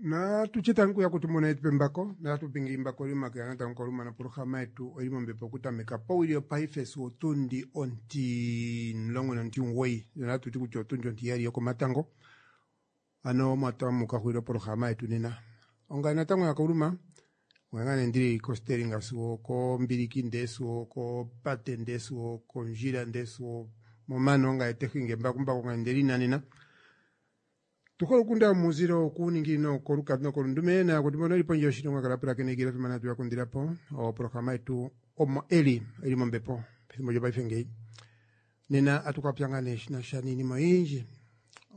Natutye tangu ya kutumona yetu pembako natupinga imbako limakela natangu kolumana poloxama yetu oili mombepo okutameka powili yopaife sigo otundi 19 nonatuti kutya otundi ontiyali yokomatango ano mwatamuka xwile opoloxama yetu nena onga natango yakauluma ongangane ndili kosteringa sigo kombiliki ndee sigo kopate ndee sigo kondjila ndee sigo momano onga etehinge embakumbaku onga ndelinanena tukola okunda muzilo okuningi nokolukadi nokolundume nakuti mbono eli pondje yoshilongo kala pulakene Eagle FM natu yakundilapo oprograma yetu omo eli eli mombepo pethimbo lyopaife ngeyi nena atukapya ngaa nee shinasha niinima oyindji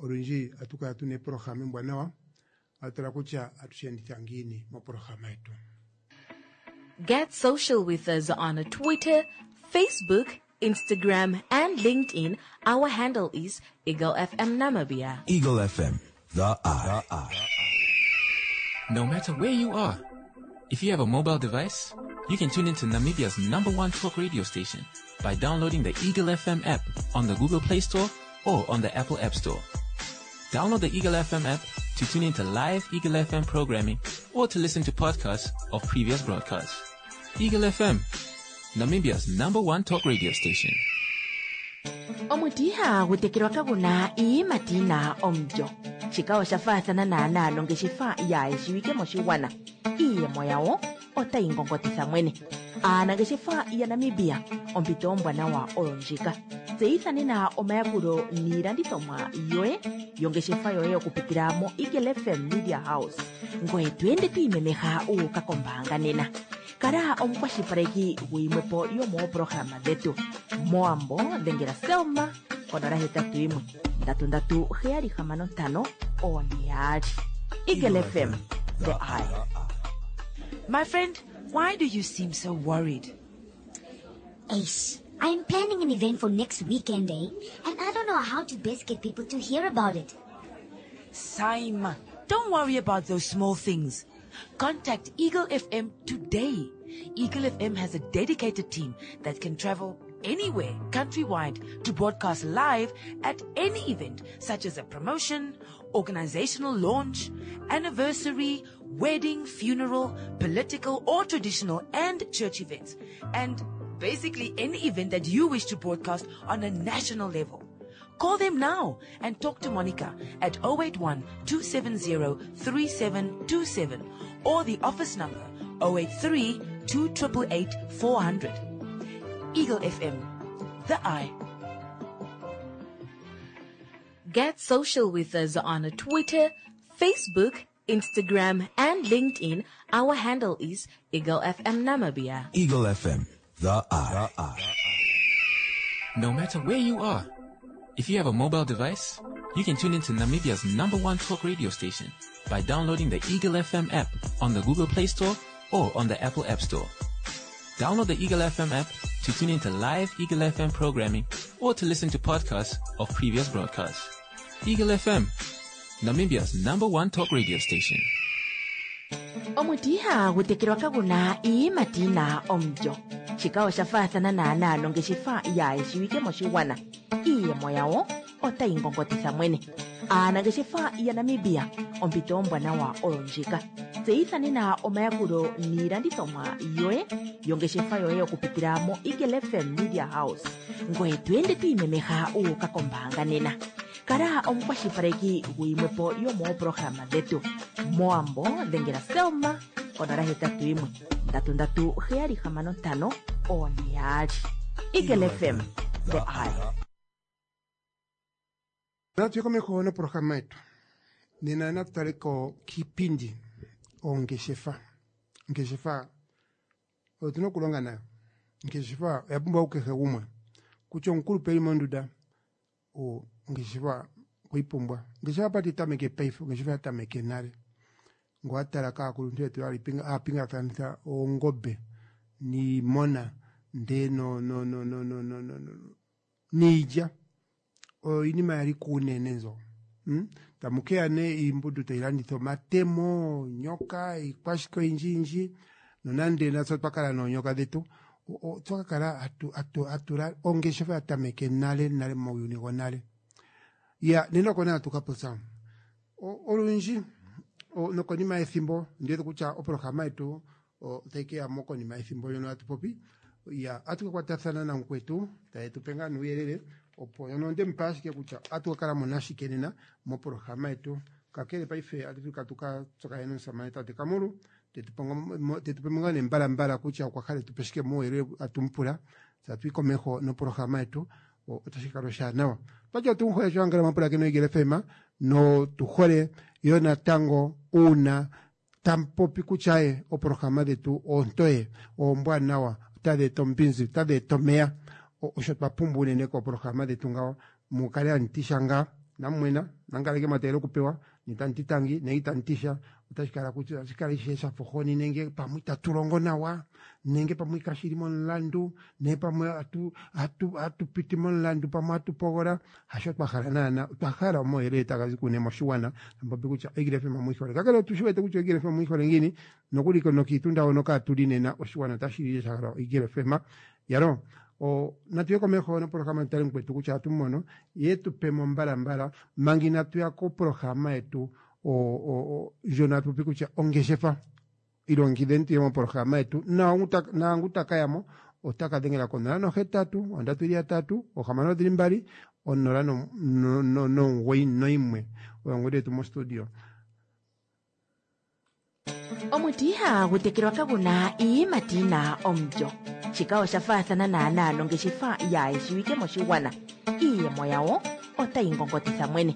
olundji atukala tuna eprograma embwanawa atutala kutya atushenditha ngiini moprograma yetu. Get social with us on Twitter, Facebook, Instagram, and LinkedIn. Our handle is Eagle FM Namibia. Eagle FM, the eye. No matter where you are, if you have a mobile device, you can tune into Namibia's number one talk radio station by downloading the Eagle FM app on the Google Play Store or on the Apple App Store. Download the Eagle FM app to tune into live Eagle FM programming or to listen to podcasts of previous broadcasts. Eagle FM, Namibia's number one talk radio station. Omuti ihagu tekelwa kagu na iiyimati yi na omulyo. Shika osha faathana naanaa nongeshefa yaayeshiwike moshigwana. Iiyemo yawo otayi ngongotitha mwene. Aanangeshefa yaNamibia, ompito ombwanawa oyo ndjika. Tseyitha nena omayakulo niilandithomwa yoye yongeshefa yoye okupitila moEagle FM Media House. Ngoye to ende to imemeha wu uka kombaanga nena. Kala omukwashilipaleki guyimwepo yomoopolohalama dhetu. Mowambo dhengela Selma konola 81 33 765 4 2. Eagle FM, the eye. My friend, why do you seem so worried? Ace, I'm planning an event for next weekend, eh? And I don't know how to best get people to hear about it. Saima, don't worry about those small things. Contact Eagle FM today. Eagle FM has a dedicated team that can travel anywhere countrywide to broadcast live at any event such as a promotion, organizational launch, anniversary, wedding, funeral, political or traditional and church events, and basically any event that you wish to broadcast on a national level. Call them now and talk to Monica at 081 270 3727 or the office number 083 288 400. Eagle FM, the eye. Get social with us on Twitter, Facebook, Instagram, and LinkedIn. Our handle is Eagle FM Namibia. Eagle FM, the eye. No matter where you are, if you have a mobile device, you can tune into Namibia's number one talk radio station by downloading the Eagle FM app on the Google Play Store or on the Apple App Store. Download the Eagle FM app to tune into live Eagle FM programming or to listen to podcasts of previous broadcasts. Eagle FM, Namibia's number one talk radio station. Omuti ihagu tekelwa kagu na iiyimati yi na omulyo. Shika osha faathana naanaa nongeshefa yaayeshiwike moshigwana. Iiyemo yawo otayi ngongotitha mwene. Aanangeshefa yaNamibia, ompito ombwanawa oyo ndjika. Tseyitha nena omayakulo niilandithomwa yoye yongeshefa yoye okupitila moEagle FM Media House. Ngoye to ende to imemeha wu uka kombaanga nena. Kala omukwashilipaleki guyimwepo yomoopolohalama dhetu. Mowambo dhengela Selma konola 81 33 765 4 2. Eagle FM, the eye. Natu komeho noprograma yetu nena natu taleko kiipindi ongeshefa ongeshefa otuna okulonga nayo ongeshefa oya pumbwa kukehe gumwe kutya omukulupe eli monduda ongeshefa okwiipumbwa ongeshefa pati tameke paife ongeshefa ya tameke nale ngo atala kaakuluntu yetu aapingakanitha oongobe niimona ndee no, no, no, no, no, no, no, no, niilya oyo iinima yali kuunene nzo hmm? tamukeya ne iimbudu tailanditha omatemo onyoka iikwashike oyindjiyindji nonande natse otwa noonyoka dhetu otwa kakala atula ongeshefa ya tameke nale nale muuyuni gonale ya nena oko nee atu ka popya olundji Nokonima yethimbo ndiwete kutya oprograma yetu otayi ke ya mo konima yethimbo ndjono hatu popi. Ya atu ka kwatathana namukwetu taye tu pe ngaa nuuyelele opo yono onde mu pa ashike kutya atu ka kala mo nashike nena moprograma yetu. Kakele paife atu ka tuka tsakanene nomusamane tate Kamulu tetu pe mo ngaa nee mbalambala kutya okwa hala etu pe shike muuyelele atu mu pula. Tse atu yi komeho noprograma yetu otashi kala oshaanawa. Twati otu mu hole sho angala mapulakeno Eagle FM notu hole yo natango uuna tamu popi kutya ye oprograma dhetu oontoye oombwanawa otadhi eta ombinzi otadhi eta omeya osho twa pumbwa unene kooprograma dhetu ngawo mu kale hamu ti sha ngaa namumwena nangaleke mwa tegelela okupewa nitamu ti tangi nenge itamu ti sha otashi kala kutya otashi kala ishewe sha fa ohoni nenge pamwe itatu longo nawa nenge pamwe kashi li momulandu nenge pamwe atu piti momulandu pamwe atu pogola hasho twa hala naana otwa hala omauyelele taga zi kune moshigwana tampopi kutya Eagle FM omu yi hole kakele otu shi wete kutya Eagle FM omu yi hole ngiini nokuli nokiitunda hono kaatu li nena oshigwana otashi li sha hala Eagle FM yalo o natu ye komeho noprograma tutale mukwetu kutya atu mono ye tu pe mo mbalambala manga inatu ya koprograma yetu ndjono hatu popi kutya ongeshefa ilongekidheni tuye moprograma yetu naangu taka yamo ota ka dhengela ko 0 8 3 6 0 9 oyo ongodhi yetu mostudio. Omuti ihagu tekelwa kagu na iiyimati yi na omulyo. Shika osha faathana naanaa nongeshefa yaayeshiwike moshigwana. Iiyemo yawo otayi ngongotitha mwene.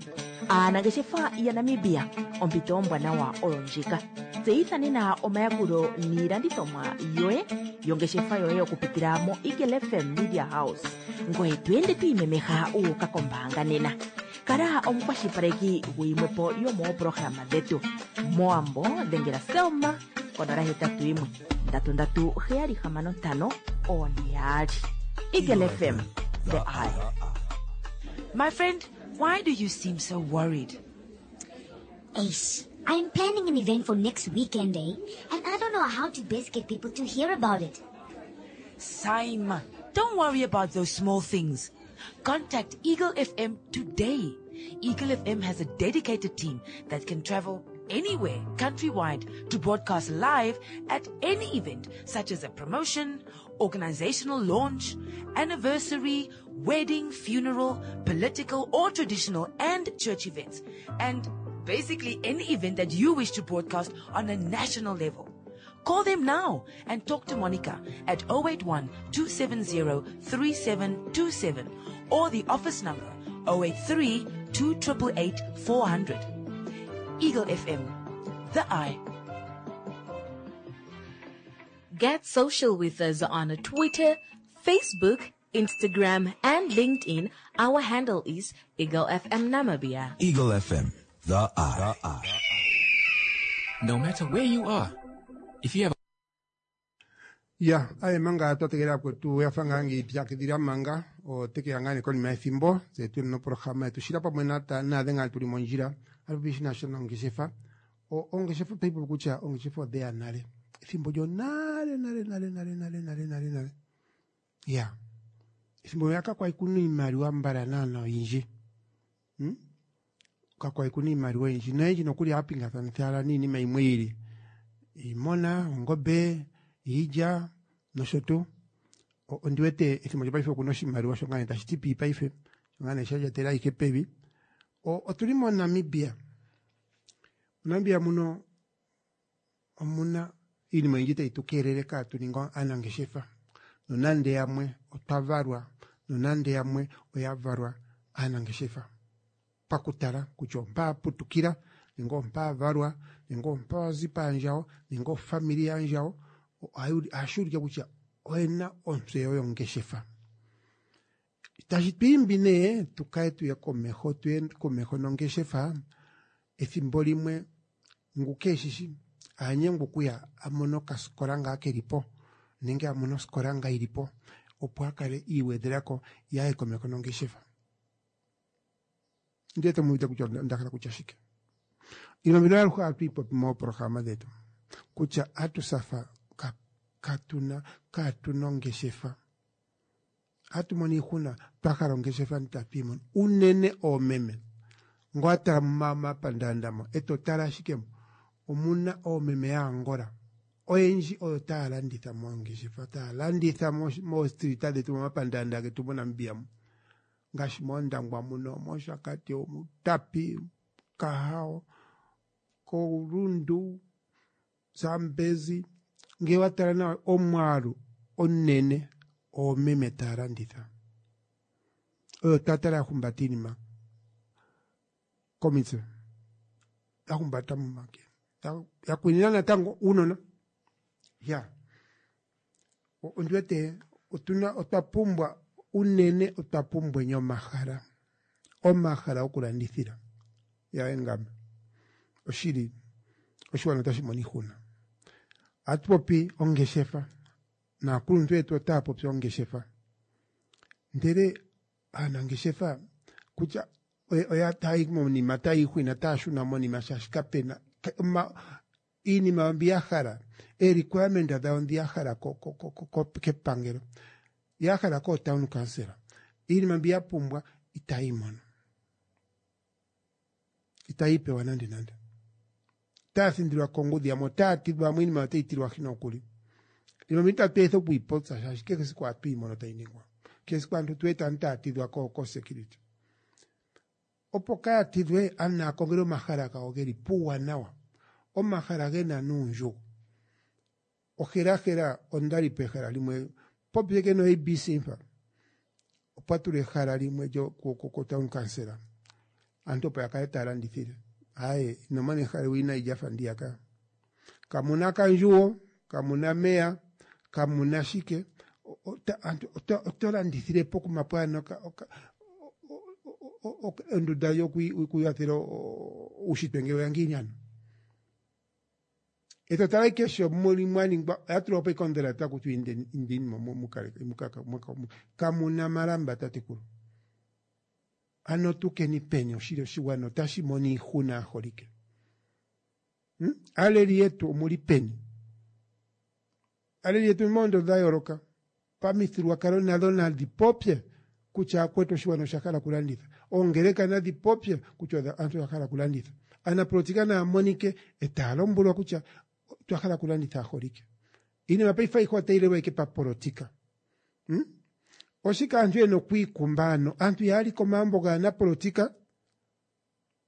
Aanangeshefa yaNamibia, ompito ombwanawa oyo ndjika. Tseyitha nena omayakulo niilandithomwa yoye yongeshefa yoye okupitila moEagle FM Media House. Ngoye to ende to imemeha wu uka kombaanga nena. Kala omukwashilipaleki guyimwepo yomooprograma dhetu. Mowambo dhengela Selma konola hetatu yimwe ndatu ndatu heyali hamano ntano one yaali. Eagle FM, the eye. My friend, why do you seem so worried? Ace, I'm planning an event for next weekend, eh? And I don't know how to best get people to hear about it. Saima, don't worry about those small things. Contact Eagle FM today. Eagle FM has a dedicated team that can travel anywhere countrywide to broadcast live at any event such as a promotion, organizational launch, anniversary, wedding, funeral, political or traditional and church events, and basically any event that you wish to broadcast on a national level. Call them now and talk to Monica at 081 270 3727 or the office number 083 288 400. Eagle FM, the eye. Get social with us on Twitter, Facebook, Instagram, and LinkedIn. Our handle is Eagle FM Namibia. Eagle FM, the eye. The eye. No matter where you are, if you have ya aye manga twa tegelela kwetu ya fa ngaa ngiipyakidhila manga oteke ya ngaa nee konima yethimbo tse tuli noprograma yetu shila pamwe naadhe ngaa tuli mondjila atupi shi nasha nongeshefa. Ongeshefa otayi popi kutya ongeshefa odheya nale ethimbo lyonale nale nale nale nale nale nale nale ya ethimbo ya kakwali kuna iimaliwa mbala naana oyindji Kakwali kuna iimaliwa oyindji noyendji nokuli ohaya niinima yimwe yili iimona, ongombe, iilya nosho tuu. Ondi wete ethimbo lyopaife okuna oshimaliwa sho ngaa nee tashi ti pii paife sho ngaa nee sha lyatela ayihe pevi. Otuli moNamibia, moNamibia muno omuna iinima oyindji tayi tu keelele kaatu ninge aanangeshefa nonande yamwe otwa valwa nonande yamwe oya valwa aanangeshefa pakutala kutya ompa putukila nenge ompa valwa nenge ompa wazi paandjawo nenge ofamili yaandjawo ohashi ulike kutya oyena ontseyo yongeshefa. Tashi tu imbi nee tukale tuye komeho tuye komeho nongeshefa ethimbo limwe ngu keeshishi anyengwa okuya a mone okasikola ngaa keli po nenge a mone osikola ngaa yili po opo a kale iigwedhelako ye aye komeho nongeshefa. Ndi wete mu uvite kutya onda hala kutya shike. Iinima mbino aluhe ohatu yi popi mooprograma dhetu kutya atusafa katuna kaatuna ongeshefa. Ohatu mono iihuna twa hala ongeshefa itatu yi mono unene oomeme ngo wa tala momapandaanda mo eto tala ashike Omuna oomeme yaAngola oyendji oyo taya landitha moongeshefa, taya landitha moostrita dhetu, momapandaanda getu moNamibia mu, ngaashi mOndangwa muno, mOshakati, Outapi, Kahao, koRundu, Zambezi. Ngele wa tala nawa omwaalu omunene oomeme taya landitha, oyo twa tala ya humbata iinima komitse, ya humbata momake, ya kwinina natango uunona. Ya ondi wete otuna otwa pumbwa unene, otwa pumbweni omahala, omahala gokulandithila. Yaye ngame oshili oshiwana otashi mono iihuna. Ohatu popi ongeshefa naakuluntu yetu otaya popi ongeshefa, ndele aanangeshefa kutya oya tayi monima, tayi ihwina, taya shuna monima shaashi kapena iinima mbi ya hala, ee-requirement dhawo ndhi ya hala kepangelo, ya hala kootown council, iinima mbi ya pumbwa itayi mono, itayi pewa nande nande. Otaya thindilwa kongudhi, yamwe otaya tidhwa, yamwe iinima otayi tilwahi nokuli. Iinima mbi itatu etha okuyi popya shaashi kehe esiku ohatu yi mono tayi ningwa. Kehe esiku aantu tu wete aantu taya tidhwa ko-security. Opo kaya tidhwe, aantu naya kongele omahala gawo geli puuwanawa, omahala gena nuundjugo. Ohelahela ondali pehala limwe popyeke no ABC mpa, opwa tulwa ehala limwe ko-town council, aantu opo ya kale taya landithile. Aye, ino mona ehala ewinayi lyafa ndiyaka. Kamuna kandjuwo, kamuna meya, kamuna shike. Aantu oto landithile pokuma pwaana ondunda yokwiikwathela uushitwe ngele oya ngiini ano. Eto tala ike sho muli mwa ningwa, oya tulwa po ikondela kutya indeni mo kamuna malamba tatekulu. Ano tukeni peni oshili oshigwana otashi mono iihuna aaholike. Aaleli yetu omuli peni? Aaleli yetu moondo dha yooloka pamithigululwakalo nadho nadhi popye kutya akwetu oshigwana osha hala okulanditha. Oongeleka nadhi popye kutya aantu oya hala okulanditha. Aanapolitika naya monike e taya lombwelwa kutya otwa hala okulanditha aaholike. Iinima paife ayihe otayi lelwa ike papolitika. Oshike aantu yena okwiikumba ano? Aantu yaali komagumbo gaanapolitika,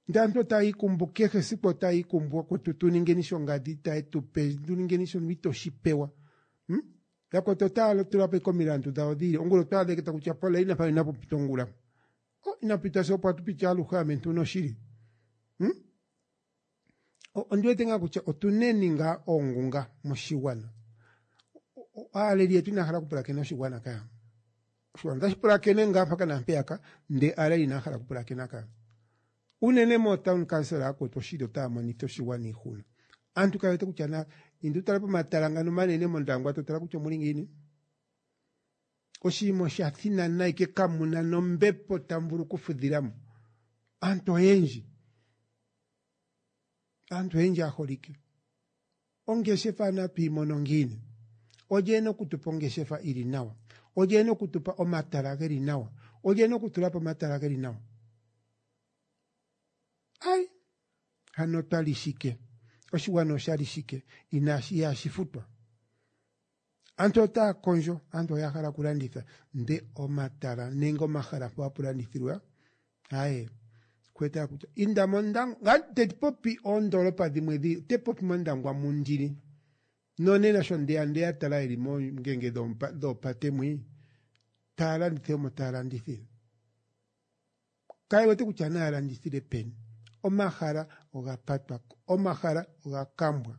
ndele aantu otaya ikumbu kehe esiku, otaya ikumbu akutu tuningeni shongadhi itaye tu pe, tuningeni shono ito shi pewa. Yakwetu otaya tula po ike omilandu dhawo dhiili, ongula otwa adha ike taku tiwa pola mpano inapu pita ongula. Oh, inapu pita sigo opo atu piti aluhe ame ntuna oshili. Ondi wete ngaa kutya otuneni ngaa oongunga moshigwana. Aaleli yetu inaya hala okupulakena oshigwana kaya. Oshigwana otashi pulakene ngaa mpaka naampeyaka, ndele aaleli inaya hala okupulakena kaya. Unene mootown council akwetu oshili otaya monitha oshigwana iihuna. Aantu kaye wete kutya na indu tala pomatala ngano omanene mOndangwa to tala kutya omuli ngiini. Oshinima osha thinana ike kamuna nombepo tamu vulu okufudhilamo. Aantu oyendji, aantu oyendji aaholike. Ongeshefa natu yi mono ngiini? Olye ena okutupa ongeshefa ili nawa? Olye ena okutupa omatala geli nawa? Olye ena okutula po omatala geli nawa? Ai, hano twali shike? Oshigwana oshali shike? Inashi ihashi futwa. Aantu otaya kondjo, aantu oya hala okulanditha, nde omatala nenge omahala mpo hapu landithilwa, aye, kwetaya kutya inda mOndangwa, te popi oondoolopa dhimwe dhi, te popi mOndangwa mundili. Nonena sho ndeya ndeya tala yeli moongenge dhoopate mwi, taya landitha omo taya landithile. Kaye wete kutya naya landithile peni. Omahala oga patwa, omahala oga kambwa.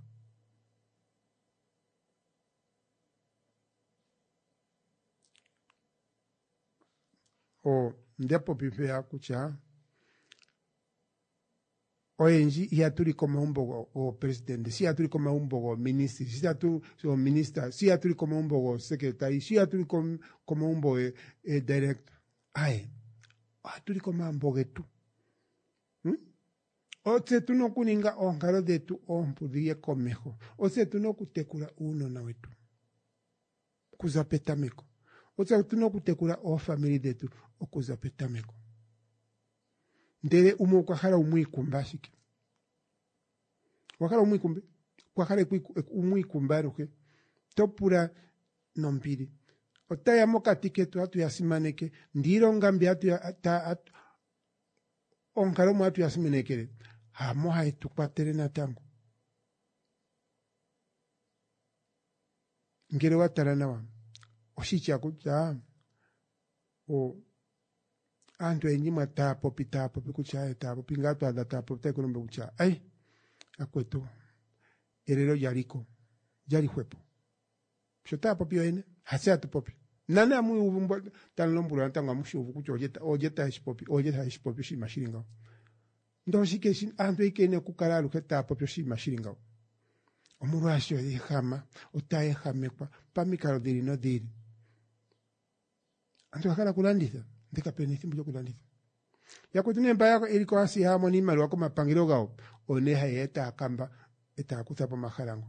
Onda popi mpeya kutya oyendji ihatu li komagumbo goopresidente, si ihatu li komagumbo gooministry, si ihatu goominista, si ihatu li komagumbo goosekretary, si ihatu li komagumbo geedirector. Aye, ohatu li komagumbo getu. Otse tuna okuninga oonkalo dhetu oompu dhiye komeho. Otse tuna okutekula uunona wetu okuza petameko. Otse tuna okutekula oofamili dhetu okuza petameko. Ndele umwe okwa hala umwe ikumba ashike. Owa hala umwiikumbe? Okwa hala umwiikumbe aluhe. To pula nombili. Otaya mokati ketu hatu ya simaneke, ndee iilonga mbi hatu ya ta, onkalo mo hatu ya simanekele, hamo haye tu kwatele natango. Ngele wa tala nawa, oshitya kutya o aantu oyendji mwa taya popi taya popi kutya aye taya popi ngaa twaadha taya popi taye ku lombwele kutya ai akwetu elelo lyaliko lyali hwepo sho taya popi yoyene hatse hatu popi nane amu uvu mbo tamu lombwelwa natango amu shi uvu kutya olye olye taye shi popi olye haye shi popi oshinima shili ngawo ndee oshike shi aantu oike yena okukala aluhe taya popi oshinima shili ngawo omolwaasho ehama otaya ehamekwa pamikalo dhiili nodhiili Aantu oya hala okulanditha, ndele kape na ethimbo lyokulanditha. Yakwetu nee mba yeli koAsia haya mono iimaliwa komapangelo gawo, oyo nee haye ya etaya kamba, etaya kutha po omahala ngo.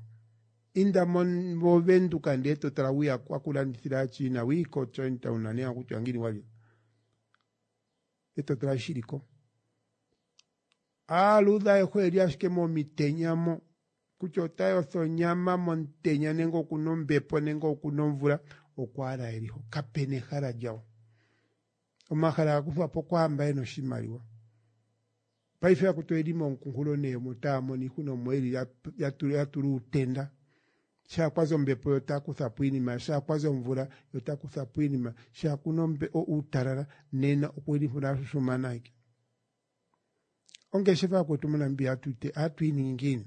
Inda moVenduka ndee to tala wiya kwakulandithila aaChina, wii koChinatown nani hakutya ngiini walye, eto tala shi shili ko. Aaluudhe ayehe oyeli ashike momitenya mo, kutya ota yotha onyama momutenya nenge okuna ombepo nenge okuna omvula, oko owala yeli ho. Kapena ehala lyawo. Omahala ga kuthwa po kwaamba yena oshimaliwa. Paife akuti oyeli momukunkulo nee omo taya mono iihuna omo yeli ya tula uutenda. Shaa kwazi ombepo yo taa kutha po iinima, shaa kwazi omvula yo taa kutha po iinima, shaa kuna uutalala nena okuli mpono ashushumana ashike. Ongeshefa yakwetu moNamibia ohatu yi ningi ngiini?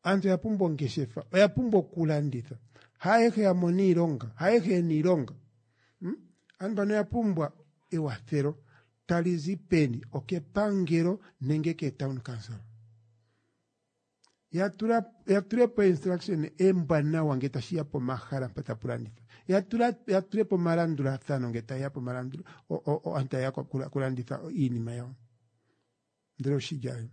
Aantu oya pumbwa ongeshefa, oya pumbwa okulanditha. Haayehe ya mona iilonga, haayehe yena iilonga. Hmm? Aantu mbano oya pumbwa ewathelo tali zi peni? Okepangelo nenge keetown council. Ya tula ya tulepo instruction embwanawa nge tashi ya pomahala mpa tapu landithwa. Ya tula ya tulepo omalandulathano nge taye ya pomalandulo aantu taye ya kulanditha iinima yawo. Ndele oshilya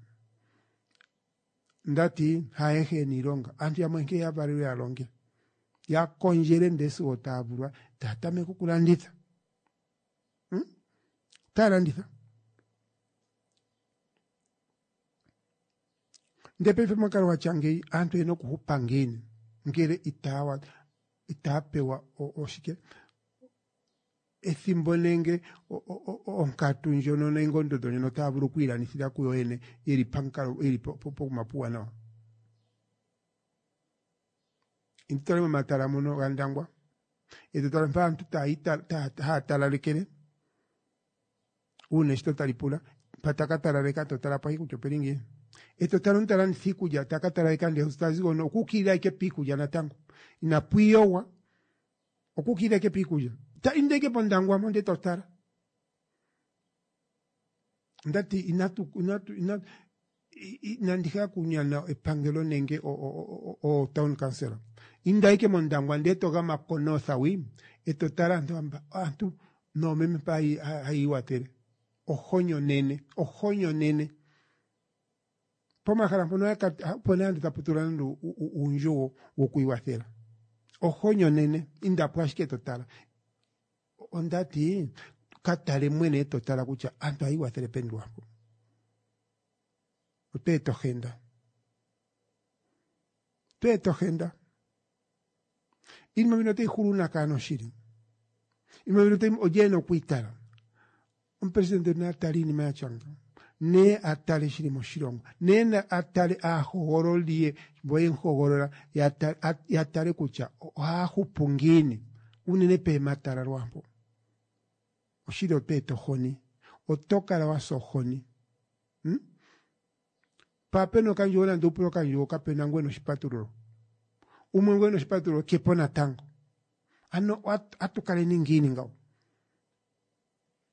ndati haayehe yena iilonga. Aantu yamwe nkene ya valelwe ya longe. Ya kondjele ndele sigo taya vulwa taya tameke okulanditha. Hmm? Taya landitha. Ndele paife momukalo gwa tya ngeyi aantu oyena okuhupa ngiini ngele itaya itaya pewa oshike ethimbo nenge onkatu ndjono nenge ondondo ndjono taya vulu okwiilandithila kuyo yene yeli pamukalo yeli pokuma puuwanawa. Intu tale momatala mono gaNdangwa eto tala mpa aantu taya talalekele uuna eshito tali pula mpa taka talaleka to tala po kutya opeli ngiini eto tala omuntu ta landitha iikulya taka talaleka ndele ta zi hono okuukilila ike piikulya natango inapu iyogwa okuukilila ike piikulya ta inda ike pOndangwa mo ndele to tala ndati inatu inatu inatu inandi hala okunyana epangelo nenge o town council inda ike mOndangwa ndele to gama ko North wi eto tala aantu amba aantu noomeme mpa hayi iwathele ohoni onene ohoni onene pomahala mpono opo nee aantu tapu tula nande uundjugo wokwiiwathela ohoni onene indapo ashike to tala Ondati ka tale mwene eto tala kutya aantu ohaya iwathele peni lwapo. Otwa eta ohenda. Otwa eta ohenda. Iinima mbino otayi hulu uunake ano shili? Iinima mbino otayi olye ena okwiitala? Omupresidente na tale iinima ya tya nga. Ne a tale shili moshilongo. Ne na a tale aahogololi ye mbo ye mu hogolola ya tale kutya ohaya hupu ngiini unene peematala lwaampo. Oshili oto eta ohoni. Oto kala wa sa ohoni. Hmm? Mpa pena okandjugo nande upule okandjugo kapena ngu ena oshipatululo. Umwe ngu ena oshipatululo kepo natango. Ano atu kaleni ngiini ngawo?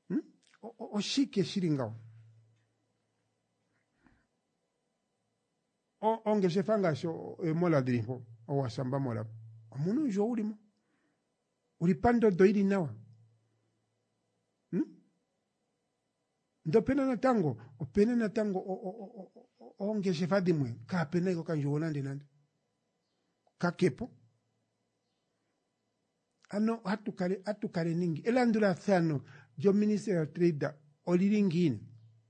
Hmm? Oshike shili ngawo? Ongeshefa ngaashi eemola dhili mpo, oWasamba mall, omuna uundjugo wuli mo. Uli pandondo yili nawa. Hmm? Ndele opena natango, opena natango oongeshefa dhimwe kaapena ike okandjugo nande nande. Kakepo. Ano hatu kale atu kaleni ngi elandulathano lyoministry of trade olili ngiini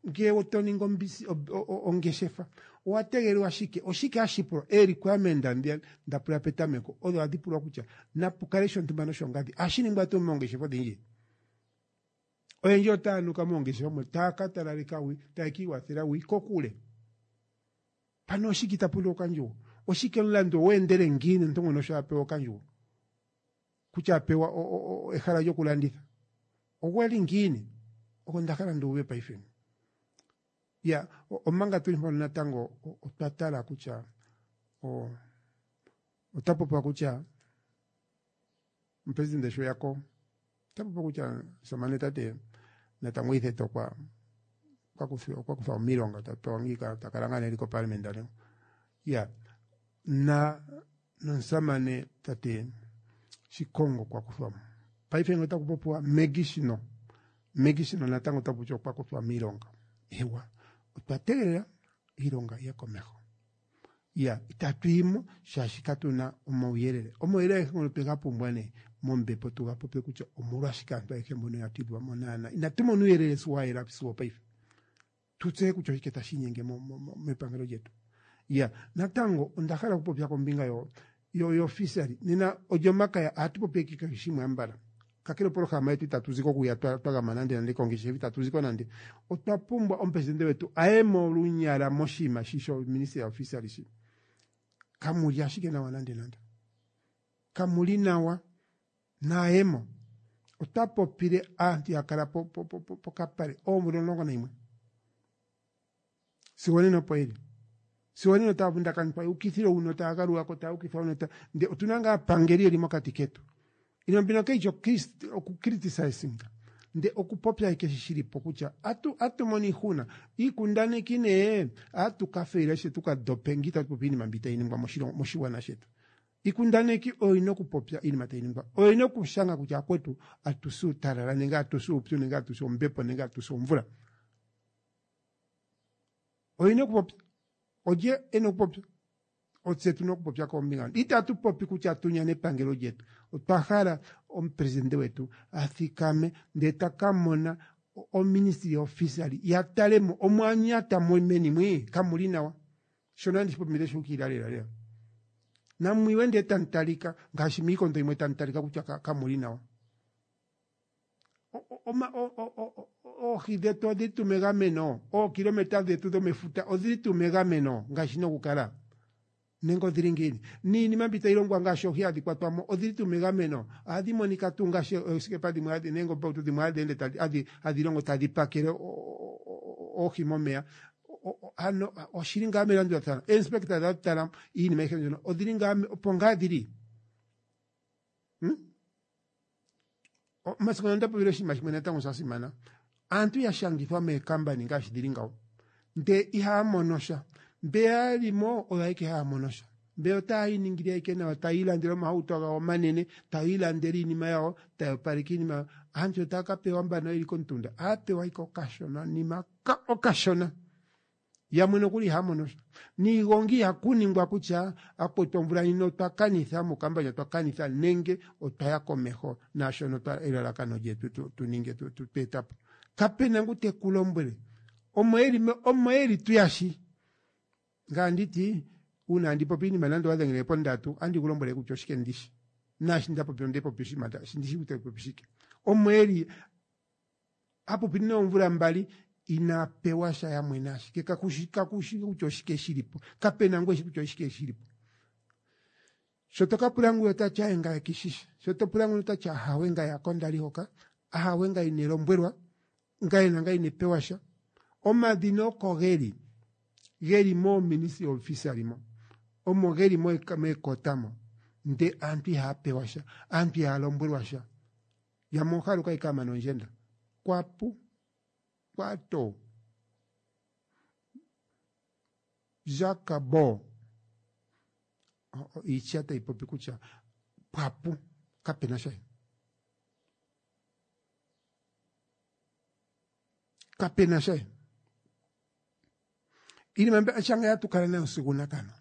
ngele to ningi ombisi ongeshefa Owa tegelelwa shike? Oshike hashi pulwa? Ee-requirement ndhiya nda pula petameko odho hadhi pulwa kutya napu kale shontumba noshongadhi. Ohashi ningwa tuu moongeshefa odhindji? Oyendji otaya nuka moongeshefa mo taya ka talaleka wi, taya ka iwathela wi kokule. Pano oshike ita pulwa okandjugo? Oshike omulandu ogwa endele ngiini omuntu ngono sho a pewa okandjugo? Kutya a pewa ehala lyokulanditha. Ogwa li ngiini? Oko nda hala ndi uve paife. Ya, omanga tuli mpono natango otwa tala kutya ota popiwa kutya omupresidente sho ya ko ota popiwa kutya omusamane tate Natangwe Ithete okwa okwa kuthwa miilonga ta pewa ngiika ta kala ngaa nee eli koparliament ne ya na nomusamane tate Shikongo okwa kuthwa mo. Paife ngele otaku popiwa Maggie Shino, Maggie Shino natango ota popi okwa kuthwa miilonga. Ewa, otwa tegelela iilonga ye komeho. Ya, itatu yi mo shaashi katu na omauyelele. Omauyelele agehe ngono twe ga pumbwa nee mombepo tu ga popye kutya omolwashike aantu ayehe mbono ya tidhwa mo naana. Inatu mona uuyelele si wa yela sigo opaife. Tu tseye kutya oshike tashi inyenge mepangelo lyetu. Ya, natango onda hala okupopya kombinga yo yo yofisali. Nena Olyomakaya ohatu popi ashike kehe shimwe ambala. Kakele opolohalama yetu itatu ziko okuya twa twa gama nande nande kongeshefa itatu ziko nande. Otwa pumbwa omupresidente wetu a ye mo olunyala moshinima shi shoministry yofisali shi. Kamu li ashike nawa nande nande. Kamu li nawa. Naayemo. Otwa popile aantu ya kala po po po pokapale oomvula 11. Sigo onena opo yeli. Sigo onena otaya vundakanithwa ya ukithile huno taya galuka ko taya ukithwa huno ta nde otuna ngaa aapangeli yeli mokati ketu. Iinima mbino kayishi oku criticisinga nde okupopya ashike shi shili po kutya atu atu mono iihuna. Iikundaneki nee atu ka faila she tuka dope nge itatu popi iinima mbi tayi ningwa moshilongo moshigwana shetu. Iikundaneki oyo ina okupopya iinima tayi ningwa. Oyo ina okushanga kutya akwetu atu si uutalala nenge atu si uupyu nenge atu si ombepo nenge atu si omvula. Oyi na okupopya. Olye e na okupopya? Otse tu na okupopya kombinga. Itatu popi kutya tu nyane epangelo lyetu. Otwa hala omupresidente wetu a thikame ndele ta ka mona oministry yoofisali ya tale mo omwa nyata mo meni mwi kamu li nawa. Shono andi shi popi shu ukilila lela lela. Namwiwe ndele tamu talika ngaashi miikondo yimwe tamu talika kutya kamu li nawa. Oohi dhetu odhili tuu megameno? Ookilometa dhetu dhomefuta odhili tuu megameno ngaashi na okukala? Nenge odhili ngiini? Niinima mbi tayi longwa ngaashi oohi hadhi kwatwa mo odhili tuu megameno? Ohadhi monika tuu ngaashi oosikepa dhimwe hadhi nenge oombautu dhimwe hadhi ende tadhi hadhi longo tadhi pakele oohi momeya? Ano oshili ngaa melandulathano? Ooinspekta dha tala iinima ayihe mbyono odhili ngaa opo ngaa dhili? Hmm? Omasiku onda popile oshinima shimwe natango sha simana. Aantu ya shangithwa meekambani ngaashi dhili ngawo ndee ihaya mono sha. Mbe ya li mo oyo ayeke haya mono sha. Mbe otaya iningile ayeke nawa, taya ilandele omahauto gawo omanene, taya ilandele iinima yawo, taya opaleke iinima yawo. Aantu otaya ka pewa mbano yeli komutunda, ohaya pewa ayike okashona nima okashona. Yamwe nokuli ihaya mono sha. Niigongi ihaku ningwa kutya akwetu omvula ndjino otwa kanitha mokambanya otwa kanitha nenge otwa ya komeho naashono twa elalakano lyetu tu, tu ninge tu, tu, tu eta po. Kape na ngu te ku lombwele. Omo yeli omo yeli tu ya shi. Ngame anditi uuna andi popi iinima nande owa dhengele pondatu andi ku lombwele kutya oshike ndishi. Naashi nda popi onde popi oshinima ndishi kutya popi shike. Omo yeli a popi noomvula mbali inaa pewa sha ya mwena ashike kakushi kakushi kutya oshike shili po. Kape na ngu eshi kutya oshike shili po. Sho to ka pula ngwiya ota ti aye ngaye kishishi. Sho to pula ngwiya ota ti ahawe ngaye hako ndali hoka, ahawe ngaye ine lombwelwa, ngaye nangaye ine pewa sha. Omadhina oko geli, geli mooministry officially mo. Omo geli meekota mo. Nde aantu ihaya pewa sha, aantu ihaya lombwelwa sha. Yamwe oha haluka ike a mana ondjenda. Kwapu. Kwato. Jacques Bo. Iitya tayi popi kutya pwapu kapena sha. Kapena sha. Iinima mbi shanga ya tukala nayo sigo unakano.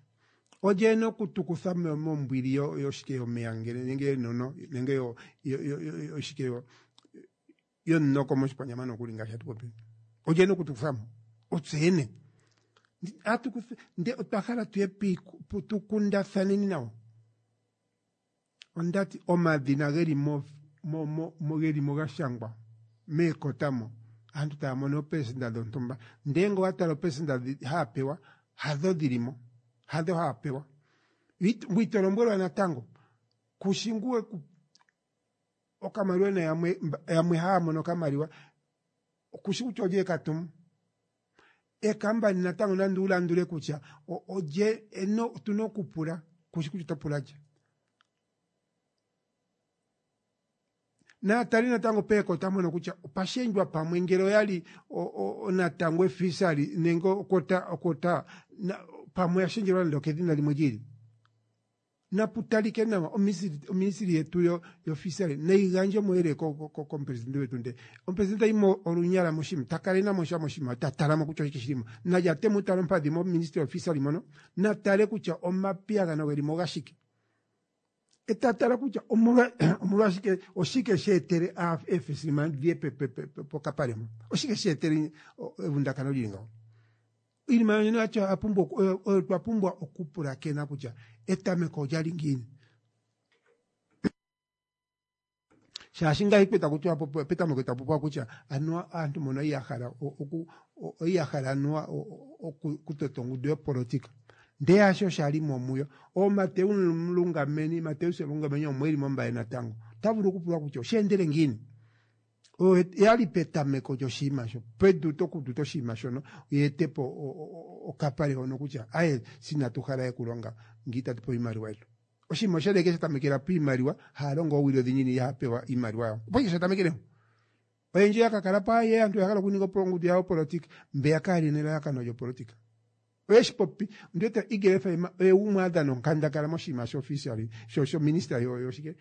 Olye ena okutukutha mombwili yoshike yomeya ngele nenge yenono nenge yo yoshike yo yomunoko moshikwanyama nokuli ngaashi hatu popi. Olye ena okutukutha mo? Otse yene. Nde otwa hala tuye tukundathaneni nawo. Ondati omadhina geli mo geli mo ga shangwa meekota mo aantu taya mono oopelesenda dhontumba ndee ngele owa tala oopelesenda haya pewa hadho dhili mo hadho haya pewa ngwee ito lombwelwa natango kushi ngu okamaliwa na yamwe yamwe haya mono okamaliwa kushi kutya olye eka tumu ekambani natango nande ulandule kutya olye otuna okupula kushi kutya oto pula lye naatali natango peekota mono kutya opashendjwa pamwe ngele oyali natango efisali nenge okota okota pamwe yashendjelwa nande okedhina limwe lyiili napu talike nawa oministili yetu yofisali nayi gandje omauyelele komupresidente wetu ndee omupresidente tayimo olunyala moshinima takala enamo sha moshinima ta talamo kutya oshike shilimo nalya temu tala ompadhi moministry yofisali mono natale kutya omapiyagano gelimo ogashike eta tala kutya omolwashike oshike sheetele eefesilima dhiye pokapale mpo oshike sheetele evundakano lili ngaho iinima yonena yatya oyo twa pumbwa okupulakena kutya etameko olyali ngiini shaashi ngahi peta kutya petameko tapopiwa kutya anuwa aantu mbono ya hala ya hala anuwa okutota ongudu yopolitika ndee hasho shali mo muyo ooMateus Lungameni Mateus Lungameni omo eli mombaye natango ota vulu okupulwa kutya osheendele ngiini oyo yali petameko lyoshinima sho peduto okuduta oshinima shono yeetepo okapale hono kutya aye sinatu hala ekulonga ngee itatu pewa iimaliwa yetu oshinima oshali eke shatamekela piimaliwa haalongo oowili odhindji ihapewa iimaliwa yawo opo ike shatamekele oyendji ya kakala po aye aantu oya hala okuninga ongudu yawo yopolitika mbeya kayali nelalakano lyopolitika oyeshi popi ondiwete Eagle FM oye gumwe a dhana onkandangala moshinima shofficially shominister yoshike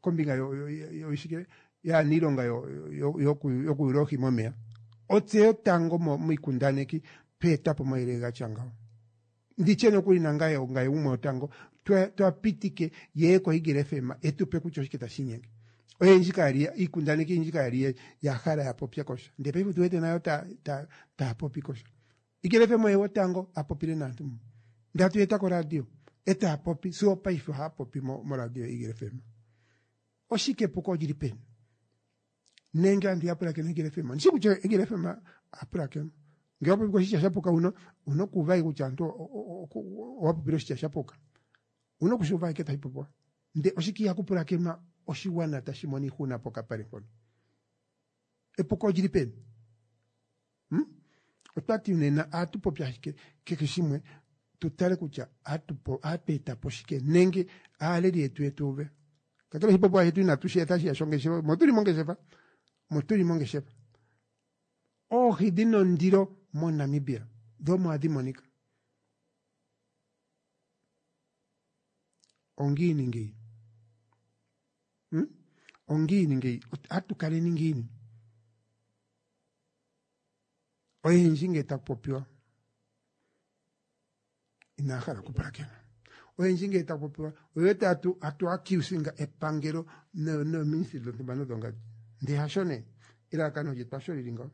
kombinga yoshike yaaniilonga yokuyula oohi momeya otse yotango miikundaneki tweeta po omayele gatya ngawo nditye nokuli nangaye ongaye gumwe wotango twa pitike yeye koEagle FM etupe kutya oshike tashi inyenge oyendji kayali iikundaneki oyindji kayali ya hala ya popya kosha ndee paife otu wete nayo taya popi kosha Eagle FM oye wotango a popile naantu ndatu eta koradio etaya popi sigo paife ohaya popi moradio Eagle FM oshike epuko olili peni nenge aantu ya pulakena Eagle FM ndishi kutya Eagle FM apulakena ngele wapopi oshitya shapuka uno una okuuva kutya aantu owapopile oshitya shapuka una okushuuva ike tashi popiwa nde oshike ihaku pulakenwa oshiwana tashi mono iihuna pokapale mpono epuko olili peni otwati nena ohatu popi ashike kehe shimwe tu tale kutya ohatu etapo shike nenge aaleli yetu yetu uve kakele oshipopiwa shetu inatu shi eta shiya shongeshefa motuli mongeshefa motuli mongeshefa oohi dhina ondilo moNamibia dho omo hadhi monika ongiini ngeyi ongiini ngeyi ohatu kaleni ngiini oyendji ngele taku popiwa inaya hala okupulakena oyendji ngele taku popiwa oye wete hatu accusinga epangelo nooministry dhontumba nodhongadi ndee hasho nee elalakano lyetu hasho lili ngawo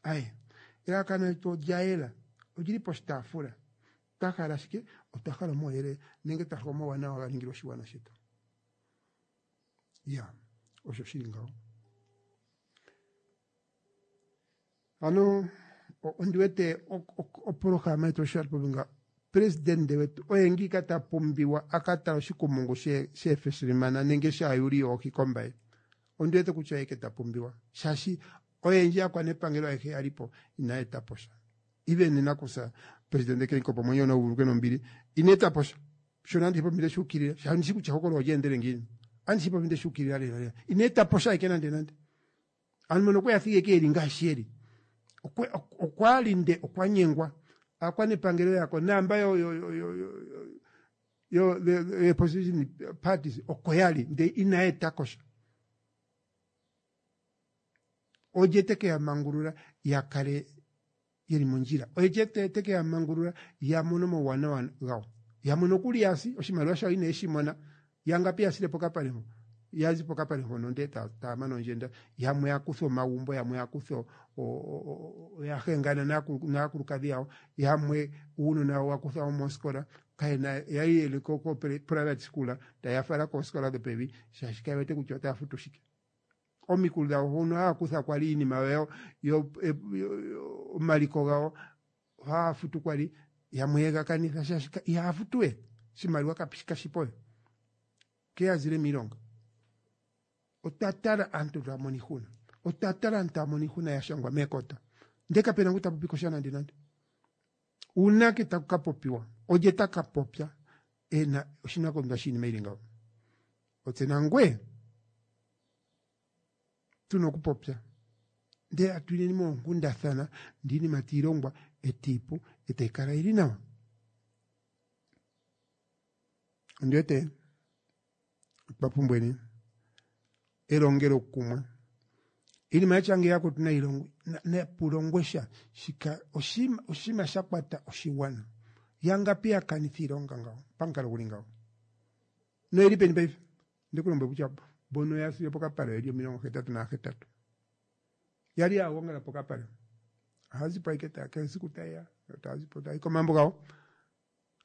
aye elalakano lyetu olya yela olili poshitaafula twa hala shike otwa hala omauyelele nenge twa hala omauwanawa ga ningilwe oshigwana shetu ya osho shili ngawo ano ondi wete opolohalama yetu osho yali nga presidente wetu oye ngiika ta pumbiwa a ka tala oshikumungu sheefesilimana nenge shaayuli yoohi kombaye ondi wete kutya oye ke ta pumbiwa shaashi oyendji aakwanepangelo ayehe yali po inaya eta po sha even nakusa presidente Geingob omwenyo nauvuluke nombili ina eta po sha shono andi shipopi ndeshi ukilila shaashi ndishi kutya ehokolo olya endele ngiini andi shipopi ndeshi ukilila lela lela ina eta po sha eke nande nande ano mono okweya thigi eke eli ngaashi eli okwali nde okwa nyengwa aakwanepangelo yako naamba yo yo yo opposition parties oko yali nde inaya eta ko sha olye teke ya mangulula ya kale yeli mondjila olye teke ya mangulula ya mone omauwanawa gawo yamwe nokuli yasi oshimaliwa shawo ine shi mona yangapi yasile pokapale mpo. Ya zi pokapale mpono ndee taa mana ondjenda, yamwe ya kuthwa omagumbo, yamwe ya kuthwa oya hengana naakulukadhi yawo, yamwe uunona wawo wa kuthwa mo mooskola, kayena yali yeli ko private school taya fala kooskola dhopevi shaashi kaye wete kutya otaya futu shike. Omikulu dhawo hono haya kutha kwali iinima yawo yo omaliko gawo haya futu kwali yamwe yega kanitha shaashi ihaya futu we oshimaliwa kashipo we ke ya zile miilonga. Otwa tala aantu taya mono iihuna, otwa tala aantu taya mono iihuna ya shangwa meekota ndele kapena ngu ta popi ko sha nande nande. Uunake taku ka popiwa? Olye ta ka popya e na oshinakugwanithwa shiinima yi li ngawo? Otse nangweye tu na okupopya ndele atu yeni moonkundathana ndele iinima tayi longwa e tayi pu e tayi kala yi li nawa. Ondi wete otwa pumbweni elongelokumwe. Iinima yatya ngeyi akutu nayi longwe, napu longwe sha. Shika oshinima sha kwata oshigwana. Yangapi ya kanitha iilonga ngawo pamukalo guli ngawo? Noyeli peni paife? Onde ku lombwele kutya mbono ya sile pokapale oyeli 88. Yali ya gongala pokapale. Ohaya zi po ashike taya kehe esiku taye ya, yo taya zi po taya yi komagumbo gawo.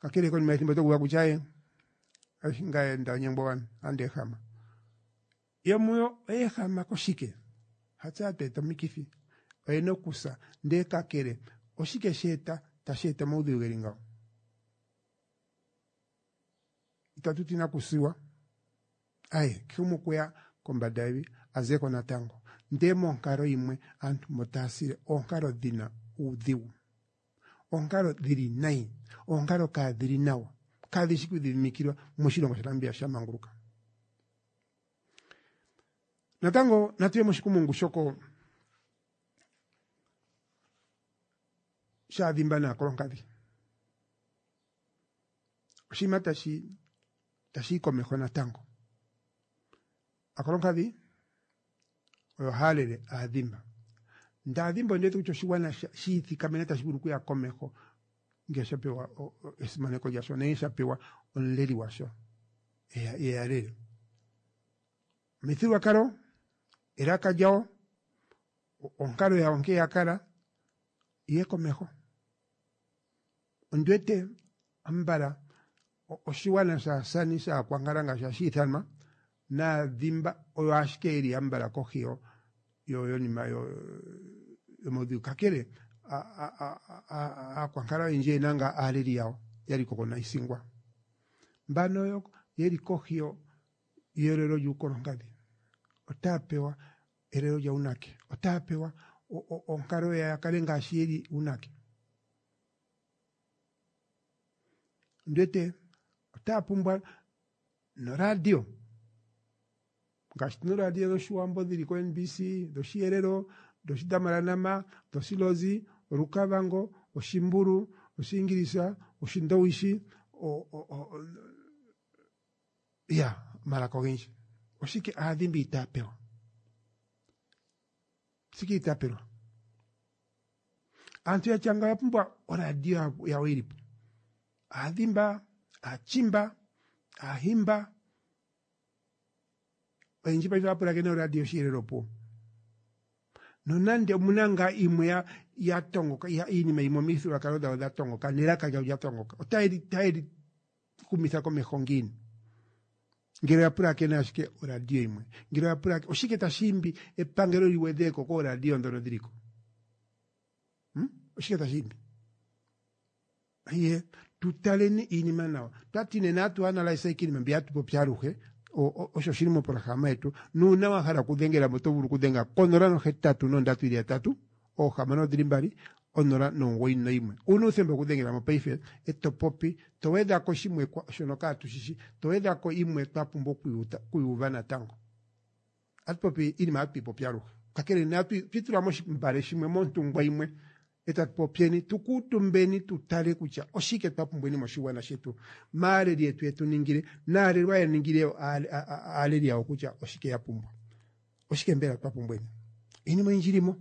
Kakele konima yethimbo oto kuuva kutya aye, ngaye nda nyengwa andi ehama. Yomuyo oya ehama koshike? Hatse hatu eta omikithi, oyena okusa. Ndele kakele, oshike she eta tashi eta omaudhigu geli ngawo? Itatu ti nakusiwa, aye, kehe gumwe okweya kombanda yevi a ze ko natango. Ndele monkalo yimwe aantu mbo taya sile oonkalo dhina uudhigu, oonkalo dhili nayi, oonkalo kaadhili nawa, kadhi shi kwiidhidhimikilwa moshilongo shaNamibia sha manguluka. Natango natu ye moshikumungu shoko shaadhimba naakolonkadhi. Oshinima tashi tashi yi komeho natango. Aakolonkadhi oyo haya lele aadhimba. Ndele aadhimba ondi wete kutya oshigwana shi ithikamena tashi vulu okuya komeho ngele sha pewa esimaneko lyasho nenge sha pewa omuleli gwasho eya lele. Omithigululwakalo, elaka lyawo, onkalo yawo nkene ya kala, yiye komeho. Ondi wete ambala oshigwana shAasani shAakwankala ngaashi hashi ithanwa naadhimba oyo ashike yeli ambala kohi yonima yomaudhigu. Kakele Aakwankala oyendji oyena ngaa aaleli yawo ya li ko koNaisingwa. Mbano oyo yeli kohi yelelo lyUukolonkadhi otaya pewa elelo lya unake? Otaya pewa onkalo ya kale ngaashi yeli unake? Ondi wete otaya pumbwa noradio ngaashi tuna oradio dhOshiwambo dhili koNBC, dhOshiherero, dhOshidamaranama, dhOshilozi, Orukavango, Oshimbulu, Oshiingilisa, Oshindowishi, ya omalaka ogendji. Oshike aadhimbi itaya pewa? Oshike itaya pelwa? Aantu ya tya ngawo oya pumbwa oradio yawo yi li po. Aadhimba, Aatjimba, Aahimba, oyendji paife ohaya pulakene oradio yOshiherero opuwo. Nonande omuna ngaa imwe ya ya tongoka, iinima yimwe omithigululwakalo dhawo dha tongoka nelaka lyawo lya tongoka, otaye li taye li humitha komeho ngiini ngele oya pulakene ashike oradio yimwe? Ngele oya pulakene, oshike tashi imbi epangelo li gwedhe ko kooradio ndhono dhili ko? Hmm? Oshike tashi imbi? Iye, tu taleni iinima nawa. Twati nena atu analyse iinima mbi hatu popi aluhe, osho shili moprograma yetu. Nuuna wa hala okudhengela mo oto vulu okudhenga konola nohetatu nondatu ili yatatu, oohamano odhili mbali, onola nomugoyi noyimwe. Una uuthemba okudhengela mo paife, e to popi, to gwedha ko shimwe shono kaatu shishi, to gwedha ko imwe twa pumbwa okuyuuva natango. Atu popi iinima hatu yi popi aluhe. Kakele nena twi itula moshimbale shimwe, montungwa yimwe, e tatu popyeni, tu kuutumbeni tu tale kutya oshike twa pumbweni moshigwana shetu, maaleli yetu yetu ningile, naalelwa ya ningile aaleli yawo kutya oshike ya pumbwa. Oshike mbela twa pumbweni? Iinima oyindji ili mo.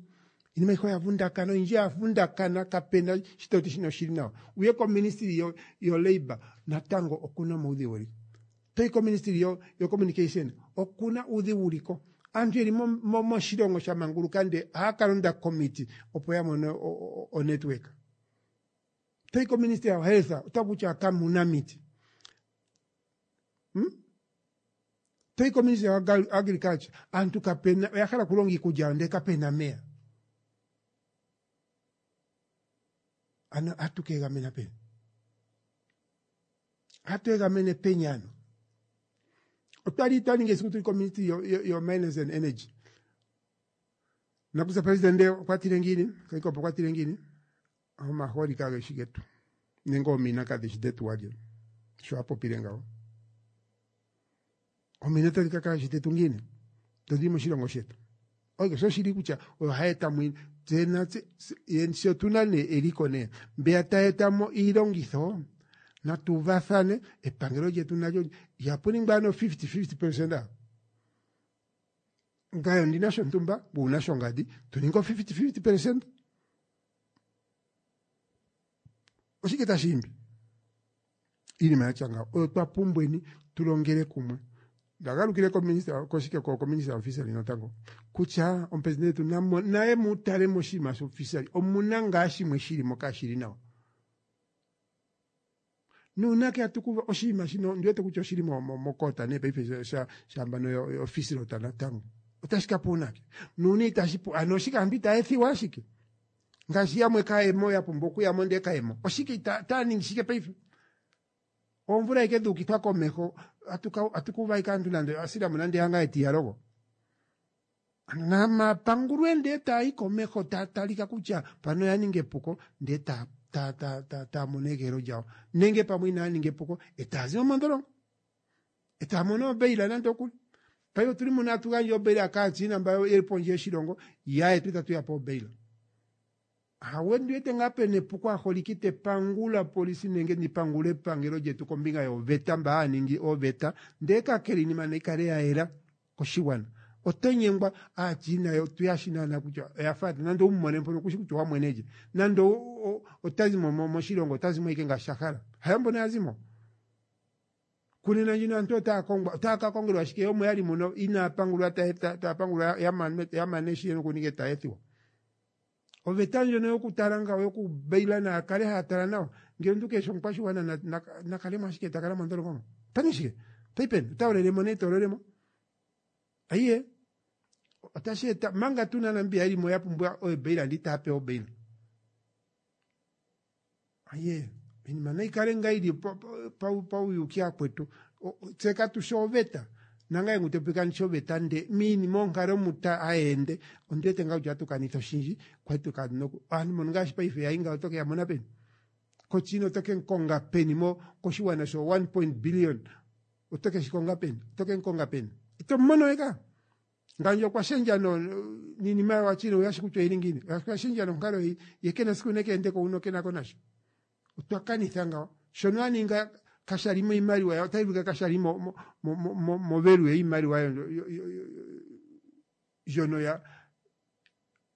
Iinima ayihe oya vundakana, oyindji ya vundakana, kapena shi to ti shino oshili nawa. Uye koministry yo, yo labour, natango okuna omaudhigu geli. Toyi koministry yocommunication okuna uudhigu uliko. Aantu yeli moshilongo sha manguluka nde ohaya ka londa komiti opo ya mone onetwork. Toyi koministry ya health ota kutya kamuna miti. Toyi koministry ya agriculture aantu kapena oya hala okulonga iikulya ndele kapena meya. Ano atu kegamena peni? Hatu egamene peni ano? Otwali twa ninga esiku tuli koministry yo mines and energy. Nakusa president okwa tile ngiini? Kaikopo okwa tile ngiini? Omahooli kage shi getu nenge oomina kadhi shi dhetu walye. Sho a popile ngawo. Oomina otadhi ka kala shi dhetu ngiini? Dho moshilongo shetu. Oke, sho shili kutya oyo hayi eta mo tse natse sho tuna nee eliko nee mbeya tayi eta mo iilongitho natu uvathane epangelo lyetu nalyo ihapu ningwa ano 50-50%. Ngaye ondina shontumba una shongadi tu ninge 50-50%. Oshike tashi imbi? Iinima yatya ngawo oyo twa pumbweni tulongele kumwe. Ndagalukile kominista koshike ko kominista officially natango kutya omupresidente wetu naye mu tale moshinima shofficially omuna ngaa shimwe shili mo kaashili nawa. Nuunake hatu kuva oshinima shino ndiwete kutya oshili mokota nee paife shambano yofisilo natango otashi ka pu unake nuuna itashi pu ano oshike aantu itaya ethiwa ashike ngaashi yamwe kayemo ya pumbwa okuyamo ndee kayemo oshike itaya ningi shike paife oomvula ike dhuukithwa komeho atukuva ike aantu nande asilamo nande yanga etiyalogo namapangulwe ndee taayi komeho tatalika kutya pano ya ninga epuko ndee taa mono egeelo lyawo nenge pamwe inaya ninga epuko etaa zimo mondholongo etaa mono obeila nande okuli paife otuli muno atu gandja obeila kaaChina mba yeli pondje yoshilongo yaye tatu yapa obeila. Hawe ndiwete ngaa pena epuko aholiki te pangula polisi nenge ndipangule epangelo lyetu kombinga yoveta mba haya ningi oveta ndee kakele iinima nayi kale ya yela koshigwana. Oto nyengwa aaChina yo tuyashi naana kutya oya faathana nande owu mone mpono kushi kutya owamwene lye nande ota zimo moshilongo ota zimo ike ngaashi a hala. Hayo mbono ya zimo. Kunena ndjino aantu otaya kongwa otaya ka kongelwa ashike omo yali muno inaya pangulwa taya pangulwa ya mane shi yena okuninga etaya ethiwa. Oveta ndjono yokutala ngawo yokubeila naya kale haya tala nawa ngele omuntu keshi omukwashigwana nakalemo ashike ta kala mondholongo mo. Ota ningi shike? Otayi peni? Ota olelemo nee ta olelemo. Ayiye otashi eta manga tuna Namibia yeli mo ya pumbwa obeila ndi itaya pewa obeila. Ayiye iinima nayi kale ngaa yili pauyuuki akwetu. Tse katushi oveta. Nangaye ngu topi kandishi oveta nde miinima onkalo muta aende ondiwete ngaa kutya atu kanitha oshindji kwali tukanoku aantu mbono ngaashi paife yayi ngawo otoke ya mona peni? Kochina otoke nkonga peni mo koshigwana sho 1 billion otoke shi konga peni? Otoke nkonga peni? Ito mono we ka. Ngandje okwa shendja no niinima yawachina oyashi kutya oyili ngiini. Okwa shendja nonkalo ye kena siku neke endeko uno kenako nasho. Otwa kanitha ngawo. Shono aninga kashali mo iimaliwa yawo otayi vulika kashali movelue iimaliwa ndjono ya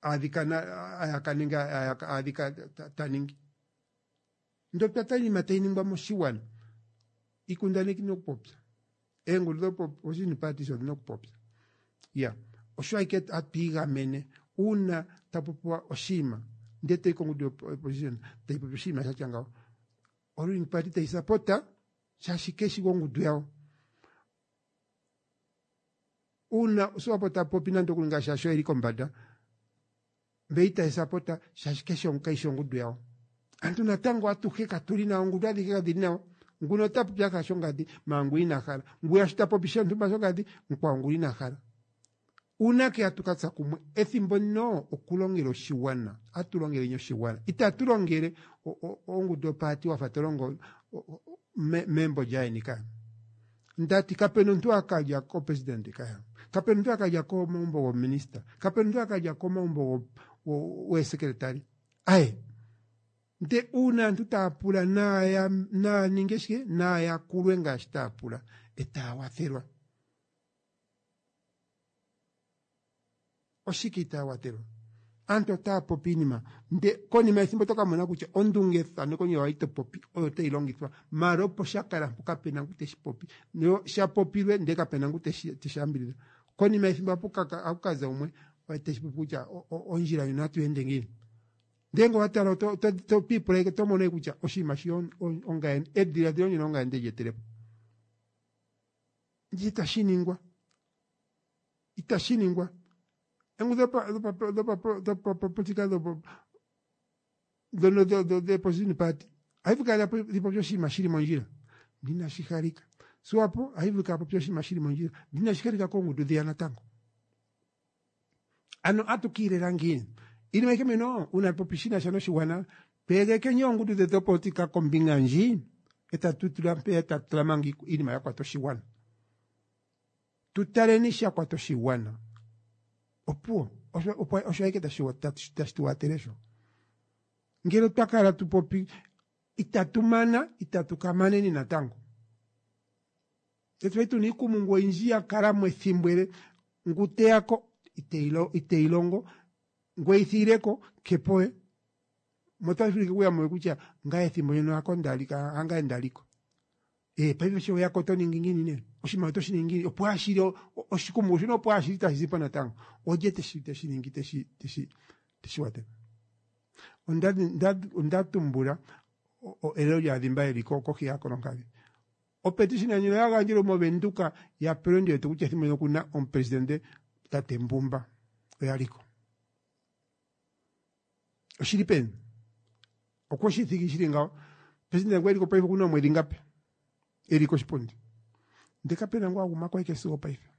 adhika ayaka nenge adhika ta ningi. Ndo twatala iinima tayi ningwa moshigwana. Iikundaneki inokupopya. Eengundu dho-opposition parties odhina okupopya. Ya osho ashike hatu igamene uuna tapu popiwa oshinima ndele toyi kongundu yo-opposition tayi popi oshinima shatya ngawo. Oruling party tayi sapota shaashi keshi gongundu yawo. Uuna Swapo ta popi nande okuli ngaashi asho eli kombanda mbe itayi sapota shaashi kaishi ongundu yawo. Aantu natango atuhe katuli nawa ongundu adhihe kadhili nawa. Nguno ota popi afa shongadi maangu ngu ina hala. Ngwiya sho ta popi shontumba shongadi mukwawo ngu ina hala. Uunake hatu ka tsa kumwe ethimbo ndino okulongela oshigwana. Atu longeleni oshigwana. Itatu longele ongundu yopaati wafa to longo membo lyaeni ka. Ndati kapena omuntu akalya kopresident kaya. Kapena omuntu akalya komagumbo gominista. Kapena omuntu akalya komagumbo wesekretary. Aye. Nde uuna aantu taya pula naya ninge shike naya yakulwe ngaashi taya pula etaya wathelwa. Oshike itaya watelwa? Aantu otaya popi iinima nde konima yethimbo oto ka mona kutya ondungethaneko ndjoka wali to popi oyo tayi longithwa maala opo sha kala mpo kapena ngu teshi popi no sha popilwe ndele kapena ngu teshi teshi yambidhidha. Konima yethimbo ohaku ka za umwe teshi popi kutya ondjila ndjono natu ende ngiini. Ndele ngele owa tala oto to ipula ashike oto mono kutya oshinima shi ongaye edhiladhilo ndyono ongaye nde li etele po. Ndje itashi ningwa. Itashi ningwa. Engu dhopapolitika dhono dhoopposition party ohayi vulu kala dhi popye oshinima shili mondjila ndele inashi halika. Swapo ohayi vulu kala popye oshinima shili mondjila ndele inashi halika koongundu dhiya natango. Ano atu kiilela ngiini? Iinima ayihe mbino uuna popi shi nasha noshigwana twegekeni oongundu dhetu dhopolitika kombinga ndji e tatu tula mpeya e tatu tula manga iinima ya kwata oshigwana. Tu taleni sha kwata oshigwana. Opuwo osho ashike tashi tu watele sho. Ngele otwa kala tu popi itatu mana itatu ka maneni natango. Tse tuna iikumungu oyindji ya kala mo ethimbo ele ngu teya ko iteyi longo ngu eyi thigileko kepo we. Mo otashi vulika okuya mo kutya ngaye ethimbo ndyono hako ndali hangaye ndaliko. Ee paife sho weya ko oto ningi ngiini nee? Oshinima oto shi ningi ngiini? Opo ashili oshikumungu shino opo ashili tashi zi po natango. Olye teshi teshi ningi teshi teshi teshi watele? Onda onda tumbula elelo lyaadhimba yeli kohi yaakolonkadhi. Opetition ndjino ya gandjelwe moVenduka ya pelwe ndi wete kutya ethimbo ndyono okuna omupresidente tate Mbumba oya liko. Oshili peni? Okwe shi thigi shili ngawo. Presidente ngu eliko paife okuna oomwedhi ngapi eli koshipundi? Ndele kapena ngu a gumako eke sigo opaife.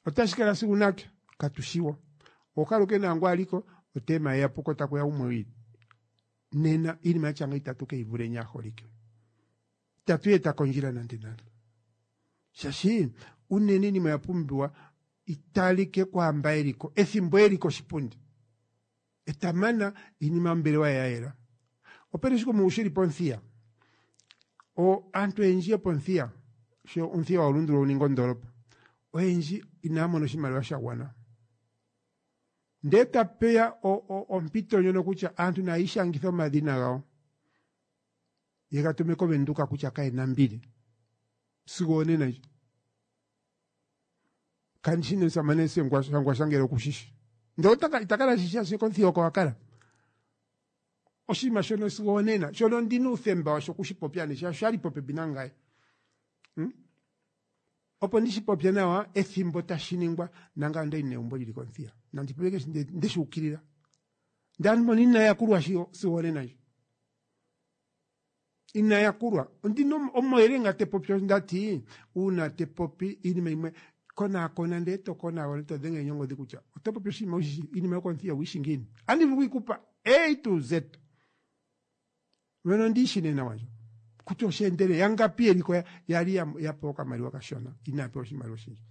Otashi kala sigo unake? Katu shiwo. Okaluke naangu aliko otema ye ya puko takuya gumwe wiili. Nena iinima yatya ngawo itatu keyi vuleni aaholike. Itatu yi eta kondjila nande nande. Shaashi unene iinima oya pumbiwa italike kwaamba eliko ethimbo eli koshipundi. Eta mana iinima yombelewa ye ya yela. Opena oshikumungu shili pOmuthiya. O aantu oyendji yopOmuthiya sho Omuthiya wa lundululwa wu ninge ondoolopa oyendji inaya mona oshimaliwa sha gwana. Ndee tapeya ompito ndjono kutya aantu naya ishangithe omadhina gawo ye ga tume kOvenduka kutya kaye na mbili sigo onena ndji. Kandi shi nee omusamane Shangwasha ngele oku shi shi. Ndele ita kala eshi shi shaashi kOmuthiya oko a kala. Oshinima shono sigo onena shono ondina uuthemba washo okushi popya nee shaashi oshali popepi nangaye. Hmm? Opo ndi shi popye nawa ethimbo tashi ningwa nangaye ondali negumbo lili kOmuthiya. Nandi popye keshe ndeshi ukilila. Ndele aantu mbono inaya yakulwa sigo onena ndji. Ina yakulwa. Ondina omayele nga te popi onda ti uuna te popi iinima yimwe konaakona ndee to konaakona to dhenge nongodhi kutya oto popi oshinima wushi iinima yokomuthiya owuyishi ngiini. Andi vulu okuyikupa A to Z. Wena ondi yishi nee nawa ndjo. Kutya osha endele yangapi yeliko yali ya pewa okamaliwa kashona inaya pewa oshimaliwa oshindji.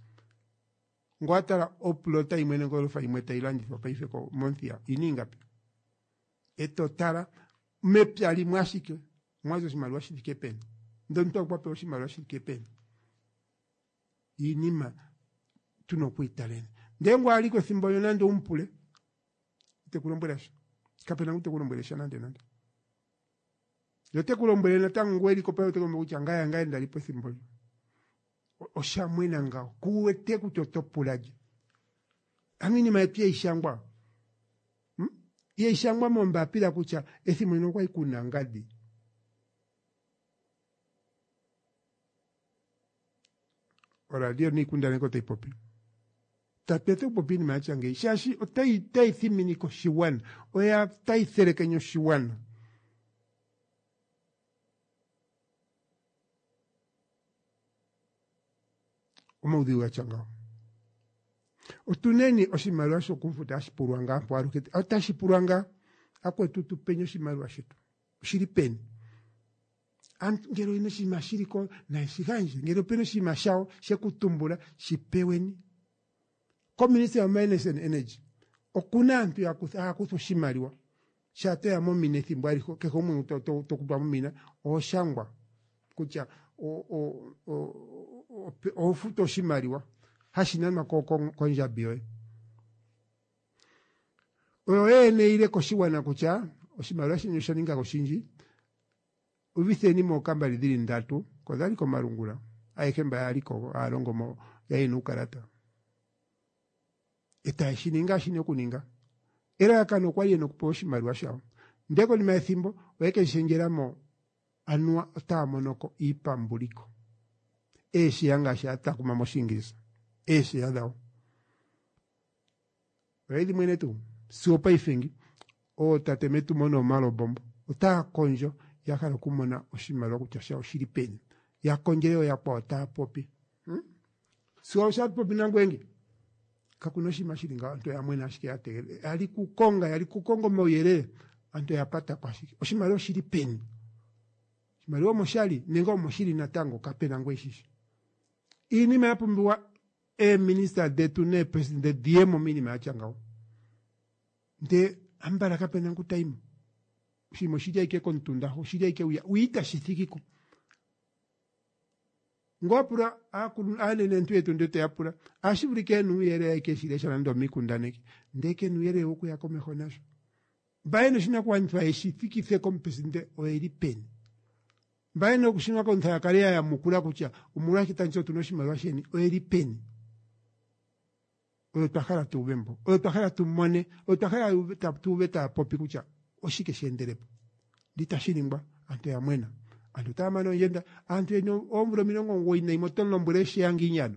Ngele owa tala oplota yimwe nenge olofa yimwe tayi landithwa paife mOmuthiya oyina ingapi? Eto tala mepya limwe ashike omwazi oshimaliwa shi thike peni ndele omuntu okwa pewa oshimaliwa shi thike peni. Iinima tuna okwiitaleni. Ndele ngu aliko ethimbo ndyo nande owu mu pule ite ku lombwele sha. Kapena ngu te ku lombwele sha nande nande. Ye ote ku lombwele natango ngu eliko paife ote ku lombwele kutya ngaye hangaye ndalipo ethimbo ndyo. Osha mwena ngawo. Ku wete kutya oto pula lye. Ano iinima yetu ihayi shangwa. Hmm? Ihayi shangwa mombapila kutya ethimbo ndino okwali kuna ngadi. Oradio niikundaneki otayi popi. Tatu etha okupopi iinima ya tya ngeyi shaashi otayi otayi thiminike oshigwana, oya tayi thelekenye oshigwana. Omaudhigu ga tya ngawo. Otuneni oshimaliwa shokumfuta hashi pulwa ngaa mpo aluhe, otashi pulwa ngaa akwetu tu peni oshimaliwa shetu oshili peni? Aantu ngele oyena oshinima shili ko naye shi gandje, ngele opena oshinima shawo sheku tumbula shi peweni. Koministry ya Mines and Energy okuna aantu ya kutha haya kutha oshimaliwa shaa toya momina ethimbo alihe kehe gumwe to, to, to kutwa momina oho shangwa kutya oho futu oshimaliwa hashi nanwa kondjambi yoye. Oyo yene ile koshigwana kutya oshimaliwa sheni osha ninga oshindji, uvitheni mookambali dhili ndatu, ko dhali komalungula, ayehe mba yaliko haya mo yayena uukalata. Etaye shi ningi ngaashi shina okuninga. Elalakano okwali yena okupewa oshimaliwa shawo. Ndele konima yethimbo oye ke shi shendjela mo anuwa otaya monoko iipambuliko. Eesheya ngaashi haya takuma mOshiingilisa. Eesheya dhawo. Oye dhi mwene tuu sigo opaife ngi ootate metumo noomalobombo otaya kondjo ya hala okumona oshimaliwa kutya shawo oshili peni. Ya kondjele ooyakwawo taya popi. Sigo osha popi nangoye ngi kakuna oshinima shili ngawo aantu oya mwena ashike ya tegelela. Yali kukonga, yali kukonga omauyelele aantu oya pata ko ashike. Oshimaliwa oshili peni? Oshimaliwa omo shali nenge omo shili natango kapena ngu eshishi. Iinima ya pumbiwa eeminista dhetu neepresidente dhiye mo miinima ya tya ngawo. Ndee ambala kapena ngu tayi mo. Oshinima oshili ashike komutunda ho, oshili ashike hwiya, hwiya itashi thiki ko. Ngo wa pula aanenentu yetu ndee toya pula, ohashi vulika yena uuyelele ashike yeshi lesha nande omiikundaneki, ndee kena uuyelele wokuya komeho nasho. Mba yena oshinakugwanithwa yeshi thikithe komupresidente oyeli peni? Mba yena oshinakugwanithwa ya kale ya yamukula kutya omolwashike tamu ti otuna oshimaliwa sheni oyeli peni? Oyo twa hala tu uve mbo, oyo twa hala tu mone, oyo twa hala tu uve taya popi kutya oshike she endele po. Ndele itashi ningwa, aantu oya mwena. Aantu otaya mana oondjenda, aantu yena oomvula 91 oto mu lombwele esheya ngiini ano?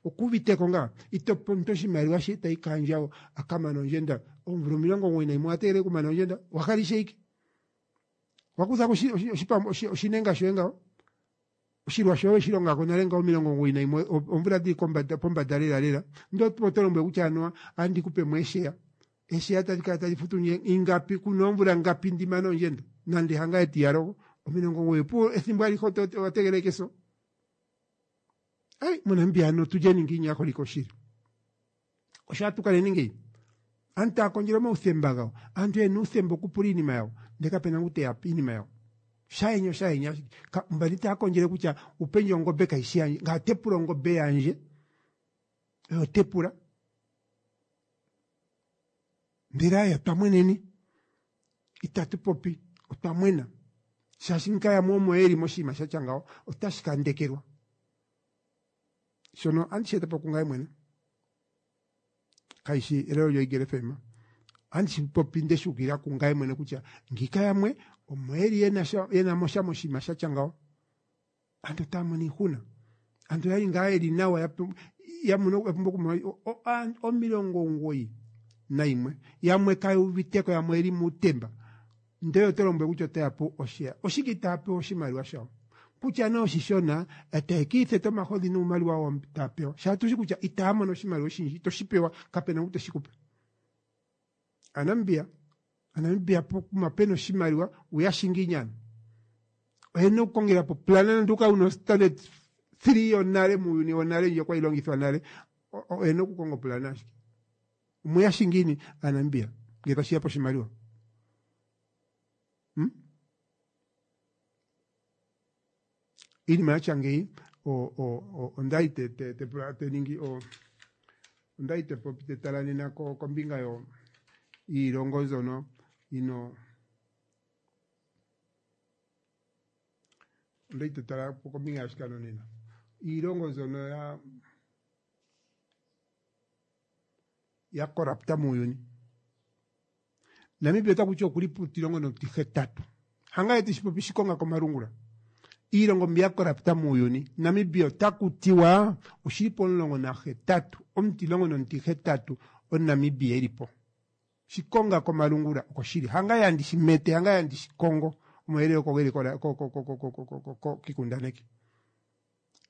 Okuuviteko ngaa? Ito pe omuntu oshimaliwa she tayi kaandjawo a ka mane ondjenda. Oomvula 91 owa tegelela okumana ondjenda? Owa hala ishewe ike? Owa kutha ko oshinenga shoye ngawo? Oshilwa shoye oweshi longa ko nale ngawo 91 oomvula dhili kombanda pombanda lela lela. Ndele oto lombwele kutya anuwa andi ku pe mo esheya. Esheya tali kala tali futu ndje ingapi kuna oomvula ngapi ndi mane ondjenda? Nande hangaye tiyalogo 90 opuwo ethimbo alihe owa tegelela ike eso. Ai moNamibia ano tulyeni ngiini aaholike oshili. Osho atu kaleni ngeyi. Aantu taya kondjele omauthemba gawo. Aantu yena uuthemba okupula iinima yawo. Ndele kapena ngu teya pe iinima yawo. Shayenya oshayenya ashike. Mbali taya kondjele kutya upendje ongombe kayishi yandje. Ngaye ote pula ongombe yandje. Oyo ote pula. Ndele aye otwa mweneni. Itatu popi. Otwa mwena. Shaashi nka yamwe omo yeli moshinima shatya ngawo otashi ka ndekelwa. Shono andi shi eta po kungaye mwene. Kayishi elelo lyoEagle FM. Andi shi popi nde shi ukilila kungaye mwene kutya ngiika yamwe omo yeli yena mo sha moshinima shatya ngawo. Aantu otaya mono iihuna. Aantu oyali ngaa yeli nawa ya pumbwa okumona 91 yamwe kaya uviteko yamwe oyeli muutemba. Ndele oto lombwele kutya otaya pewa osheya. Oshike itaya pewa oshimaliwa shawo? Kutya nee oshishona, etaye kiitheta omahodhi nuumaliwa wawo taya pewa. Shaa tushi kutya itaya mono oshimaliwa oshindji, ito shi pewa, kapena ngu teshi kupe. Aanamibia, Aanamibia pokuma pena oshimaliwa, uya shi ngiini ano? Oyena okukongela po plana nande ukale una standard 3 yonale muuyuni wonale ndjoka kwali longithwa nale, oyena okukonga oplana ashike. Omuya shi ngiini Aanamibia ngele tashi ya poshimaliwa? Hmm? Iinima ya tya ngeyi ondali te te te pula te ningi ondali te popi te tala nena kombinga yo yiilongo mbyono ino ondali te tala kombinga yashikano nena iilongo mbyono ya ya korapta muuyuni. Namibia ota kuti okuli puutilongo notihetatu. Hangaye teshi popi shikonga komalungula. Iilongo mbi ya korapta muuyuni, Namibia ota kutiwa oshili pomulongo nahetatu, omutilongo nomuti-hetatu omuNamibia eli po. Shikonga komalungula oko shili. Hangaye handi shi mete, hangaye handi shi kongo. Omauyelele oko geli kikundaneki.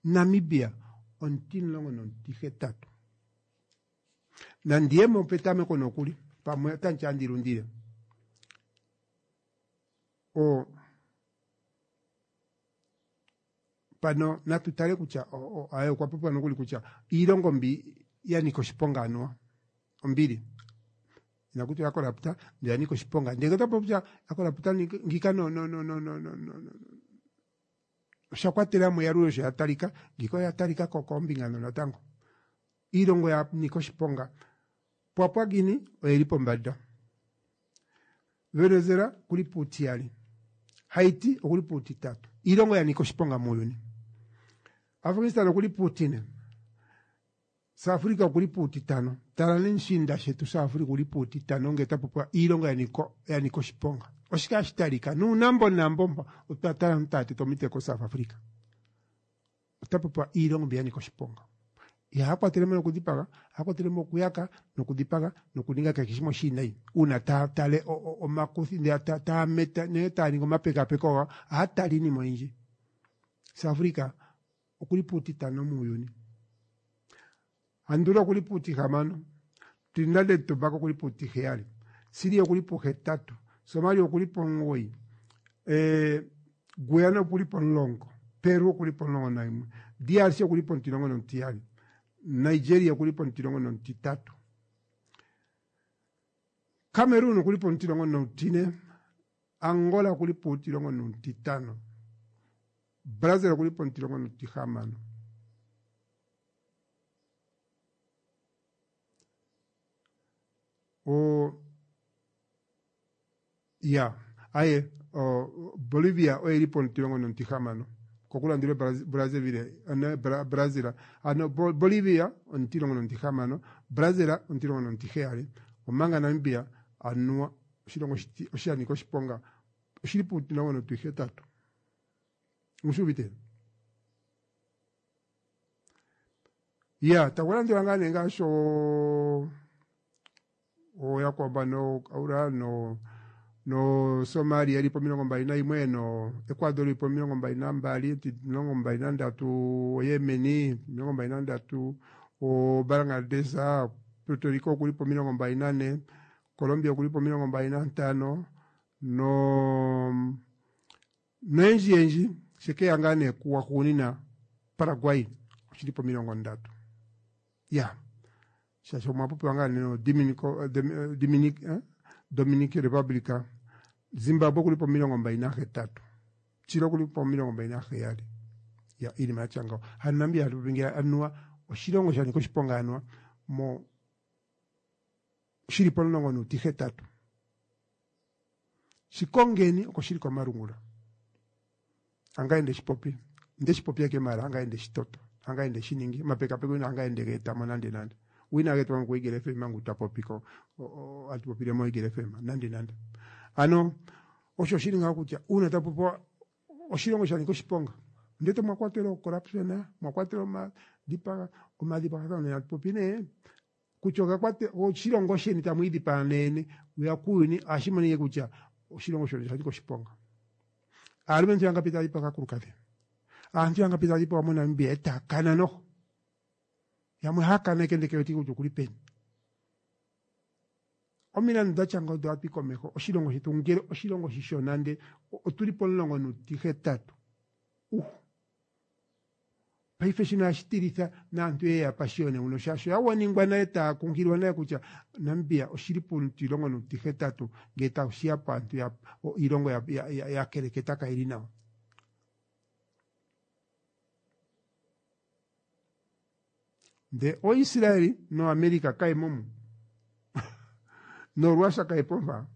Namibia omutimulongo nomutihetatu. Nandi ye mo petameko nokuli, pamwe otandi ti andi lundile. O, pano natu tale kutya aye okwa popiwa nokuli kutya iilongo mbi ya nika oshiponga anuwa ombili inaku tiwa ya korapta ndele ya nika oshiponga ndele ota popi kutya ya korapta ngiika no no no no no no no osha kwatela mo eyalulo sho ya talika ngiika oya talika ko koombinga ndhono natango Iilongo ya nika oshiponga, Papua Guinea oye li pombanda. Venezuela okuli puutiyali, Haiti okuli puutitatu. Iilongo ya nika oshiponga muuyuni. Afghanistan okuli puutine, South Africa okuli puutitano. Tala nee mushiinda shetu South Africa okuli puutitano ngele ta popiwa iilongo ya nika oshiponga. Oshike hashi talika? Nuunambo nambo mpa otwa tala aantu taya tete omitse ko South Africa. Ota popiwa iilongo mbi ya nika oshiponga. Ihaya kwatele mo nokudhipaga, ohaya kwatele mo okuyaka nokudhipaga nokuninga kehe shimwe oshiinayi. Uuna taya tale omakuthi, taya meta nenge taya ningi omapekapeko gawo, ohaya tala iinima oyindji. South Africa okuli puutitano muuyuni. Andula okuli puutihamano, Trinidad and Tobago okuli puutiheyali, Syria okuli puhetatu, Somalia okuli pomugoyi, eh, Guyana okuli pomulongo, Peru okuli pomulongo nayimwe, DRC okuli pomutilongo nomutiyali, Nigeria okuli pomutilongo nomutitatu, Cameroon okuli pomutilongo nomutine, Angola okuli puutilongo nomutitano, Brazil okuli pomutilongo nomutihamano. O ya aye o, Bolivia oye li pomutilongo nomutihamano kokulandula Brazzaville ano Brazil ano Bolivia omutilongo nomutihamano Brazil omutilongo nomutiheyali omanga Namibia anuwa oshilongo osha nika oshiponga oshili puutilongo notihetatu omushi uvite ya taku landula ngaa nee ngaashi ooyakwawo mbano Aura no no Somalia ili po 21 no Ecuador ili po 22 23 Yemen 23 o Bangladesh Puerto Rico okuli po 24 Colombia okuli po 25 no noyendji yendji shekeya ngaa nee kuwa hugunina Paraguay oshili po 30 ya shaashi omwa popiwa ngaa nee no Dominico, Dominic, eh? Dominic Republic Zimbabwe okuli po 28 Chile okuli po 27 ya iinima yatya ngawo hano Namibia hatu popi ngeya anuwa oshilongo sha nika oshiponga anuwa mo shili pomulongo nuutihetatu shikongeni oko shili komalungula angaye ndeshipopi ndeshipopi eke mara angaye ndeshitoto angaye ndeshiningi omapekapeko ina angaye ndegeetamo nande nande wina getwamo ku Eagle FM mangu twapopiko atupopile mo Eagle FM nande nande ano osho shili ngaho kutya uuna tapopiwa oshilongo sha nika oshiponga ndete mwa kwatelwa corruption mwa kwatelwa omadhipaga omadhipagathano nena tupopi nee kutya okakwate oshilongo sheni tamu idhipaga neyene uya kuuyuni ohashi monike kutya oshilongo shono osha nika oshiponga aalumentu yangapi taya dhipaga aakulukadhi aantu yangapi taya dhipagwa moNamibia e taya kana noho yamwe haya kana eke ndeke wetike kutya okuli peni omilandu dha tya ngawo odho hatu yi komeho oshilongo shetu ngele oshilongo oshishona nde otuli pomulongo nuutihetatu uh Paife shino ohashi tilitha naantu ye ya pashiyone uno shaashi oya waningwa nale taya kunkililwa nale kutya Namibia oshili puutilongo nuutihetatu ngele tashi ya paantu ya iilongo ya, ya, ya, ya keleketa kayi li nawa. Nde oIsraeli noAmerica kaye mo mu noRussia kaye po mpa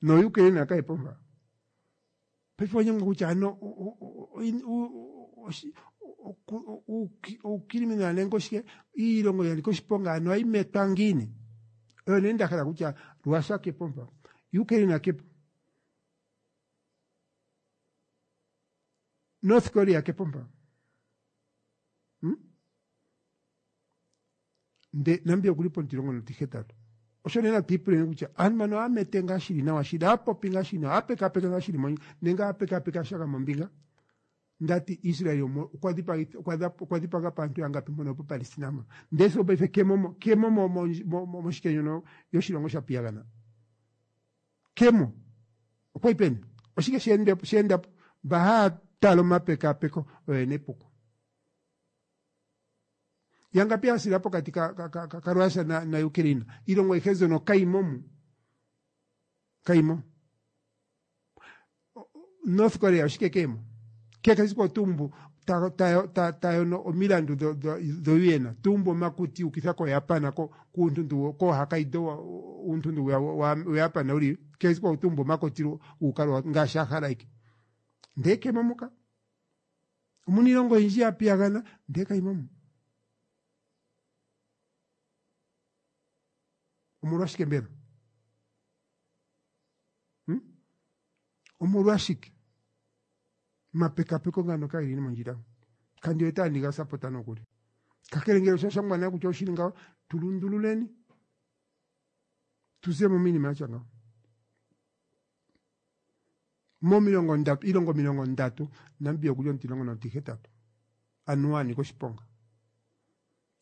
noUkraine kaye po mpa. Paife onyanga kutya ano uukriminala nenge oshike iilongo ya nika oshiponga ano ohayi metwa ngiini oyo nee nda hala kutya Russia kepo mpa Ukraine kepo North Korea kepo mpa hmm? Nde Namibia okuli pomutilongo notihetatu osho nee natu ipuleni kutya aantu mbano ohaya mete ngaa shili nawa shili ohaya popi ngaa shili nawa ohaya pekapeka ngaa shili mondjila nenge ohaya pekapeka shaga mombinga ndati Israel okwa dhipaga paantu yangapi mpono po Palestina mpo ndee sigo paife kemo kemo moshike ndjono yoshilongo sha piyagana kemo okwa yi peni oshike she endapo mba haya tala omapekapeko oyo yena epuko yangapi ya sila pokati ka, ka, ka, ka, ka Russia na, na Ukraine iilongo ayihe mbyono kayimo mu kayimo North Korea oshike kemo Kehe esiku otumbu ta yono omilandu dho-UN, tumbu omakuti ukitha koJapan, kuuntuntu kooHokkaido, uuntuntu waJapan uli kehe esiku otumbu omakoti uukalwa ngaashi a hala ike. Ndee kemo muka. Omuna iilongo oyindji ya piyagana ndee kayimo mu. Omolwashike mbela? Omolwashike? Omapekapeko ngano kageli mondjila. Kandi wete handi ga sapota nokuli. Kakele ngele osha shangwa nale kutya oshili ngawo, tu lundululeni. Tu zemo miinima yatya ngawo. Momilongo ndatu, iilongo 30, Namibia okuli omutilongo notihetatu. Anuwa a nika oshiponga.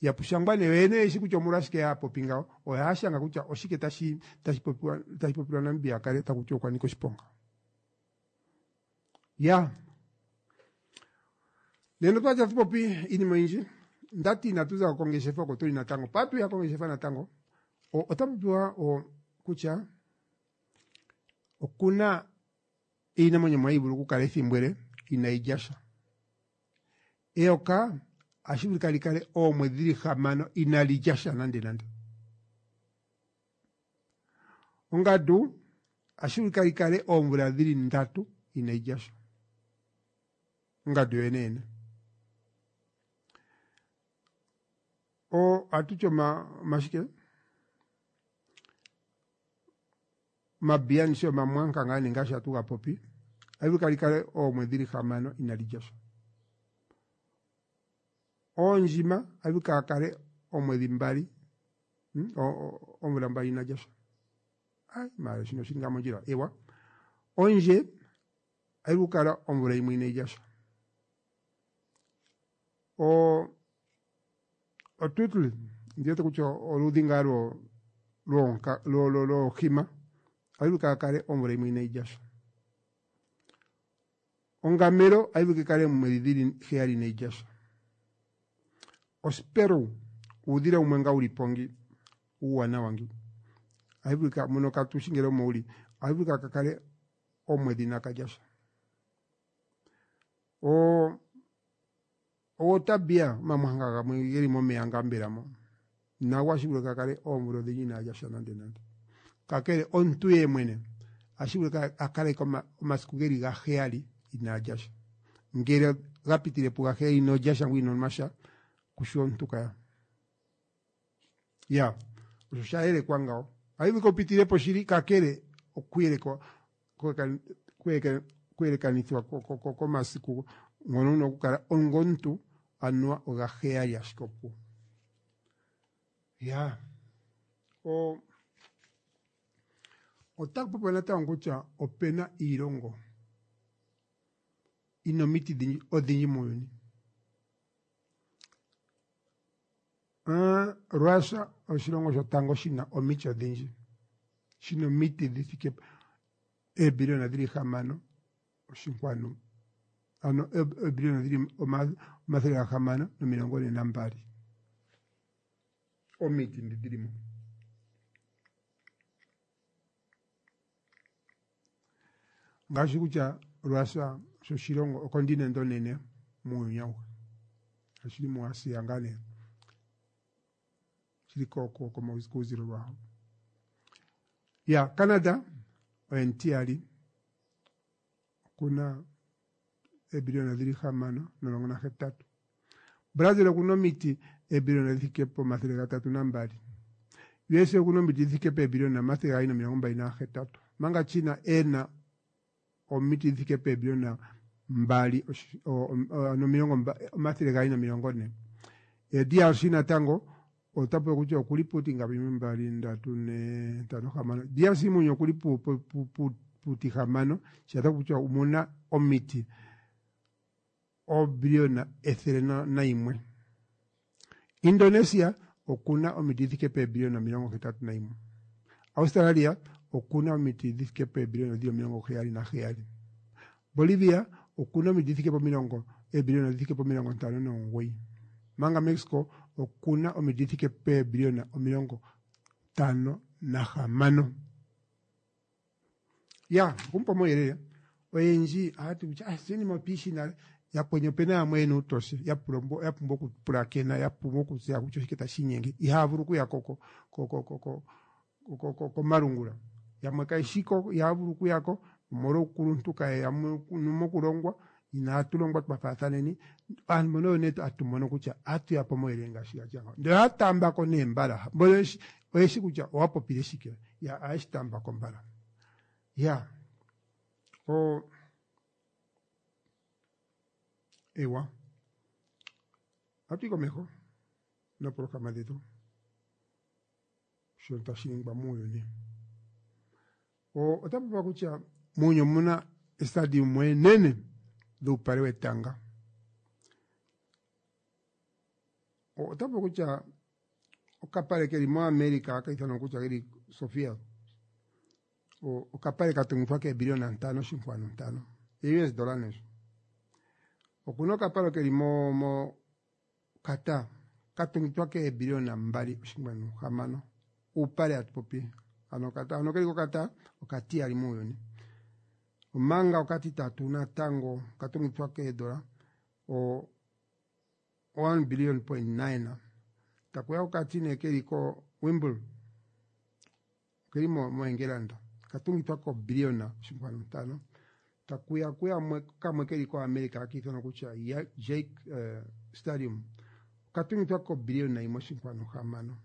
Ya pushangwa nee yoyene oyeshi kutya omolwashike haya popi ngawo. Ohaya shanga kutya oshike tashi tashi popiwa tashi popilwa Namibia a kale taku tiwa okwa nika oshiponga. Ya. Nena otwa li tatu popi iinima oyindji. Ndati inatu za ko kongeshefa oko tuli natango. Patuya kongeshefa natango, ota popiwa kutya okuna iinamwenyo yimwe hayi vulu okukala ethimbo ele inayi lya sha. Eyoka ohashi vulika li kale oomwedhi dhili 6 inali lya sha nande nande. Ongandu ohashi vulika li kale oomvula dhili 3 inayi lya sha. Ongandu yoyene yene. Ohatu ti omashike? Omabiya ndishi omamwanka ngaa nee ngaashi hatu ga popi, ohashi vulika li kale oomwedhi dhili 6 inali lya sha. Oondjima ohashi vulika a kale oomwedhi 2, oomvula 2 ina lya sha. Ai, maala shino oshili ngaa mondjila? Ewa. Ondje ohayi vulu okukala omvula 1 inayi lya sha. Oturtle, ndi wete kutya oludhi ngaa lwoohima, ohayi vulu kaa kale omvula 1 inayi lya sha. Ongamelo ohayi vulu kale oomwedhi dhili 7 inayi lya sha. Osperu, uudhila wumwe ngaa uli po ngi, uuwanawa ngi, ohayi vulika muno katushi ngele omo uli, ohayi vulika ka kale omwedhi inaka lya sha. Owotabia, omamwanka gamwe geli momeya ngaa mbela mo, nago ohashi vulika ka kale oomvula odhindji inaa lya sha nande nande. Kakele omuntu ye mwene ohashi vulika a kale omasiku geli 7 inaa lya sha. Ngele ga pitile pu 7 ino lya sha ngoye ino nwa sha, kushi omuntu kaya. Ya, osho sha yelekwa ngawo. Ohayi vulika upitile po shili, kakele okuyelekwa kuyelekanithwa komasiku ngono una okukala ongomuntu anuwa oga 7 ashike opuwo. Ya, otaku popiwa natango kutya opena iilongo ina omiti odhindji muuyuni. Russia oshilongo shotango shina omiti odhindji, shina omiti dhi thike eebiliona dhili 6 oshinkwanu, ano eebiliona dhili 642 omiti ndhi dhili mo. Ngaashi kutya Russia osho oshilongo okontinente onene muuyuni auhe, oshili muAsia ngaa nee, shili kuuzilo lwaho. Ya Canada oye omutiyali, okuna eebiliona dhili 6.18. Brazil okuna omiti eebiliona dhi thike po 302. USA okuna omiti dhi thike peebiliona 228. Manga China ena omiti dhi thike peebiliona 2 240. DRC natango ota popi kutya okuli puuti ngapi? 1 2 3 4 5 6. DRC muuyuni okuli puuti 6, sha kutya omuna omiti oobiliona 101. Indonesia okuna omiti dhi thike peebiliona 81. Australia okuna omiti dhi thike peebiliona dhili 77. Bolivia okuna omiti dhi thike pomilongo eebiliona dhi thike pomilongo 59. Manga Mexico okuna omiti dhi thike peebiliona 56. Ya, okumpa omauyelele oyendji ohaya ti kutya oshinima otwiishi nale. Yakweni opena yamwe yena uutoshe ya pumbwa okupulakena ya pumbwa okutseya kutya oshike tashi inyenge ihaya vulu okuya komalungula yamwe kayeshiko ihaya vulu okuyako omolwa uukuluntu kayeya mokulongwa inatu longwa twafaathaneni aantu mbono oyo nee hatu mono kutya ohatu ya po omauyelele ngaashi gatya ngawo ndele ohaya taambako nee mbala mbono oyeshi kutya owa popile shike ya ohaye shi taambako mbala ya o ewa ohatu yi komeho noopolohalama dhetu shono tashi ningwa muuyuni ota popiwa kutya muuyuni omuna estadium enene dhuupale wetanga ota popiwa kutya okapale keli moAmerica haka ithanwa kutya keli Sofia okapale katungithwa keebiliona 5.5 US dollar nesho okuna okapale keli mo mo Qatar katungithwa keebiliona 2.6 uupale atupopi ano Qatar ano keli ko Qatar okatiyali muuyuni omanga okatitatu natango katungithwa keedola o 1 billion point 9 takuya okatine keli ko Wimble keli mo moEngelanda katungithwa ko biliona 5.5 takuya kuya kamwe keli ko America akiithanwa kutya Jake Stadium katungithwa ko biliona 1.6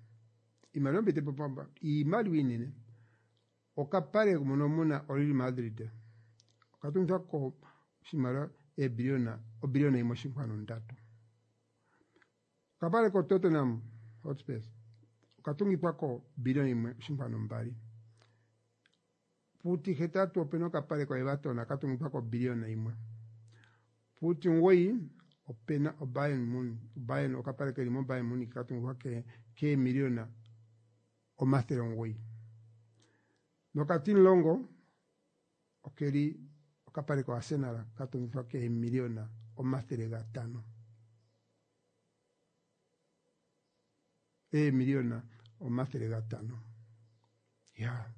iimaliwa mbite popamba iimaliwa iinene okapale mono muna oReal Madrid okatungithwa ko oshimaliwa eebiliona obiliona 1.3 okapale ko Tottenham Hotspur okatungithwa ko biliona 1.2 puutihetatu opena okapale ko Everton katungithwa ko biliona 1 puuti9 opena oBayern Munich Bayern okapale keli mo Bayern Munich katungithwa keemiliona 900 nokatimulongo okeli okapale ko Arsenal katungithwa keemiliona 500 eemiliona 500 ya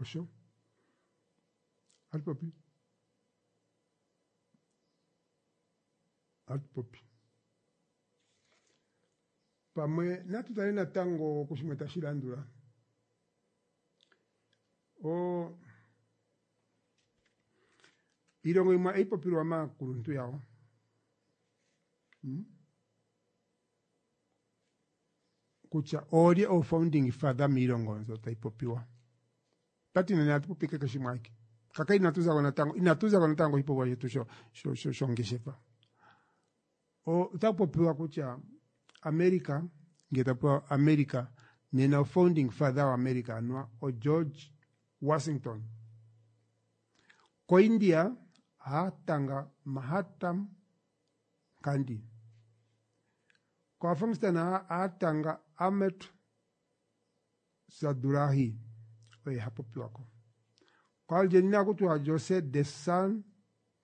osho atupopi atupopi pamwe natu tale natango kushimwe tashi landula o iilongo yimwe ohayi popilwa maakuluntu yawo kutya oolye o founding father miilongo mbyo tayi popiwa tati nene atu popi kehe shimwe ashike kaka inatu zako natango inatu zako natango oshipopiwa shetu shongeshefa otaku popiwa kutya America ngele tapopiwa America nena o founding father wa America anuwa o George Washington koIndia aatanga Mahatma Gandhi koAfghanistan aatanga Ahmed Sadulahi oye hapopiwako koArgentina akutiwa Jose de San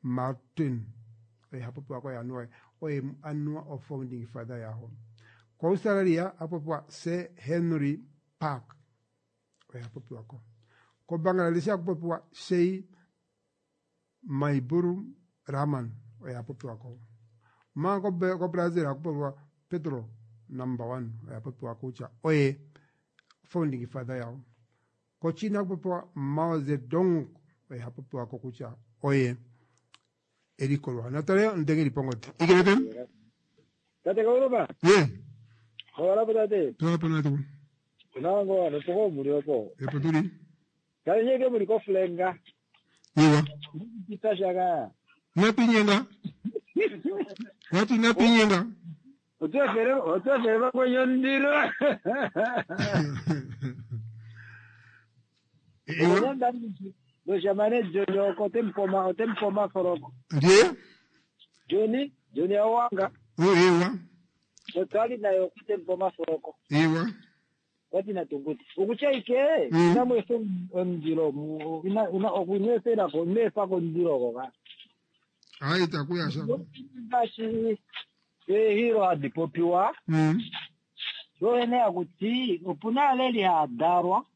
Martin oye hapopiwako anuwa oye anuwa o founding father yaho koAustralia apopiwa Sir Henry Park oye hapopiwako koBangladesh akupopiwa Sheikh Mujibur Rahman oye hapopiwako manga koBrazil akupopiwa Pedro number 1 oye hapopiwa kutya oye founding father yawo koChina akupopiwa Mao Zedong oye hapopiwako kutya oye elikolwa natale ndenge lipongote Eagle FM Tate Kauluba. Ye. Hawala tate. Tola pano tu. Nango ano poko muri opo. Epo tuli. Kale nyeke muri ko flenga. Iwa. Kita shaka. Napinyenga. Watu napinyenga. Otwefere otwefere bakwenyo ndiro. Iwa. Loshamane Johnny oko tempoma otempoma foroko. Ndiye? Johnny Johnny awanga. Oh, iwa. Otwali nayo kutempoma foroko. Iwa. Wati natunguti. Ukuchaike inamwefe ondilo ina ina okunwefera ko nwefa ko ndilo ko. Hayi takuya shaka. Ngashi ehiro hadipopiwa. Yoene akuti opuna aleli hadarwa.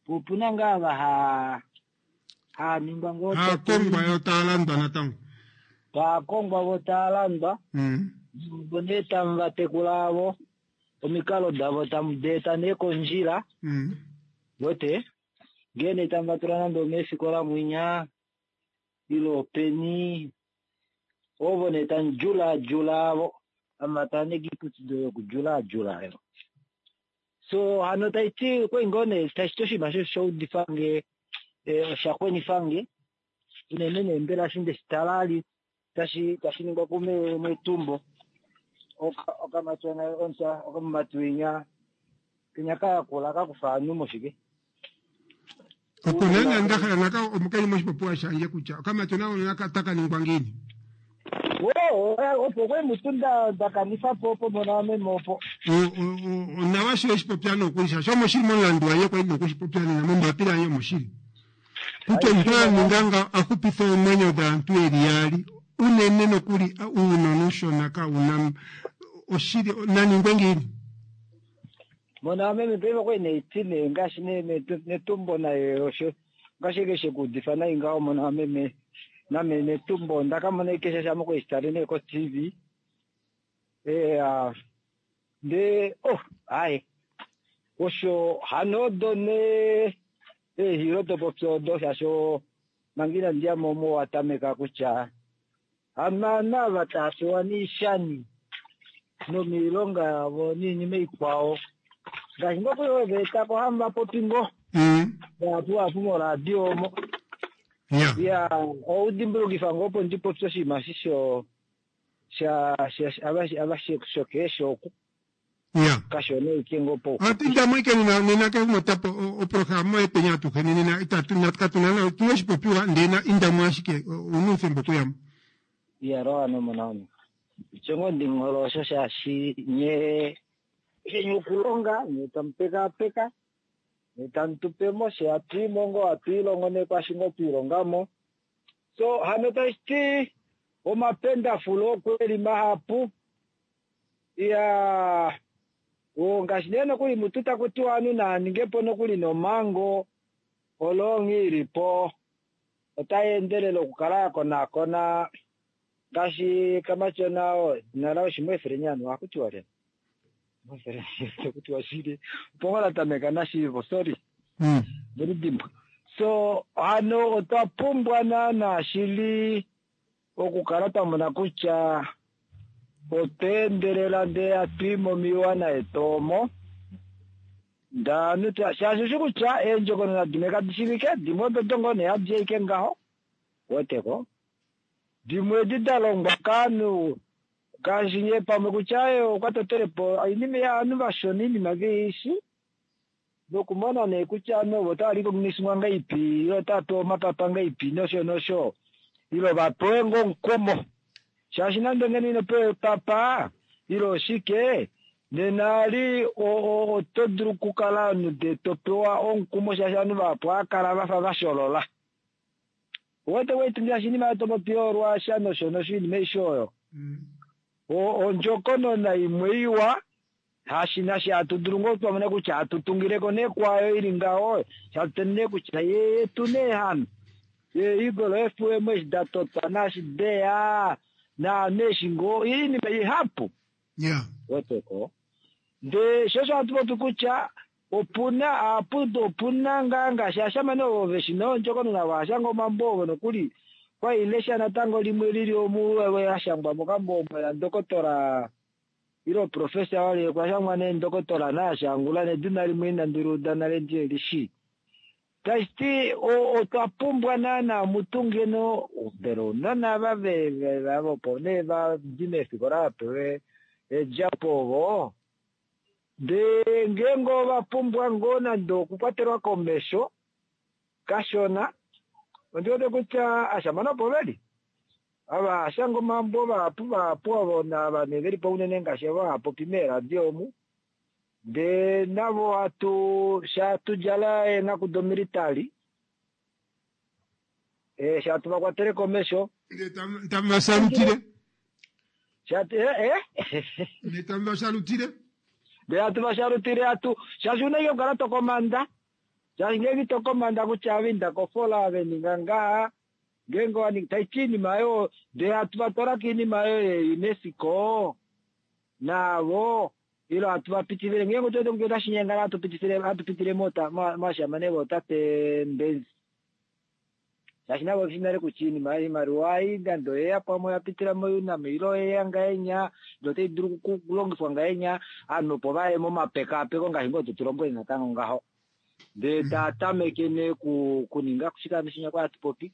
Opuna ngaa ha Haaningwa ngoo Aakongwa yo taa landwa natango. Taakongwa vo taa landwa. Vo nee tamu va tekula avo omikalo davo tamu di eta nee kondjila. Wete ngee nee tamu va tula nande omeefikola mwinya ile openi ovo nee tamu djulaadjula avo tamu va tula nee kiiputudilo yokudjulaadjula yo. So hano taiti okwali ngoo nee tashiti oshinima osho shaudifange osha kwenifange unene nee mbela eshi ndeshitala ali tashi tashi ningwa kumetumbo okamatyona okamumati winya kenya kayakula kakufa ovanhu moshike. Oko naana nda hala naka omukainhu moshipopiwa shange kutya okamatyona ono naka taka ningwa ngiini. Wo opo kwali mutu nda kanifa po opo mona wameme opo. Onawa shi weshipopya nokuli shaashi omoshili momulandu waye kwali nokushipopya nena mombapila yange omoshili. Kutya omuntu a ninga nga a xupithe oomwenyo dhaantu yeli yaali unene nokuli uunona uushona kauna oshili naningwe ngiini. Mona wameme paife okwali neiti nee ngaashi netumbo naye osho ngaashi eke shekuudifa nai ngaho mona wameme name netumbo onda kamona ike shaashi ame okwali shitale nee ko TV ndee oh aaye osho hano odo nee eehilo dopopya odo shaashi manga inandi yamo omo watameka kutya hano ava tava pewa neeshani nomiilonga yavo noinima ikwao ngaashi ngoo kuli ove etako hamu vapopi ngoo vahapu vahapu moradio omo ya oudimbulukifa ngoo opo ndipopye oshinima eshi sho sha ava shokeesho oku kashona ike ngoo pauxupi. Ohatu indamo ike nena nena kehe otapo oprograma yetweni atuheni nena itatu katuna na otuna oshipopiwa ndee na indamo ashike ouna oufemba okuyamo. Iya Rohan omona wange. Osho ngoo ndinghole osho shaashi nye sheni okulonga nye tamu pekaapeka nye tamu tupe mo she hatu imo ngoo hatu ilongo nee kwaashi ngoo twiilonga mo. So hano tashi ti omapendafulo okweli mahapu. Iyaa ngaashi nee nokuli mutu taku tiwa ovanhu naa ninge po nokuli nomhango olongi ili po otai endelele okukala ya konaakona ngaashi kamatyona oo edina laye oshimweefeleni anu ohaku tiwa lyani ohaku tiwa shili opo ngoo la tameka nashiivo sorry ndelidimbwa so hano otwa pumbwa naana shili okukala twa mona kutya otwa endelela ndee hatu i momiiwana yetu omo ndaanhu shaashi oshi kutya eendjokonona dimwe kadi shivike dimwe ododo ngoo nee hadi ashike ngaho weteko dimwe edi da longwa kaanhu ngaashi nye pamwe kutya okwa totelepo oinima yaanhu vashona oinima veishi nokumona nee kutya ovanhu ovo otava recogniswa ngaipi ile otava pewa omapapa ngaipi nosho nosho ile vapewe ngoo omukumo shaashi nande ngeno ino pewa epapa ile oshike nena ali oto dulu okukala omunhu ndee to pewa omukumo shaashi ovanhu vahapu ohava kala vafa vasholola. Owete wetu ngaashi oinima oyo topopi yoRussia nosho nosho oinima aishe oyo ondjokonona imwe iwa hashi nashi hatu dulu ngoo twamona kutya hatu tungileko nee kwaayo ili ngaho shatu tene kutya ye yetu nee hano ye Eagle FM eshi datotwa naashi deya naanhu eshi ngoo oinima ihapu weteko ndee sho osho hatu popi kutya opuna apu opuna ngaa ngaashi ashamane ovo veshi ondjokonona vaashanga omambo ovo nokuli kwailesha natango limwe lili omu lashangwa mokambo omo la ndokotola ile professor wali okwashangwa nee ndokotola naashangula nedina limwe inandi liuda nale ndihelishi. Tashiti otwa pumbwa naana mutu ngeno mbela ounona ava opo nee vadi meefikola vapewe eedjapo ovo ndee ngeenge ova pumbwa ngoo nande okukwatelwa komesho kashona ondi wete kutya ashamane opo veli ava ashanga omambo vahapu vahapu ovo nava nee velipo unene ngaashi ovo hava popi meeradio omu ndee navo hatu shatudjala eenghaku domilitali shatu vakwatele komesho tamu vasalutile shatu tamu vasalutile ndee hatu vashalutile hatu shaashi una ike okukala tokomanda. Shaashi ngeenge ito komanda kutya ave inda kofola ave ninga ngaha ngeenge owaningi taiti iinima oyo ndee hatu vatwala kiinima oyo yeUNESCO naavo ilo hatu vapitifile ngeenge otuwete kutya otashi nyengana hatu pitifile hatu pitile moashamane vootate Mbenzi shaashi navo veshi nale kutya iinima oimaliwa ei nande oyeya pamwe oya pitila moUNAM ile oyeya ngahenya ile otai dulu okulongifwa ngahenya ovanhu opo vaye momapekaapeko ngaashi ngoo totulombwele natango ngaho ndee taa tameke nee kuninga shike hano shinya kwa hatu popi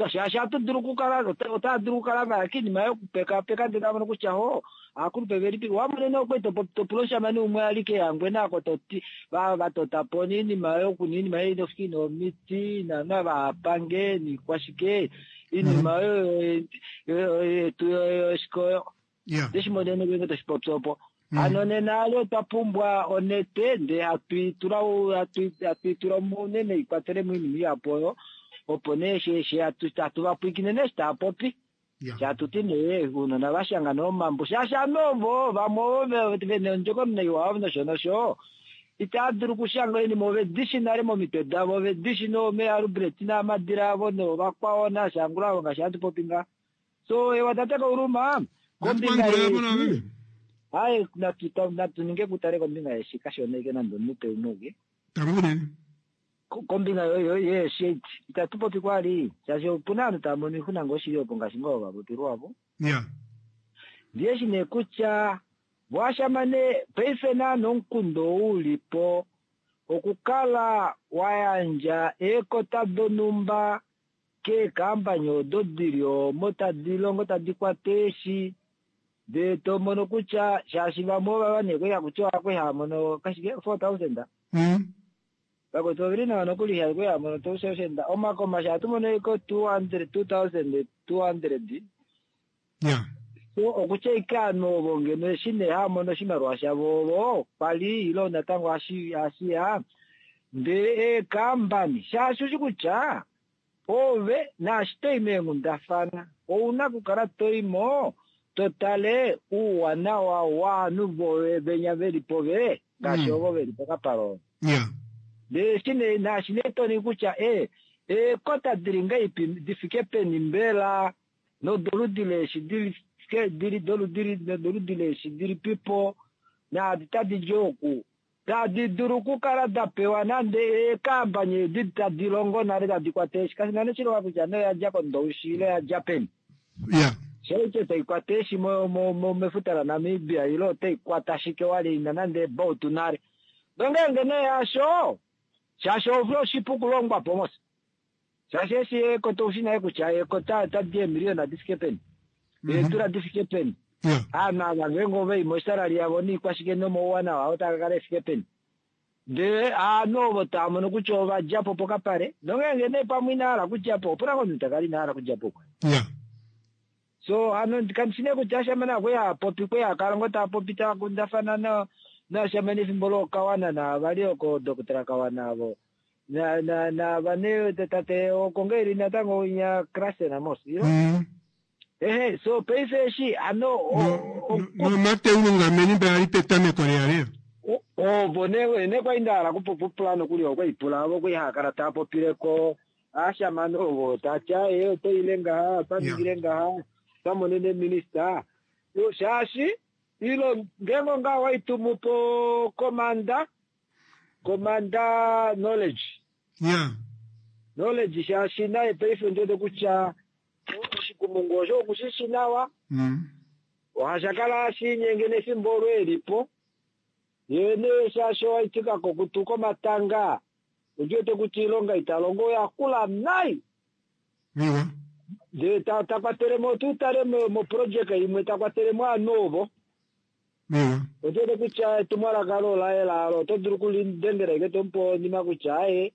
shaashi ohatu dulu okukala otaa dulu okukala vaya kiinima yokupekapeka ndele tava mono kutya ho aakulupe velipi wamonene okwali topula omushamane umwe ali kEhangwena ako toti vatota po niinima yoku niinima ei nofiki nomiti naana vapange niikwashike iinima oyo yetu yoshikoyo ndeshimonene ngenge toshipopi opo hano nena ali otwa pumbwa onete ndee hatuitula hatuitula unene ikwatelemo iinima ihapu oyo opo nee she hatu vapwiikine nee eshi taapopi shatuti nee ounona vashanga nee omambo shaashi ovanhu ovo vamwe ovo vena ondjokonona iwa nosho nosho itava dulu okushanga oinima ovedishi nale momitwe davo ovedishi noomeeAlbertina Amadhila avo noovakwao naShangula avo ngaashi hatu popi ngaha so ewa tate Kauluma kombinga yeeshi aye natu ninge kutale kombinga yeeshi kashona ike nande omunute umwe uke kombinga yeeshi itatu popi kwali shaashi opuna ovanhu tava mono oixuna ngoo shili opo ngaashi ngoo vapopilwa opo ndiyeshi nee kutya voashamane paife naana omukundu ou ulipo okukala wayandja eekota donhumba keekambani odo dili omo tadi longo tadi kwata eeshi ndee tomono kutya shaashi vamwe ovava nee kwali hakutiwa kwali haamono kashike 4000 vakwetu oveli nawa nokuli kwali haamono 2000 omakoma shaa tumono iko 200 2200 so okutya ike ovanhu ovo ngeno eshi nee haamono oshimaliwa shavo ovo kwali ilo natango hashiya ndee eekambani shaashi ushi kutya ove naashi toi meenghundafana ouna okukala toimo totale ouwanawa wovanhu voye venya veli pove ngaashi ovo veli pokapale opo. Ndee eshi nee naashi nee toningi kutya eekota dili ngahelipi difike peni mbela nodoludi leeshi dili doludi leeshi dilipipo naadi tadi di oku tadi dulu okukala da pewa nande eekambani edi tadi longo nale tadi kwata eeshi kashi na nee oshilonga kutya nee oya dja kOndoushi ile oya dja peni. Shaiche tai kwata eeshi mefuta laNamibia ile otai kwata shike wali ina nande eebautu nale. Nongeenge nee hasho, shaashi ove oshipu okulongwa po mos. Shaashi eshi eekota oushi nale kutya eekota otadi eemiliyona di fike peni. Eedula di fike peni. Ovanhu ava ngeenge ova i mosalary yavo noikwashike nomauwanawa avo otaa ka kala e fike peni. Ndele ovanhu ovo tava mono kutya ova dja po pokapale, nongeenge nee pamwe ina hala okudja po, opu na ngoo omunhu ta kala ina hala okudja po? So hano kandi shi nee kutya ashamane okwe ya popi kwe ya kala ngoo taa popi taa kundafana nashamane efimbo lookawana naavali oko Doctor Kawana avo naava nee tate oko ngoo eli natango winya Krasen mos ilo ehe so paife eshi hano nomateu Lungameni mbela ali petameko leya ovo nee kwali nda hala kupula nokuli okwe ipula ovo kwali haa kala taa popileko ashamane ovo tati aye otoile ngaha otaningile ngaha otamonene minista shaashi ilo ngeenge ongaho waitumu po komanda komanda knowledge knowledge shaashi naye paife ondiwete kutya oshikumungu osho okushishi nawa ohasha kala hashiinyenge nefimbo olo elipo yee nee shaashi owaitika kokutu komatanga ondiwete kutya oilonga italongo oyakula nai ndee takwatelemo tutale moprojeka imwe takwatelemo ovanhu ovo ondiwete kutya etumwalaka olo laye laalo oto dulu okulidengela ike tomupe onima kutya aye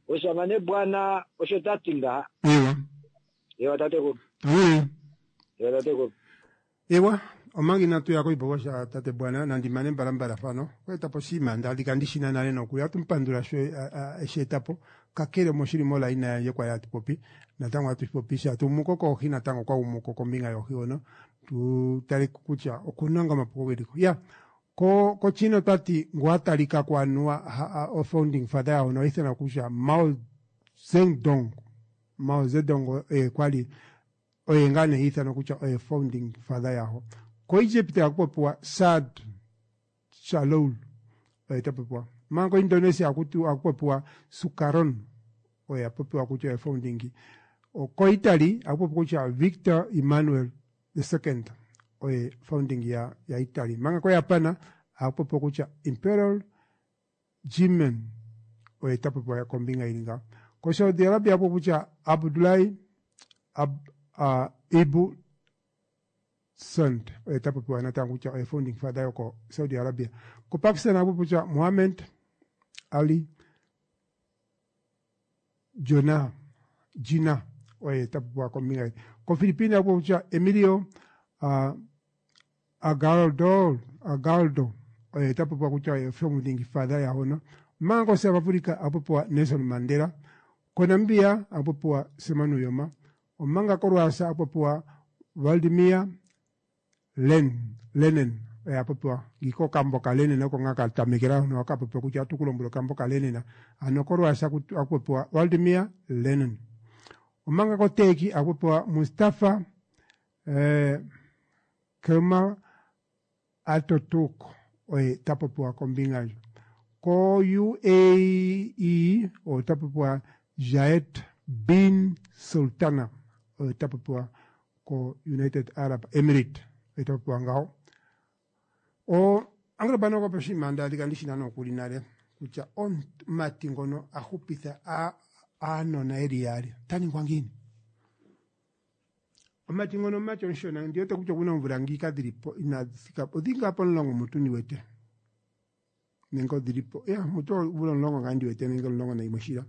oshamane bwana osho tati ngaha ewa tatekulu ewa tatekulu ewa omanga inatu ya koipopiwa sha tate bwana nandi mane mbalambala fano okweeta po oshinima ndalika ndishina nale nokuli ohatu mupandula sho eshi eta po kakele moshili molaina yandje kwali hatu popi natango hatu popi sha tumuko koohi natango kwa umuko kombinga yoohi hono tu tale kutya okuna nga omapuko geliko ya. Ko koChina otati ngu atalika ko anuwa o founding father yawo noithanwa kutya Mao Zedong. Mao Zedong oye kwali oye ngaa nee ithanwa kutya oye founding father yawo. KoEgypt ohaku popiwa Saad Shalloul oye ta popiwa. Manga koIndonesia ohaku popiwa Sukarno oye a popiwa kutya oye founding. KoItaly ohaku popiwa kutya Victor Emmanuel the second oye founding ya, ya Italy. Manga koJapan ohaku popiwa kutya Imperial Jimen oye ta popiwa kombinga ili ngaho. KoSaudi Arabia ohaku popiwa kutya Abdullahi Ab, Ibu Sund oye ta popiwa natango kutya oye founding father yoko Saudi Arabia. KoPakistan ohaku popiwa kutya Muhammad Ali Jona Jinnah oye ta popiwa kombinga ye. KoPhilippines ohaku popiwa kutya Emilio Agaldo Agaldo oye ta popiwa kutya oye founding father yahono. Omanga koSouth Africa ohaku popiwa Nelson Mandela. KoNamibia ohaku popiwa Sam Nujoma. Omanga koRussia ohaku popiwa Vladimir Len, Lenin oye a popiwa ngiika okambo kaLenin oko ngaa ka tamekela hono ka popiwa kutya atu ku lombwele okambo kaLenin. Ano koRussia ohaku popiwa Vladimir Lenin. Omanga koTurkey ohaku popiwa Mustafa eh, Kemal Atatürk oye ta popiwa kombinga ndjo. Ko UAE ota popiwa Zayed bin Sultana oye ta popiwa ko United Arab Emirates oye ta popiwa ngaho. O Angelo Bano okwa oshinima nda adhika ndi shi na nokuli nale kutya omumati ngono a hupitha aanona yeli yaali ota ningwa ngiini? Omumati ngono omumati omushona ndi wete kutya okuna oomvula ngiika dhili po inadhi thika po odhili ngaa pomulongo mutu ndi wete nenge odhili po ya mutu omvula 10 ngaa ndi wete nenge 11 shila.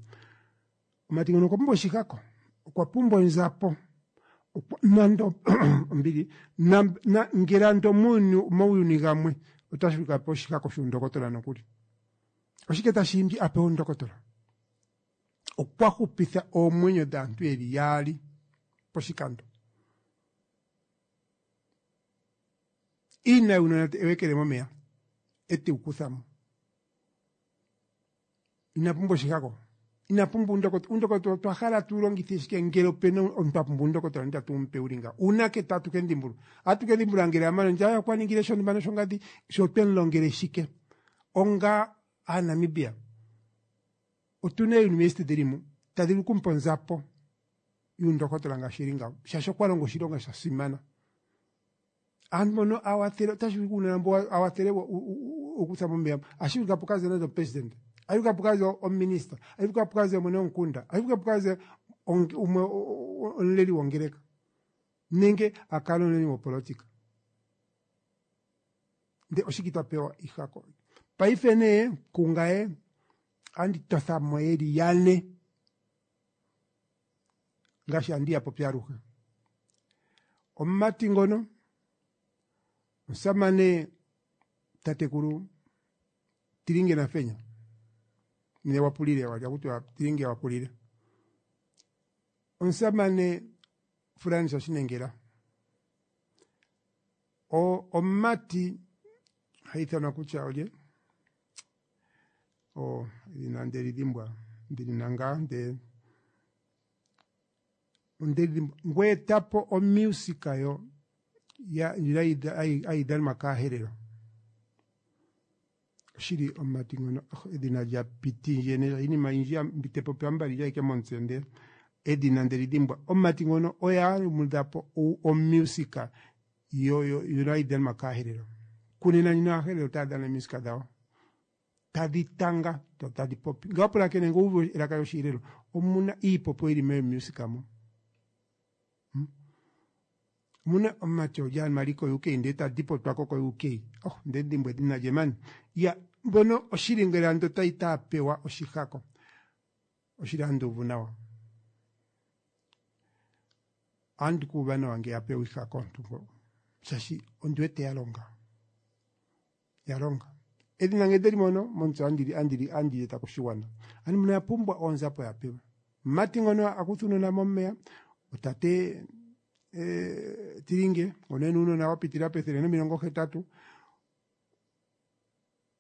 Omumati ngono okwa pumbwa oshikako, okwa pumbwa onzapo nando ombili na, ngele ando muuyuni gamwe otashi vulika apewe oshikako shuundokotola nokuli. Oshike tashi imbi a pewe uundokotola? Okwa hupitha oomwenyo dhaantu yeli yaali poshikando. Iina yuunona ewekele momeya e te wu kutha mo. Ina pumbwa oshikako, ina pumbwa uundokotola. Uundokotola otwa hala tu longithe shike ngele opena omuntu a pumbwa uundokotola ndele tatu mu pe wuli ngawo? Uunake tatu ke mu dhimbulula? Ohatu ke dhimbulula ngele a mana ndje okwa ningile shontumba noshongadi, sho otwe mu longele shike? Onga Aanamibia otuna eeuniversity dhili mu tadhi vulu okumupa onzapo yuundokotola ngaashi eli ngawo, shaashi okwa longa oshilonga sha simana. Aantu mbono a wathele otashi vulika uunona mbo a wathele okutha momeya, ohashi vulika pu kaze nande omupresidente, ohashi vulika pu kaze ominista, ohashi vulika pu kaze mwene womukunda, ohashi vulika pu kaze umwe omuleli wongeleka nenge a kale omuleli wopolotika. Nde oshike twa pewa ihako? Paife nee kungaye andi totha mo yeli yane ngaashi andi ya popi aluhe. Omumati ngono omusamane tatekulu Tilinge Nafenya ne wapulile walya kutya Tilinge wapulile omusamane Frans Shinengela o omumati ha ithanwa kutya olye o edhina ndeli dhimbwa ndili na ngaa nde ondeli dhimbwa ngweetapo omusika yo ya ndjila hayi dhanwa kaaherero oshili omumati ngono oh, edhina lya piti ndje ne iinima oyindji mbi te popi ambali lya ike momutse nde edhina ndeli dhimbwa omumati ngono oye a yumudhapo omusika yo yo ndjono hayi dhanwa kaaherero kunena ndjino aaherero otaya dhana omusika dhawo tadhi tanga dho tadhi popi ngele wa pulakene ngele wu uvu elaka lyoshiherero omuna iipopiwa yili meemusika mo Omuna omumati olye anuwa ali ko UK ndele ta dipotwa ko ko UK. Oh, nde dhimbwa edhina lye mani. Ya, mbono oshili ngele ando tayi taa pewa oshihako. Oshili ando uvu nawa. Andi ku uva nawa ngele ya pewa ihako omuntu ngo. Shaashi ondi wete ya longa. Ya longa. Edhina ngele ndeli mono, momutse andili, andili, andili eta koshigwana. Ano mbono oya pumbwa oonzapo ya pewe. Omumati ngono a kutha uunona momeya, otate eh, Tilinge, ngono ena uunona wa pitilila pethele nomilongo hetatu.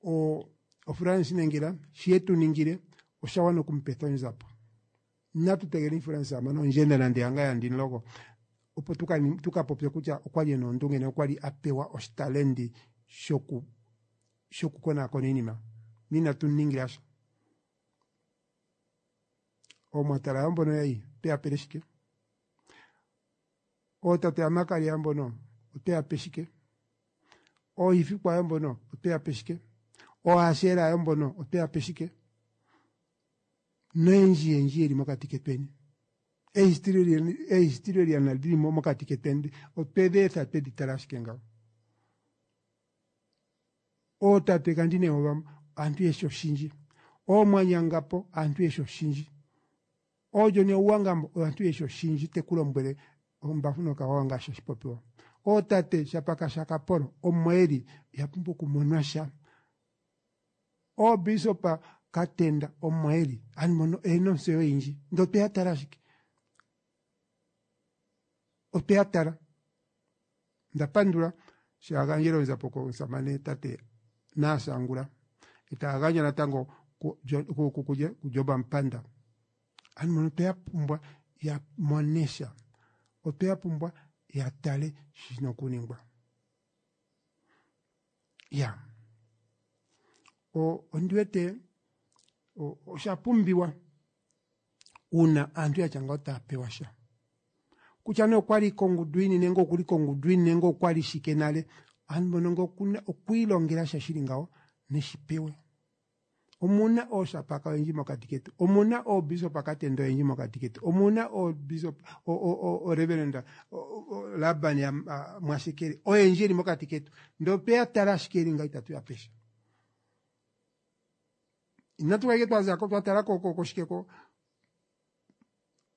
Ofrance Nengila shi ye tu ningile osha wana okumupetha onzapo. Natu tegeleni France a mane ondjenda nande hanga yandinloko opo tuka popye kutya okwali ena oondunge nokwali a pewa oshitalendi shoku shokukonaakona iinima. Ninatu mu ningila sha. Oomwatala yo mbono yayi otwe ya pele shike? Ootate yaMakalia mbono otwe ya pe shike? Oohifikwa yo mbono otwe ya pe shike? Oohasheela yo mbono otwe ya pe shike? Noyendji yendji yeli mokati ketweni. Eehistorian dhili mokati ketweni otwe dhi etha twedhi tala ashike ngawo. Ootate kandi ne aantu yeshi oshindji. Oomwanyangapo aantu yeshi oshindji. Oojoni Ouwangambo aantu yeshi oshindji te ku lombwele ombafu nokawawa ngaashi hashi popiwa. Ootate Shapaka shaKapolo omo eli ya pumbwa okumonwa sha. Oobisopa Katenda omo eli aantu mbono oyena ontseyo oyindji ndele otweya tala ashike. Otweya tala. Onda pandula sho a gandjele oonzapo komusamane tate Naas Angula eta gandja natango kuJob Amupanda. Aantu mbono otweya pumbwa ya mone sha. Otweya pumbwa ya tale shi shina okuningwa. Ya ondi wete osha pumbiwa uuna aantu yatya ngawo taya pewa sha. Kutya nee okwali kongundu yini nenge okuli kongundu yini nenge okwali shike nale, aantu mbono ngele okuna okwiilongela sha shili ngawo neshi pewe. Omuna ooshapaka oyendji mokati ketu, omuna oobisopa Katenda oyendji mokati ketu, omuna oobisop oreverend Laban ya Mwashekele oyendji yeli mokati ketu, ndele otweya tala ashike yeli ngawo itatu ya pe sha. Inatu kala ike twazako twa tala koshike ko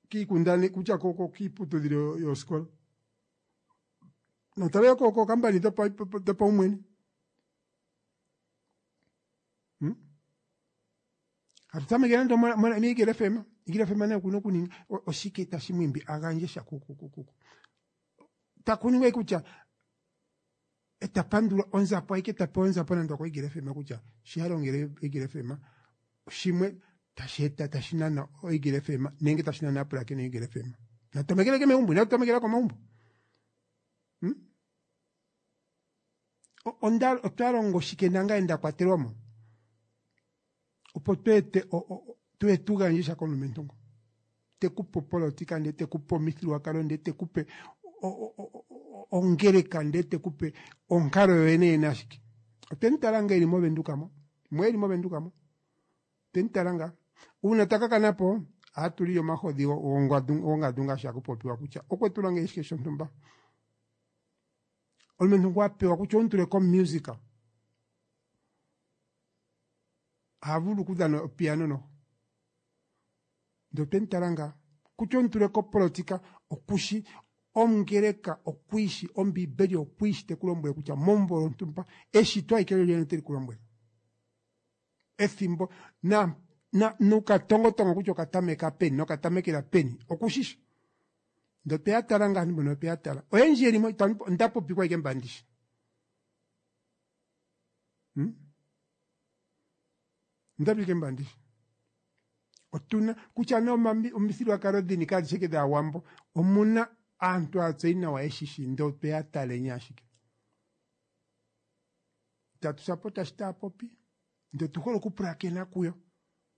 kiikundane kutya kiiputudhilo yoosikola notale yo kookampani dhopaumwene. Hmm? Hatu tameke nande miigele FM, Igele FM naye okuna okuninga oshike tashi mu imbi a gandje sha ku taku ningwa kutya eta pandula onzapo ayike ta pewa onzapo nande okoIgele FM kutya shi a longele Igele FM shimwe tashi eta tashi nana oIgele FM nenge tashi nana aapulakeni yoIgele FM. Natu tamekele ke megumbo, inatu tamekela komagumbo. Hmm? Onda otwa longo shike nangaye nda kwatelwa mo opo tweete tuye tu gandje sha komulumentu ngo te ku pe opolotika ndee te ku pe omithigululwakalo ndee te ku pe ongeleka ndee te ku pe onkalo yoyene yene ashike. Otwe mu tala nga eli movenduka mo, mo eli movenduka mo. Otwe mu tala nga. Uuna ta ka kana po, ohatu lili omahodhi gongadu ngaashi haku popiwa kutya okwe tu longele shike shontumba. Omulumentu ngu a pewa kutya omu tule komusic, oha vulu okudhana opiano noho. Ndele otwe mu tala ngaa. Kutya omu tule kopolotika, okushi, ongeleka okwiishi, Ombiibeli okwiishi te ku lombwele kutya momumvo lontumba, eshito alike lolyene oteli ku lombwele. Ethimbo na, na, nokatongotongo kutya okatameka peni nokatamekela peni, okushishi. Ndele otwe ya tala ngaa aantu mbono otwe ya tala. Oyendji yeli mo, onda popikwa ashike mba ndishi. Hmm? Onda popikwa mba ndishi. Otuna, kutya nee omithigululwakalo dhini kadhi shi ashike dhaawambo, omuna aantu aatseyi nawa yeshishi ndele otwe ya taleni ashike. Itatu sapota shi taya popi, ndele otu hole okupulakena kuyo.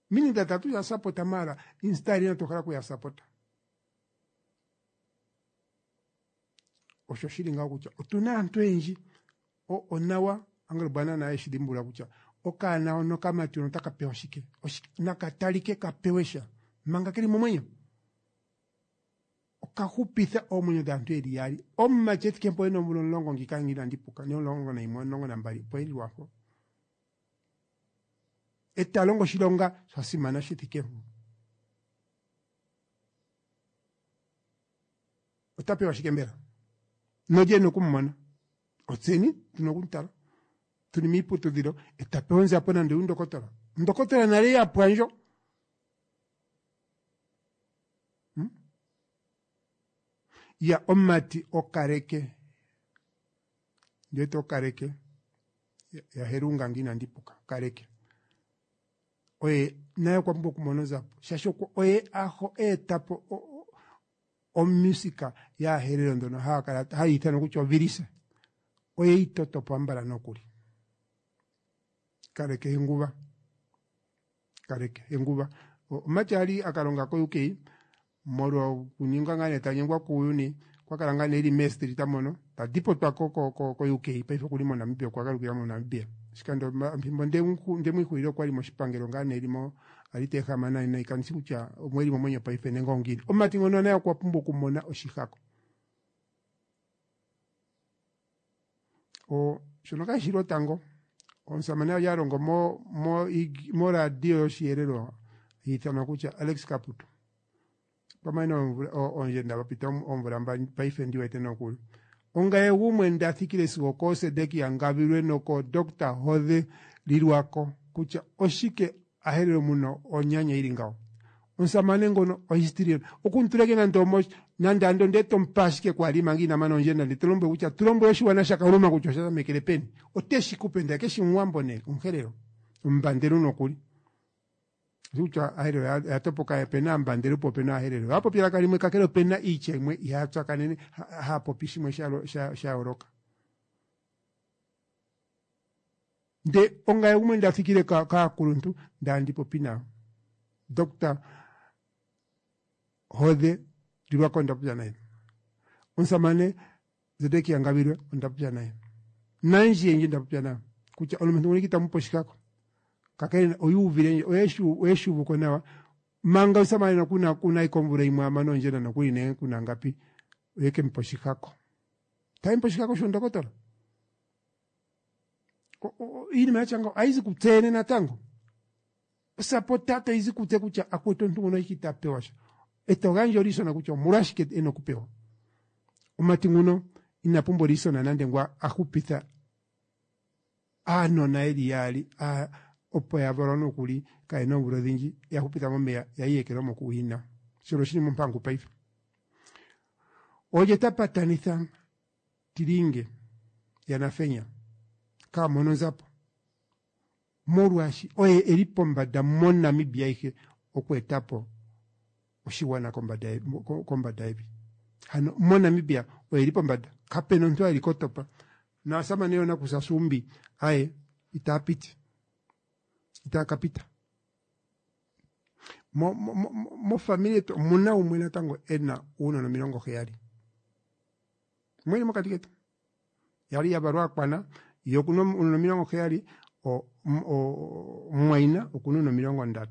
Meaning that tatu ya sapota maala instead inatu hala okuya sapota. Osho shili ngawo kutya otuna aantu oyendji onawa Angelo Bwana naye eshi dhimbulula kutya okaana hono okamati hono otaka pewa shike, naka talike ka pewe sha manga keli momwenyo. Oka hupitha oomwenyo dhaantu yeli yaali. Omumati ethike mpo ena omvula omulongo ngika ngi inandi puka, ne 11, 12 opo eli lwapo. Eta longo oshilonga sha simana shi thike mpo. Ota pewa shike mbela? Nolye ena oku mu mona? Otseni tuna oku mu tala. Tuli miiputudhilo eta pewa onzapo nande yuundokotola. Ondokotola nale ya pwa ndjo. Hmm? Ya omumati okaleke. Ndi wete okaleke. yaHerunga nge inandi puka Kaleke oye naye okwa pumbwa okumona onzapo shaashi oye aho eeta po omusika yaaherero ndhono haya kala hayi ithanwa kutya ovilisa oye yi toto po ambala nokuli. Kaleke Henguva Kaleke Henguva omumati ali a ka longa ko-UK molwa okuninga ngaa nee ta nyengwa kuuyuni okwa kala ngaa nee eli meestrita mono ta dipotwa ko ko-UK paife okuli moNamibia okwa galukila moNamibia oshikando fimbo ndemu ixulile okwali moshipangelo ngaa nee eli mo ali ta ehama nayi nayi kandi shi kutya omo eli momwenyo paife nenge ongiini omumati ngono naye okwa pumbwa okumona oshihako o shono kashi shi lwotango omusamane ali a longo mo mo moradio yoshiyelelwa ithanwa kutya Alex Kaputu pamwe oondjenda papita oomvula mbali paife ndi wete nokuli ongaye gumwe nda thikile sigo kooSedekia Ngavilwe noko Dr Hodhe Lilwako kutya oshike ahelelo muno onyanya ili ngawo omusamane ngono ohistory okumutuleke nande omo nande ando nde tomupa ashike kwali manga ina mana ondjenda nde to lombwele kutya tu lombwele oshiwana shaKaluma kutya osha tamekele peni oteshi kupe ndele keshi omuwambo nee omuherero omubandelu nokuli kutya aherero oya topoka opena aambandelu po opena aaherero ohaya popi elaka limwe kakele opena iitya imwe ihaya tsakanene haya popi shimwe sha yooloka nde ongaye gumwe nda thikile kaakuluntu ndandi popi nayo Dr Hodhe Lilwako onda popya naye omusamane Zedekia Ngabilwe onda popya naye nandji yendji nda popya nayo kutya omulumentu ngono itamu pe oshikako kakele oyu uvile ndje oyeshi uvuko nawa manga omusamane nokuna kuna ikomvula imwe amane ondjenda nokuli nenge kuna ngapi oye ke mupa oshikako taye mupe oshikako shondokotola iinima yatya ngawo ayizi kutse yene natango osapota tayizi kutse kutya akwetu omuntu ngono ita pewa sha eto gandja olisona kutya omolwashike ena okupewa omati nguno ina pumbwa olisona nande ngwa a hupitha aanona yeli yaali opo ya valwa nokuli kayena oomvula odhindji ya hupitha momeya ya iyekelwa mokuhina shono oshili mompangu paife olye ta patanitha Tilinge yaNafenya kaa mone onzapo molwaashi oye eli pombada moNamibia ayihe oku etapo oshigwana kombada kombada yevi. Hano moNamibia oye eli pombada kapena omuntu eli kotopa naasamane yoonakusa Sumbi aye itaa piti itaa ka pita. Mo, mo, mo, mofamili yetu omuna umwe natango ena uunona 70. Mwene mokati ketu yali ya valwa akwana ye okuna uunona 70 omumwaina okuna uunona 30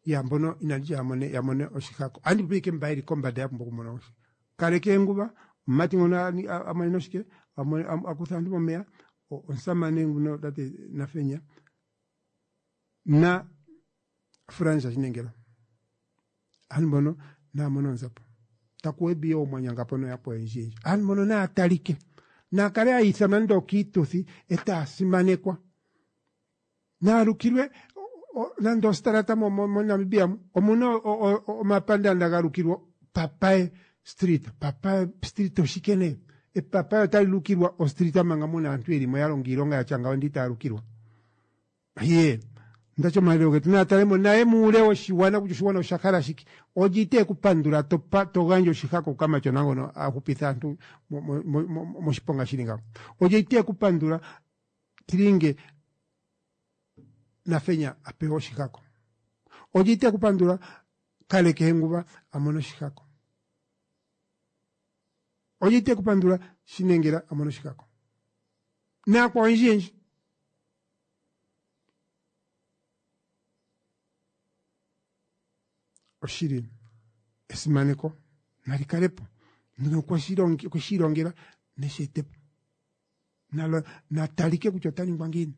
ya mbono inandi ya mone ya mone oshihako andi popi ike mba yeli kombada ya pumbwa okumona oshi kaleke enguba omumati ngono a monene oshike a kutha aantu momeya omusamane nguno tate Nafenya na Frans Shinengela aantu mbono naa mone oonzapo taku webi yo omwanyangapo noyakwa oyendji yendji aantu mbono naa talike naa kale ya ithanwa nando okiituthi e taa simanekwa naa lukilwe nando ostarata moNamibia mu omuna omapandaanda ga lukilwa Papaye Street Papaye Street oshike nee epapaye otali lukilwa ostrita manga muna aantu yeli mo ya longa iilonga ya tya ngawo ndele itaya lukilwa Ye, ndati omalelo getu naa tale mo naye muule woshigwana kutya oshigwana osha hala shike. Olye itee ku pandula to pa, to gandja oshihako kukamatyona ngono a hupitha aantu mo, mo, mo, mo, moshiponga shili ngawo. Olye itee ku pandula Tilinge Nafenya a pewe oshihako. Olye itee ku pandula Kaleke Henguva a mone oshihako. Olye itee ku pandula Shinengela a mone oshihako. Naakwawo oyendji yendji. Oshili esimaneko nali kale po nokwe shi ilongela neshi ete po na talike kutya ota ningwa ngiini.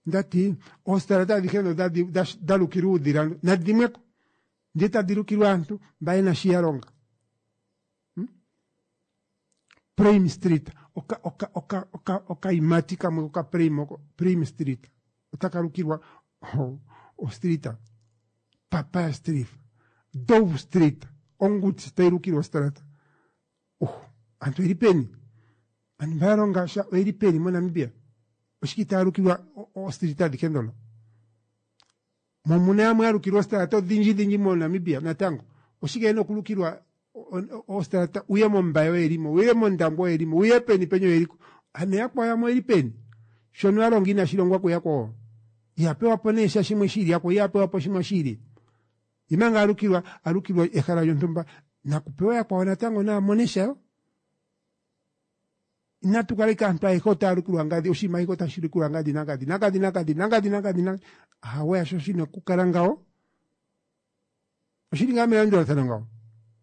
Ndati oostarata adhihe ndho dha lukilwa uudhila nadhi dhimweko ndele tadhi lukilwa aantu mba yena shi ya longa. Prime Street oka oka oka oka okayimati kamwe koka Prime oko Prime Street otaka lukilwa o street Papaya Street Dove Street Onguti tayi lukilwa ostrata uh Aantu oyeli peni? Aantu mba ya longa sha oyeli peni moNamibia? Oshike itaya lukilwa oostrita adhihe ndhono? Mo omuna yamwe ya lukilwa oostrata odhindji dhindji moNamibia natango. Oshike yena okulukilwa oostrata uye mOmbaye oyeli mo, uye mOndangwa oyeli mo, uye peni peni oyeli ko. Ano yakwawo yamwe oyeli peni? Shono ya longa inashi longwa kuyakwawo. Iha pewa po nee sha shimwe shi ili, yakwawo iha pewa po shimwe shi ili. Ye manga a lukilwa, a lukilwa ehala lyontumba, nakupewa yakwawo natango naa mone sha yo. Inatu kala ike aantu ayehe otaya lukilwa ngadhi, oshinima ayihe otashi lukilwa ngadhi nangadhi, nangadhi nangadhi, nangadhi nangadhi, nangadhi. Ahawe, hasho shina okukala ngawo. Oshili ngaa melandulathano ngawo.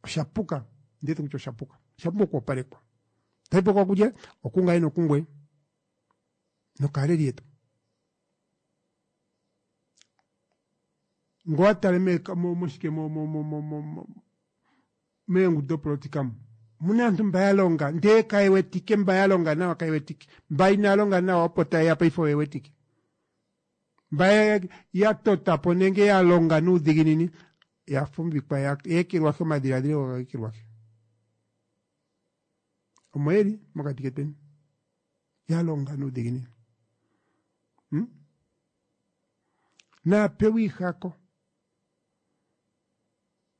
Osha puka. Ndi wete kutya osha puka. Osha pumbwa okwoopalekwa. Tayi pukwa kulye? Okungaye nokungweye. Nokaaleli yetu. Ngo wa tale me, mo, moshike mo, mo, mo, mo, mo, mo, meengudu dopolotika mu muna aantu mba ya longa ndee kaye wetike, mba ya longa nawa kaye wetike, mba inaa longa nawa opo taye ya paife oye wetike, mba ya, ya tota po nenge ya longa nuudhiginini ya fumvikwa ya ekelwahi, omadhiladhilo ga ekelwahi. Omo yeli mokati ketweni ya longa nuudhiginini hmm? Naa pewe iihako.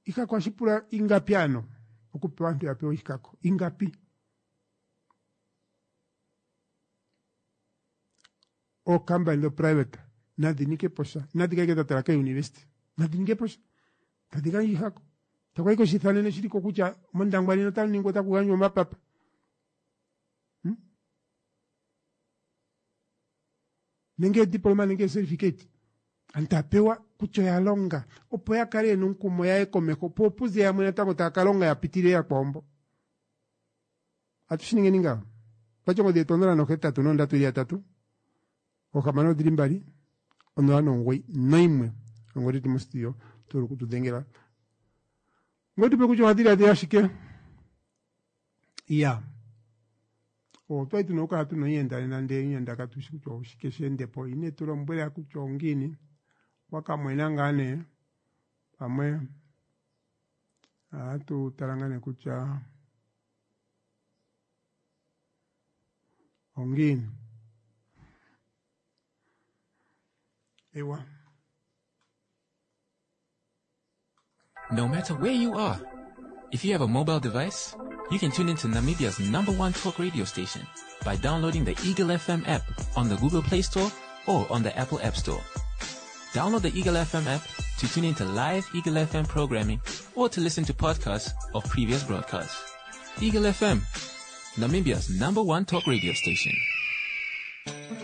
Iihako ohashi pula ingapi ano okupewa aantu ya pewe iihako ingapi? Ookampani dhoprivate nadhi ninge po sha, inadhi kala ike dha tala keeuniversity, nadhi ninge po sha, tadhi gandja iihako. Taku ike oshiithanene shili ko kutya mOndangwa nena otamu ningwa otaku gandjwa omapapa. Hmm? Nenge ediploma nenge ecertificate. Aantu taya pewa kutya oya longa opo ya kale yena omukumo ya ye komeho po opuze yamwe natango taya ka longa ya pitilile yakwawo mbo. Atu shi ningeni ngawo. Twatya ongodhi yetu 083 3 6 2 09 noimwe. Ongodhi yetu mostudio to vulu okutu dhengela. Ngoye tupe kutya owa dhiladhila shike. Ya. Otwali tuna okukala tuna omuyenda nena ndele omuyenda katu shi kutya oshike she ende po. Ine tu lombwela kutya ongiini. Okwa ka mwena ngaa nee pamwe ohatu tala ngaa nee kutya ongiini. Ewa. No matter where you are, if you have a mobile device, you can tune into Namibia's number one talk radio station by downloading the Eagle FM app on the Google Play Store or on the Apple App Store. Download the Eagle FM app to tune into live Eagle FM programming or to listen to podcasts of previous broadcasts. Eagle FM, Namibia's number one talk radio station.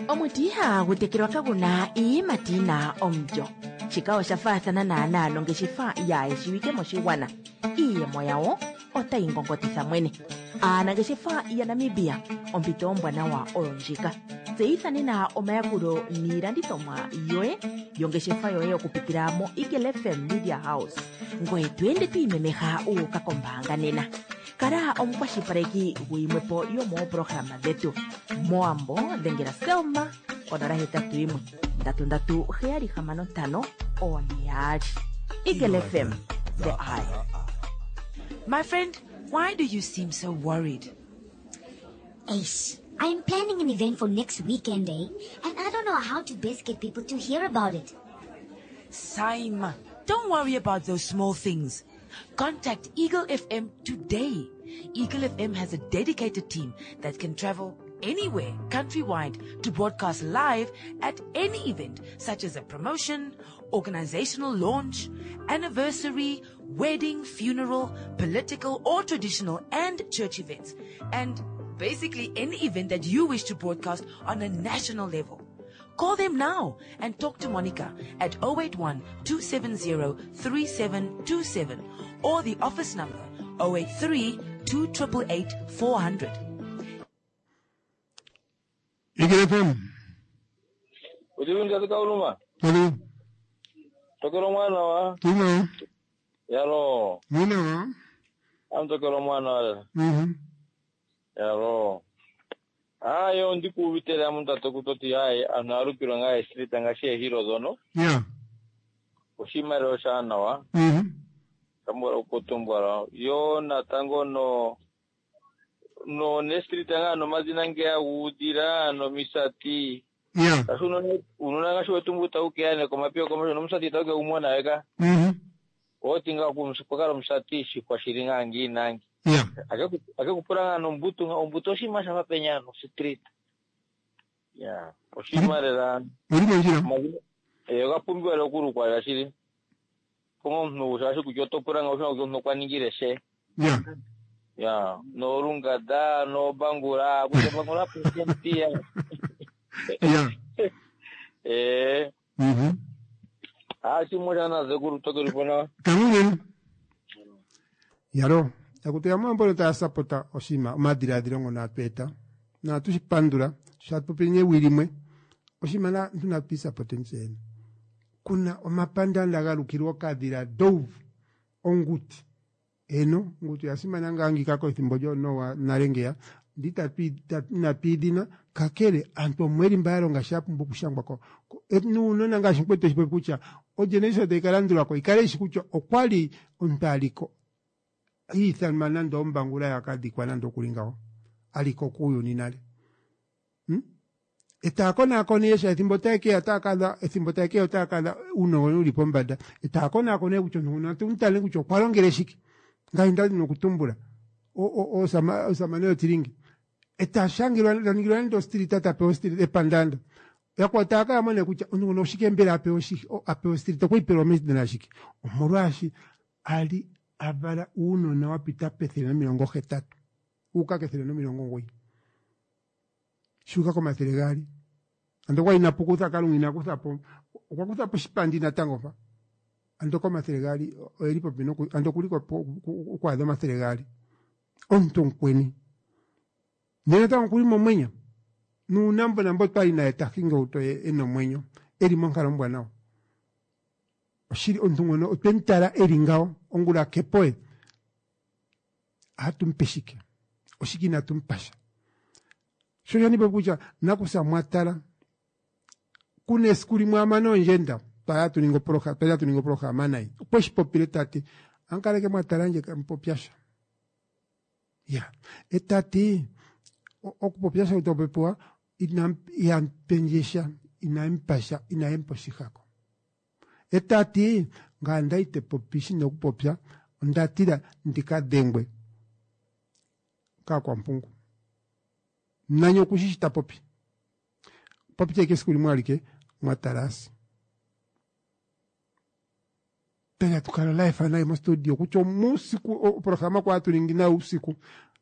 Omuti ihagu tekelwa kagu na iiyimati yi na omulyo. Shika osha faathana naanaa nongeshefa yaayeshiwike moshigwana. Iiyemo yawo otayi ngongotitha mwene. Aanangeshefa yaNamibia, ompito ombwanawa oyo ndjika. Tseyitha nena omayakulo niilandithomwa yoye yongeshefa yoye okupitila moEagle FM Media House. Ngoye to ende to imemeha wu uka kombaanga nena. Kala omukwashilipaleki guyimwe po yomooprograma dhetu. Mowambo dhengela Selma 081 337 665 Eagle FM, the eye. My friend, why do you seem so worried? Ace, I'm planning an event for next weekend, eh? And I don't know how to best get people to hear about it. Saima, don't worry about those small things. Contact Eagle FM today. Eagle FM has a dedicated team that can travel anywhere countrywide to broadcast live at any event such as a promotion, organizational launch, anniversary, wedding, funeral, political or traditional and church events, and basically any event that you wish to broadcast on a national level. Call them now and talk to Monica at 081 270 3727 or the office number 083 288 400. Eagle FM. Udivi ndati kauluma. Alo. Tokelo mwana wa. Tuna. Yalo. Mwana wa. Am tokelo mwana wa. Mhm. Yalo. Ayo ndikuuvitele amuntu ato kutoti hayi anhu alukilwa ngaa estrita ngaashi eehilo dhono. Yeah. Oshimaliwa oshaanawa. Mhm. Kambwala okutumbwala. Yo natango no. no nestrita ngaa nomadhina ngeya guudhila nomisati. Ya. Kasi uunona ngaashi wetu mbu tau keya ne komapiyo komesho nomusati itau ke umona we ka. Oti ngaa kwakala omusati shikwa shili ngaa ngii nangi. Ya. Ake kupula ngaa nombutu nga ombutu oshinima shafa penya no street. Ya, oshinima lela. Uli mondjila. Oga pumbiwa lela okulukwa lela shili. Ponga omuntu shaashi kutya oto pula nga oshina kutya omuntu okwa ningile she. Ya. Ya, noolungada noobangula, kutya bangula president ya. Ya. Eh. Ah, shimwe shana zekuru tokeli pona. Kamuleni. Yalo, akuti yamwe mbono taya sapota oshinima omadhiladhilo ngono atu eta natu shi pandula sho atu popi newi limwe oshinima natu natu isapote tseyene. Kuna omapandanda ga lukilwa okadhila dove onguti. Eno, onguti oya simana ngaa ngika ethimbo lyoonowa nale ngeya ndi inatu idhina kakele aantu omweli mba ya longa sha pumbwa okushangwa ko nuunona ngaashi mukwetu eshi popi kutya ogeneration tayi ka landulako ikale ishi kutya okwali omuntu aliko iithanwa nande ombangula yakadhikwa nande okuli ngawo aliko kuuyuni nale. Etaya konaakona ihe sha ethimbo taye keya otaya kadha ethimbo taye keya otaya kadha uunongo uli pombanda etaya konaakona kutya omuntu nguno atu mutale kutya okwa longele shike ngaashi nda dhina okutumbula osamane yotilingi eta shangelwa taningilwa nande ostrita tapewa ostrita epandanda yakwawo taya kala mone kutya omuntu nguno oshike mbela apewa ostrita okweyi pelwa medhina lashike omolwaashi ali avala uunona wa pita pe180 uuka ke190 shuuka ko200 ando okwali inapu kutha kalunga ina kuthapo okwa kuthapo oshipandi natango mpa ando ko200 oyeli popi noku ando okuli okwaadha 200 omuntu omukweni ndele natango okuli momwenyo nuunambo nambo twali naye ta hingi ohauto ye ena omwenyo eli monkalo ombwanawa oshili omuntu ngono otwemu tala eli ngawo ongula kepo ye ohatu mupe shike oshike inatu mupasha sho osho nipopi kutya nakusa mwatala kuna esiku limwe amane ondjenda twali hatu ningi opoloha twali hatu ningi opolohalama naye okweshi popile tati amukaleke mwatala ndje kamupopyasha ya etati okupopyasha utapopiwa ihampendjesha inayempasha inayempa oshihako etati ngaye ndali te popi shina okupopya onda tila ndika dhengwe kaakwampungu nani okushi shi ta popi popite ike esiku limwe alike mwatalasi pele tukala live naye mostudio kutya omuusiku oprograma kwa hatu ningi nayo uusiku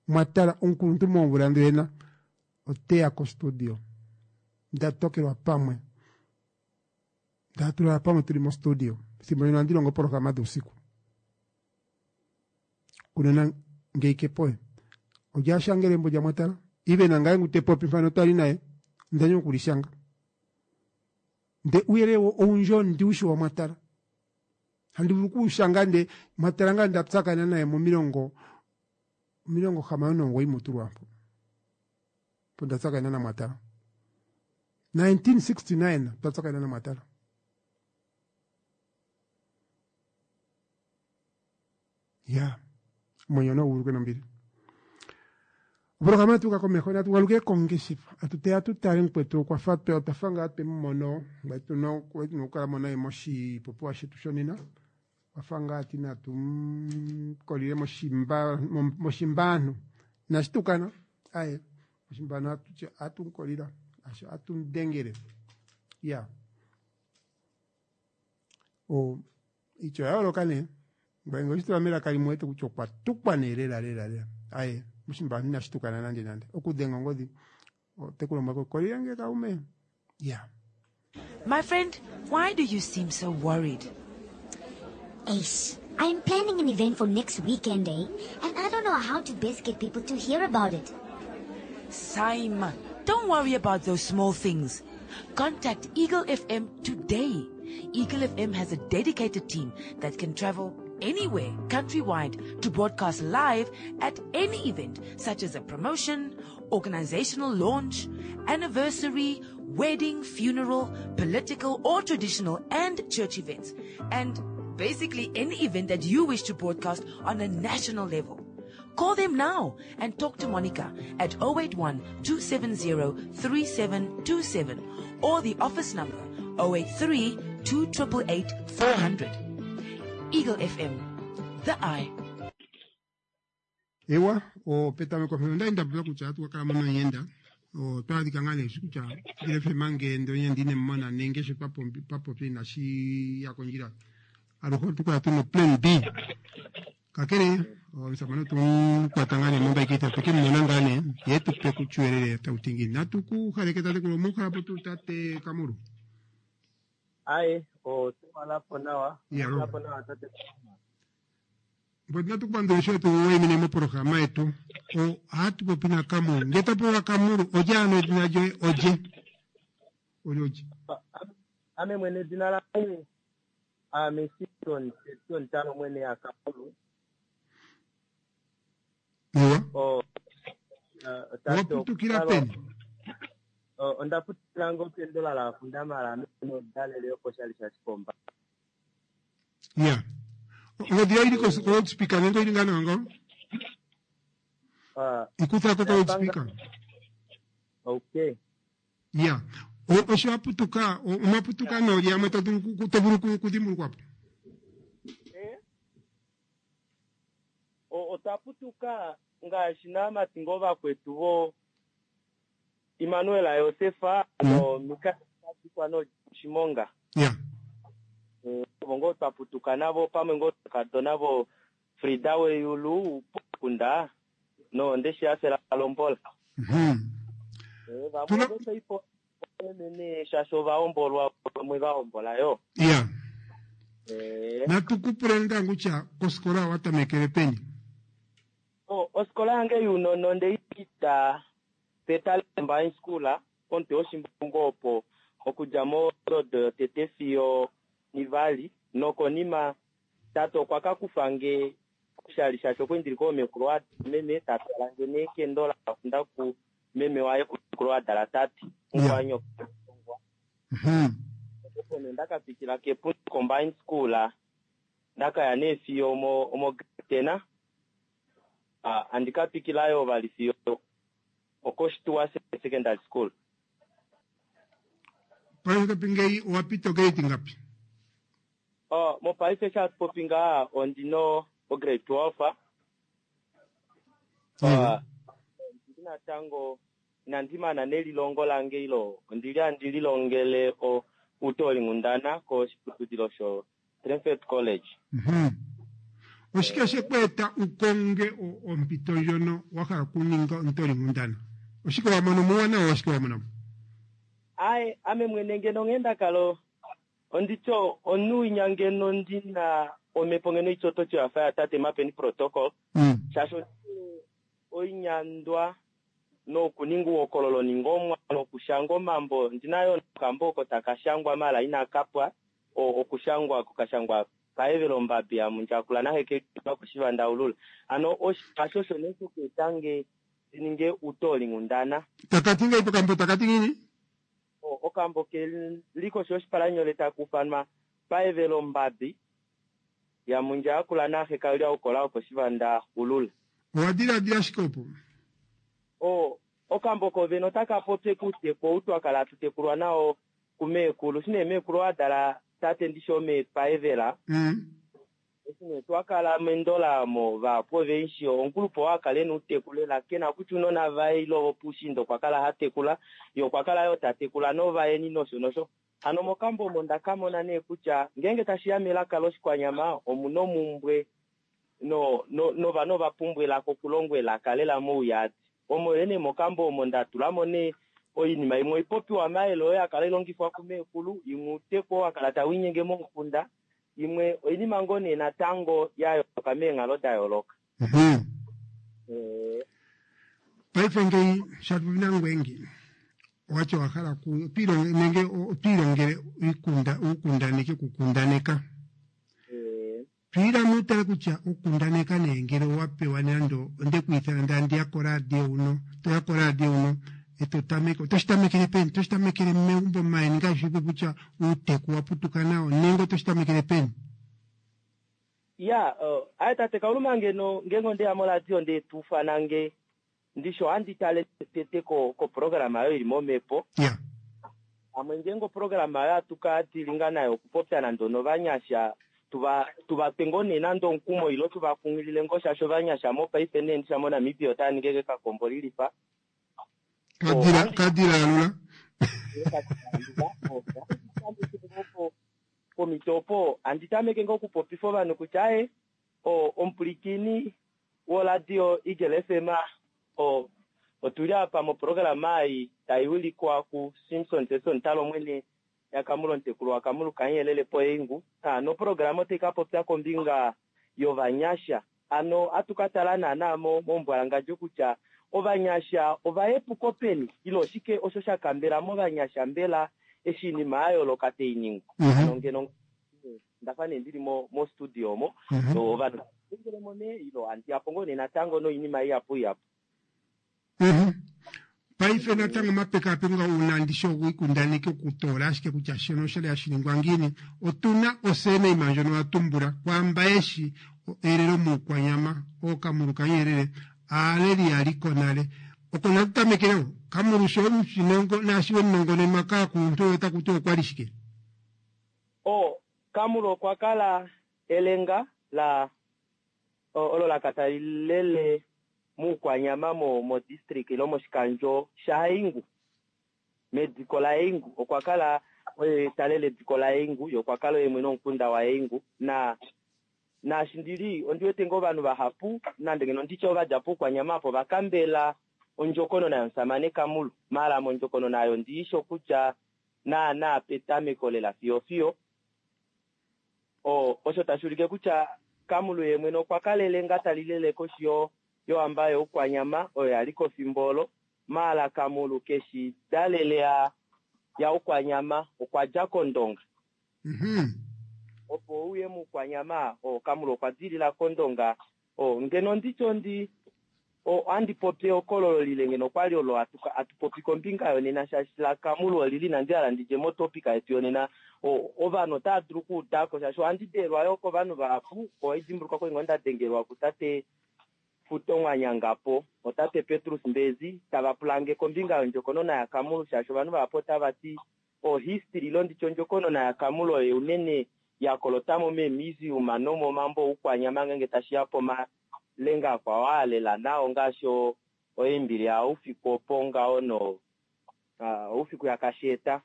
mwatala omukuluntu moomvula ndhena oteya kostudio nda tokelwa pamwe ndatulala pamwe tuli mostudio ethimbo ndino ohandi longo oprograma dhuusiku kunena ngeyi kepoye olya shangele embo lyamwatala ive nangaye ngu te popi mpano twali naye ndanywa okulishanga nde uuyelele owundji ondiushi wamwatala handi vulu okuushanga nde mwatala ngaa nda tsakana naye momilongo 69 mutu lwampo po nda tsakana namwatala 1969 twa tsakana namwatala ya omwenyo nawu nombili oprograma tuka komeho natu galuke kongeshefa atu teya tu tale mukwetu okwa fa otwa ngaa twe mu mono tuna okukala mo naye moshipopiwa shetu shonena okwa ngaa ti natu mukolile moshimbaanhu inashi tukana aye moshimbaanhu atu mukolila atu mudengele ya ityo oya yooloka nee ngweye oshitula melaka limwe wete kutya okwa tukwa nee lela lela lela aye moshimbaanhu inashi tukana nande nande okudhenga ongodhi oteku lombwela kolile nge kaume ya My friend, why do you seem so worried? Ace, I'm planning an event for next weekend, eh? And I don't know how to best get people to hear about it. Simon, don't worry about those small things. Contact Eagle FM today. Eagle FM has a dedicated team that can travel anywhere countrywide to broadcast live at any event such as a promotion, organizational launch, anniversary, wedding, funeral, political or traditional and church events, and basically any event that you wish to broadcast on a national level. Call them now and talk to Monica at 081 270 3727 or the office number 083 288 400. Eagle FM, the eye. Ewa, opetameko mheno ndali ndapula kutya atu kakala mo noyenda otwa adhika ngaa nee shi kutya Eagle FM ngele oyenda ine mona nenge sho twa popi inashi ya kondjila, aluhe otu kala tuna plan B. Kakele omusamane otu kwata ngaa nee mombaikitha tweke mu mona ngaa nee ye tupe kutyuelele tau ti ngiini. Natu ku haleke tatekulu omuuhalapo tuu tate Kamulu? Aye, otwalapo nawa. Ya. Otwalapo nawa tate. Mboti natu kupandula sho tu wayimine moprograma yetu. Ohatu popi na Kamulu. Nge twa pewa Kamulu, olye ano edhina lyoye olye? Olye olye? Ame mwene edina lange ame Simon Simon Tano mwene ya Kamulu. Ewa. O tate Owaputukila peni? Onda putukila ngo pendola la fundamala ame dalele yokoshali sha Shikomba. Ya. Ongodhi yoye ili ko loudspeaker nenge oyili ngaa nawa ngo? Ikutha ko ko loudspeaker. Okay. Ya. Osho wa putuka, omwa putuka noolye yamwe to vulu okudhimbulukwa po? Eh? Otwa putuka ngaashi naamati ngo vakwetu vo Immanuel Yosefa no Mikael no Shimonga. Ovo ngoo twa putuka navo pamwe ngoo tukadona vo Frida Weyulu Pukunda no Ndeshihafela Lombola. Vamwe votoipo mene shaashi ovahombolwa vamwe vahombola yo. Natu kupule ngaa kutya kosikola owa tamekele peni? Osikola yange yuunona ondeyi pita pEtalemba High School komutwe woshimbungu opo okudja mondodo yotete fiyo nivali nokonima tate okwa ka kufa nge oshali shaashi okwali ndili koomekulu meme tatwala nge nee kendola afunda ku meme waye kumekulu wadala tate mukwanyoka. Opo nee ndakapitila kEpundi Combined School ndakaya nee fiyo omo grade 10, andika pikilayo vali fiyo okoshituwa secondary school. Paife topi ngeyi owa pita ograde ngapi? Mopaife sha popi ngaa ondino ograde 12. Ondili natango inandi mana nelilongo lange ilo ondili handi lilongele utolinghundana koshiputudilo sho Triumphant College. Oshike she ku eta ukonge ompito ndjono wa hala okuninga omutolinghundana? Oshike wa mono muuwanawa, oshike wa mono mo? Aye, ame mwene ngeno nghee ndakala ondityo omunhu winya ngeno ndina omhepo ngeno itototyo yafa ya tate Mapeni Protocol shaashi oinyandwa nokuninga uuhokololo ningomwa nokushanga omambo ndina yo nokambo oko taka shangwa mala inakapwa okushangwa kokashangwa paevelo mbambi yamundjakula nahekelwa koshivandaulula ano osho osho nee shokuetange ndininge utolinghundana. Takati ngeyi pokambo takati ngiini? Okambo keli koshi yoshipalanyole takufanwa paevelo mbambi yamundjakula nahekalya okola okoshivanda ulula. Owa dhiladhila shike opo? Okambo kovene otaka popye kuuteku ou twakala hatu tekulwa nao kumeekulu shine meekulu wadala tate ndishi omeepaevela eshi nee twakala mendola mo vahapu oveishi omukulupe oo akala ena outeku lela kena kutya unona vaye ile vopuushiinda okwa kala hatekula ye okwa kala yoo tatekula novayeni nosho nosho hano mokambo omo ndakamona nee kutya ngeenge tashiya melaka loshikwanyama omuna omumbwe no no novanhu ovapumbwa elaka okulongwa elaka lela mouyadi omo nee mokambo omo ndatulamo nee oinima imwe oipopiwa mayele oyo yakala ilongifwa kumeekulu imwe outeku oo wakala tawiinyenge momukunda imwe oinima ngoo nee natango ya yooloka meenghalo da yooloka. Paife ngeyi shatupopi nangwengi owati owa hala nenge otwiilongele uukundaneki okukundaneka twiilamo utale kutya okukundaneka nee ngele owa pewa nando onde ku ithana ndandiya koradio uno toya koradio uno eto tameke otoshi tamekele peni otoshi tamekele megumbo mayeni ngaashi kutya uuteku wa putuka nawo nenge otoshi tamekele peni? Ya, aye tate Kauluma ngeno ngeenge ondeya moradio ndee tuufana nge ndisho ohandi tale tete ko koprograma oyo ili momhepo. Ya. Pamwe ngeenge oprograma oyo hatu ka dilinga nayo okupopya nande onovanyasha tuva tuva twe ngoo nee nande omukumo ilo tuva kunghilile ngoo shaashi ovanyasha mopaife nee ndisha moNamibia otava ningi ekekakombo lilifa. Kadila kadila alula. Pomhito opo handi tameke ngoo okupopifa ovanhu kutya aye omupwilikini woradio Eagle FM otuli apa moprograma ei tai wilikwa kuSimson Seson Talomwene yaKamulu omutekulu waKamulu Kamuyelele Poeingu. Noprograma otai ka popya kombinga yovanyasha. Hano ohatu ka tala naanaa mombwalangadjo kutya ovanyasha ova epuko peni ile oshike osho sha kambela movanyasha mbela eshi oinima ya yooloka tai ningwa. Hano ngeno ndafa nee ndili mostudio omo, ovanhu tava mo nee ile handi yapo ngoo nee natango noinima ihapu ihapu. Paife natango omapekapeko nga uuna ndishi ogiikundaneki okutoola ashike kutya shono oshali hashi ningwa ngiini. Otuna osurname ndjono wa tumbula kwaamba yeshi elelo mUukwanyama, ooKamulu kaNyerere, aaleli ya li ko nale. Oko natu tamekele wo. Kamulu sho omushinongo naashi wemunongonenwa kaakuluntu oyo otaku tiwa okwa li shike? O, Kamulu okwa kala elenga la olo la ka tali lele mUukwanyama mo modistrict ilo moshikandjo shaHaingu. Mediko laHaingu okwa kala oye ta lele ediko laHaingu, ye okwa kala oye mwene womukunda waHaingu. Na naashi ndili ondi wete ngoo ovanhu vahapu nande ngeno nditye ova dja pOukwanyama apo va kambela ondjokonona yomusamane Kamulu. Maala mondjokonona oyo ndi shi okutya naana petameko lela fiyo fiyo. Osho tashi ulike kutya Kamulu ye mwene okwa kalele nga tali lele koshi yohamba yOukwanyama oyo ya li ko fimbo olo. Maala Kamulu keshi dalele yaUkwanyama, okwa dja kOndonga. Opo uye mUukwanyama, Kamulu okwa dilila kOndonga. Ngeno nditye ondi ohandi popi ehokololo lile ngeno okwali olo hatu popi kombinga yonena shaashi laKamulu olili inandi hala ndidje motopic yetu yonena. Ovanhu otava dulu okuudako shaashi ohandi deelwa yoo kovanhu vahapu. Ohaidimbulukwa kwali ngoo nda dengelwa kutate Futo Mwanyangapo, otate Petrus Mbezi tava pulange kombinga yondjokonona yaKamulu shaashi ovanhu vahapu otava ti ohistory ilo nditye ondjokonona yaKamulu oyo unene ya kolotamo meemuseum nomomambo oukwanyama ngeenge tashiya pomalenga akwao aa lela nao ngaashi oimbili ya Haufiku opo ngaho no Haufiku yaKasheeta.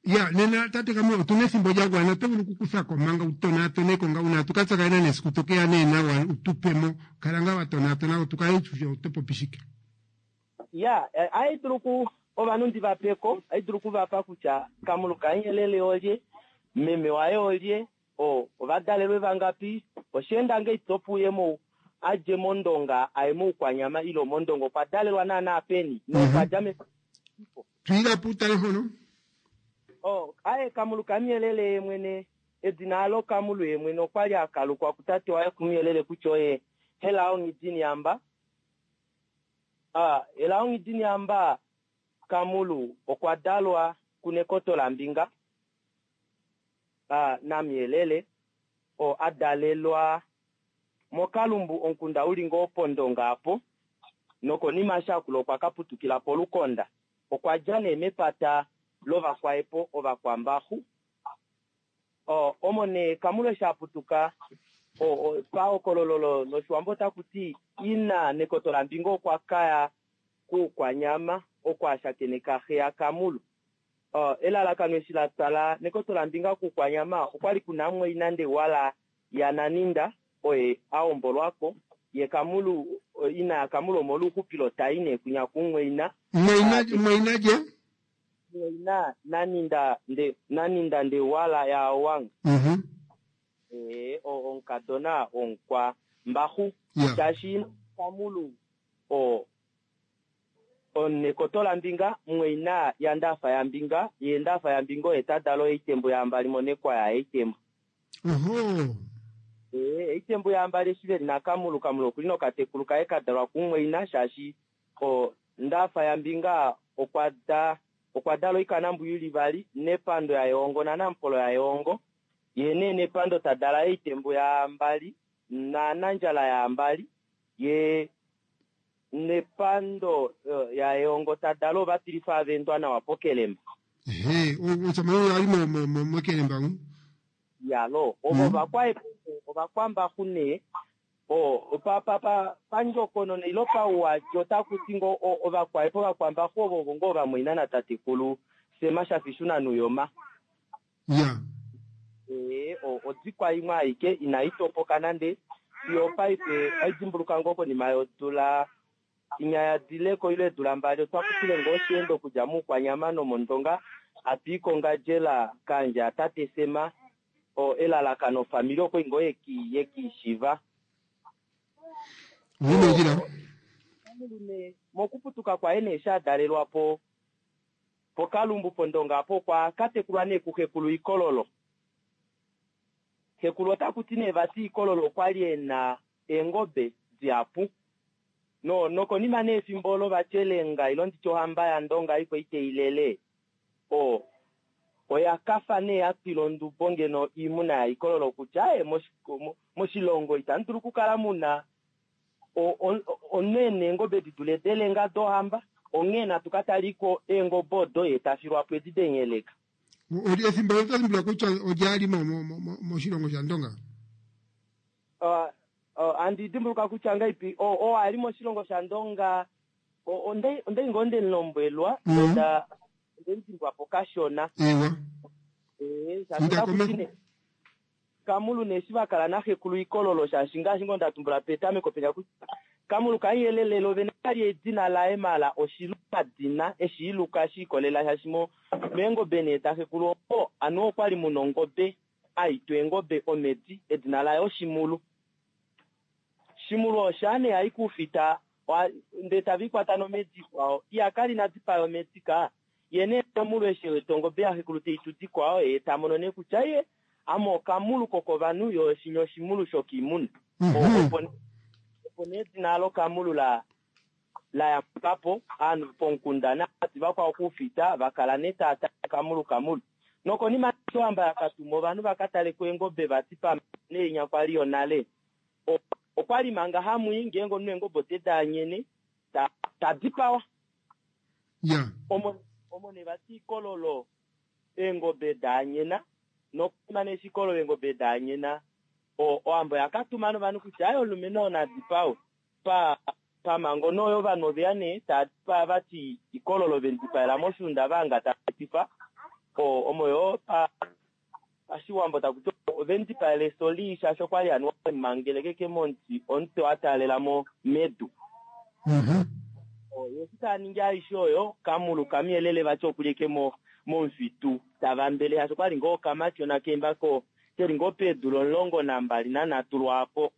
Ya, nena tate Kamwi otuna ethimbo lya gwana oto vulu okukuthako manga u tonaatoneko nga uuna tu ka tsakanena nesiku to ke ya nee nawa u tu pe mo. Kala ngaa wa tonaatona tu kale tu shi oto popi shike. Ya, ohai dulu ku ovanhu ndi va pe ko, ohai dulu ku va pa kutya Kamulu kaNyelele olye, meme waye olye, o, ova dalelwe vangapi, osha enda ngahelipi opo uye mo a dje mOndonga a ye mOukwanyama ile mOndonga okwa dalelwa naanaa peni nokwa dja mefipo. Twila po utale mpono. O, aye Kamulu kaMuyelele ye mwene, edina alo Kamulu ye mwene okwa li a kalukwa kutate waye kuMuyelele kutya oye Helao Nghidinihamba. A, Helao Nghidinihamba Kamulu okwa dalwa kuNekoto laMbinga, a, naMuyelele, oo a dalelwa moKalumbu omukunda u li ngoo pOndonga apo, nokonima eshi a kula okwa ka putukila pOlukonda. Okwa dja nee mepata lOvakwaepo Ovakwambaxu. Omo nee Kamulu eshi a putuka, pahokololo lOshiwambo otaku ti ina Nekoto laMbinga okwa ka ya kUukwanyama oko a shakeneka xe yaKamulu. Elalakano eshi la twala Nekoto laMbinga kUukwanyama okwali ku na mumwaina Ndewala yaNaninda oye a hombolwako, ye Kamulu, ina yaKamulu omolwouxupilo ta i nee kwinya kumumwaina. Mumwaina, mumwaina lye? Mumwaina Naninda nde, Naninda Ndewala yaAwang. Ee, omukadona womukwa Mbaxu. Shaashi ina yaKamulu o, oNekoto laMbinga, mumwaina yaNdaafa yaMbinga, ye Ndaafa yaMbinga oye ta dala oitembu yaAmbali moNekwaya yaItembu. Oho. Ee, Eitembu yaAmbali eshi ve li naKamulu, Kamulu okuli nokatekulu kaye ka dalwa kumumwaina shaashi o Ndaafa yaMbinga okwa da okwa dala oikanambwiyu ili vali, Nepando yaEongo naNamupolo yaEongo. Ye nee Nepando ta dala Eitembu yaAmbali naAnandjala yaAmbali. Ye Nepando yaEongo ta dala ovatilifa avendwa nawa pokelemba. Ehe, omusamane oyo ali mokelemba mu. Yalo, ovo vakwaepembe ovakwambaxu nee o pa pa pa pandjokonona ilo pauwadi otaku ti ngoo ovakwaepo ovakwambaxu ovo ovo ngoo vamwaina natatekulu Sema Shafishuna Nuyoma. Ya. Ee, odikwa imwe aike inai topoka nande fiyo paife oi dimbuluka ngoo konima yodula inya ya dileko ile eedula mbali otwa kufile ngoo osheendo okudja moukwanyama nomondonga hatu i kongandjela kaandja tate Sema o elalakano ofamili oko ngoo yekiishiva. Oumendjila. Mokuputuka kwaye nee eshi a dalelwa po pokalumbu pondonga apo okwa katekulwa nee kuxekulu Ikololo. Xekulu otaku ti nee vati Ikololo okwa li e na eengobe dihapu. No nokonima nee efimbo olo vati elenga ilo nditye ohamba yaNdonga iko iteilele o oya kafa nee ya twila ondubo ngeno oimuna yaIkololo kutya aye moshilongo itamu dulu okukala muna omunhu e na eengobe di dule delenga dohamba, onghee natu ka taliko eengobe odo ye ta filwa po edi denyeleka. Efimbo olo oto dimbuluka kutya olya li moshilongo shaNdonga? Andi dimbuluka kutya ngaipi oo a li moshilongo shaNdonga, ondai ngoo nde mu lombwelwa, nonda mu dimbwa po kashona. Ewa. Shaashi otaku ti nee Kamulu nee eshi va kala naxekulu Ikololo, shaashi ngaashi ngoo nda tumbula petameko penya kutya Kamulu kaiyelele lo vene kali edina laye mala oshilumadina eshi iluka shi ikolela shaashi mo meengobe nee daxekulu omo anuwa okwali muna ongobe aitwa eengobe omedi edina laye Oshimulu. Shimulu osha nee ai kuufita ndee tave ikwata nomedi ikwao iya kali ina dipaya omedi ka ye nee Kamulu eshi e wete ongobe yaxekulu teitu dikwao ye ta mono nee kutya ye ame okamulu kokovanhu yo shinya oshimulu shokiimuna. Opo nee edina alo Kamulu la yambuka po ovanhu pomukunda naati vakwao kuufita va kala nee tava tale Kamulu Kamulu. Nokonima eshi ohamba ya ka tuma ovanhu va ka tale ko eengobe vati pamwe neinya kwali yonale. Okwali manga hamwi ngeenge omunhu eengobe ote daanyene ta dipawa. Ya. Omo nee vati Ikololo eengobe daanyena nokonima nee eshi Ikololo eengobe daanyena ohamba oya ka tuma novanhu kutya aye omulumenhu oo na dipawe. Pamhango nee oyo ovanhu oveya nee tava dipaa vati Ikololo ve mu dipaela moshuunda vanga tava etifa omo yoo pashiwambo taku ti ove mu dipaela efyo lii shaashi okwali anuwa ve mu mangeleke momuti omutwe wa taalela medu. Ye eshi tava ningi aishe oyo Kamulu kamuyelele vati okulye momufitu tava mbele shaashi okwali ngoo okamatyona kembako keli ngoo peedula 13 lwaapo.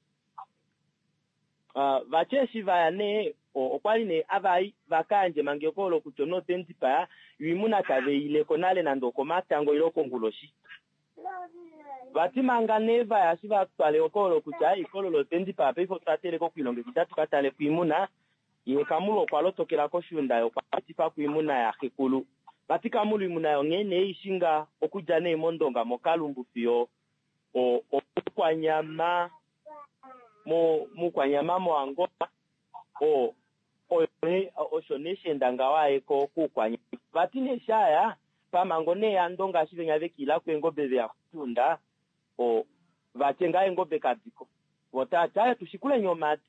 Vati eshi vaya nee okwali nee avai vakayandje mangeko olo kutya omunhu ote mu dipaya yo oimuna tave ileko nale nande okomatango ile okonguloshi. Vati manga nee vaya eshi va twale oko olo kutya Ikololo ote mu dipaya paife otwa teleka okuilongekida tu ka tale koimuna ye Kamulu okwa lotokela koshuunda ye okwa etifa koimuna yaxekulu. Vati Kamulu oimuna yo nghee nee ishinga okudja nee mondonga mokalumbu fiyo omukwanyama mukwanyama moAngola osho nee sheenda ngaho ayeko kuukwanyama. Vati nee shaya pamhango nee yandonga eshi venya vekiila kweengobe veya koshuunda vatye ngaa eengobe kadiko. Vo tavati aye tushikuleni omadi.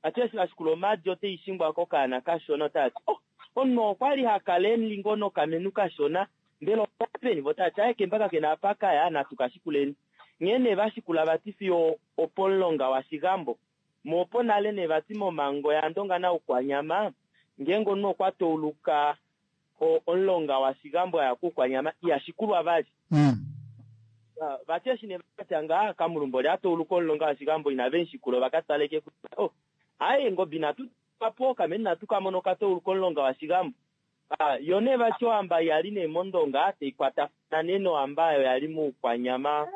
Vati eshi vashikula omadi ote ishingwa kokaana kashona otavati omunhu okwali hakala eli ngoo nokamenu kashona mbela openi vo tavati aye kemba kakena apa kaya natu kashikuleni. Nghee nee vashikula vati fiyo opomulonga waShigambo. Mo opo nale nee vati momhango yandonga naukwanyama ngeenge omunhu okwa tauluka omulonga waShigambo aya kuukwanyama ihashikulwa vali. Vati eshi nee vatya ngaa Kamulumbo olya tauluka omulonga waShigambo inave mushikula ova ka taleke kutya aye eengobe inatu po kameni natu ka mono okatauluka omulonga waShigambo. Yo nee vati ohamba yali nee mondonga taikwatafana nee nohamba oyo yali muukwanyama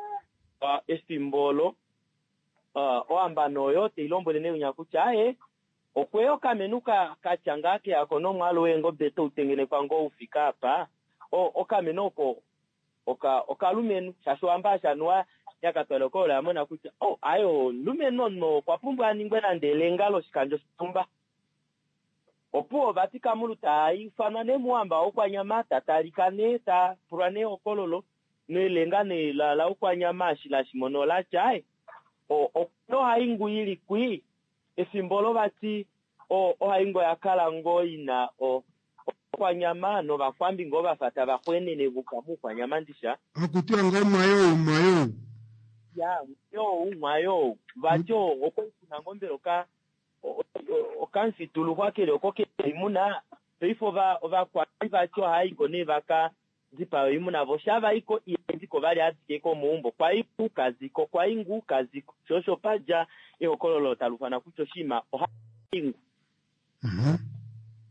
efimbo olo. Ohamba noyo tailombwele nee unya kutya aye okweya okamenu katya ngaa keyako nomwaalu weengobe toutengenekwa ngoo ufika apa. Okamenu oko okalumenhu shaashi ohamba ashanuwa Yakatwala okoolo oya mona kutya oh aye omulumenhu omunhu okwa pumbwa a ningwe nande elenga loshikandjo shonhumba. Opuwo vati Kamulu ta ifanwa nee mouhamba wOukwanyama, ta talika nee, ta pulwa nee ehokololo, nelenga nee laUkwanyama eshi la shi mona ola tya, Aye, okuna ohaingu i li kwii, efimbo olo vati ohaingu oya kala ngoo i na Oukwanyama nOvakwambi ngoo va fa tava xweenene vuka mOukwanyama ndisha. Hakutiwa ngoo mwayou mwayou. Ya, mwayou mwayou. Vati okwa li kuna ngoo mbela oka okamufituluxwa keli oko ke oimuna. Paife ova ovakwambi vati ohava i ko nee va ka dipae oimuna vo sha va i ko iha di ko vali adike komaumbo. Kwa i ngu ka zi ko, kwa i ngu ka zi ko. Sho osho pa dja ehokololo tali ufana kutya oshinima oha i ngu.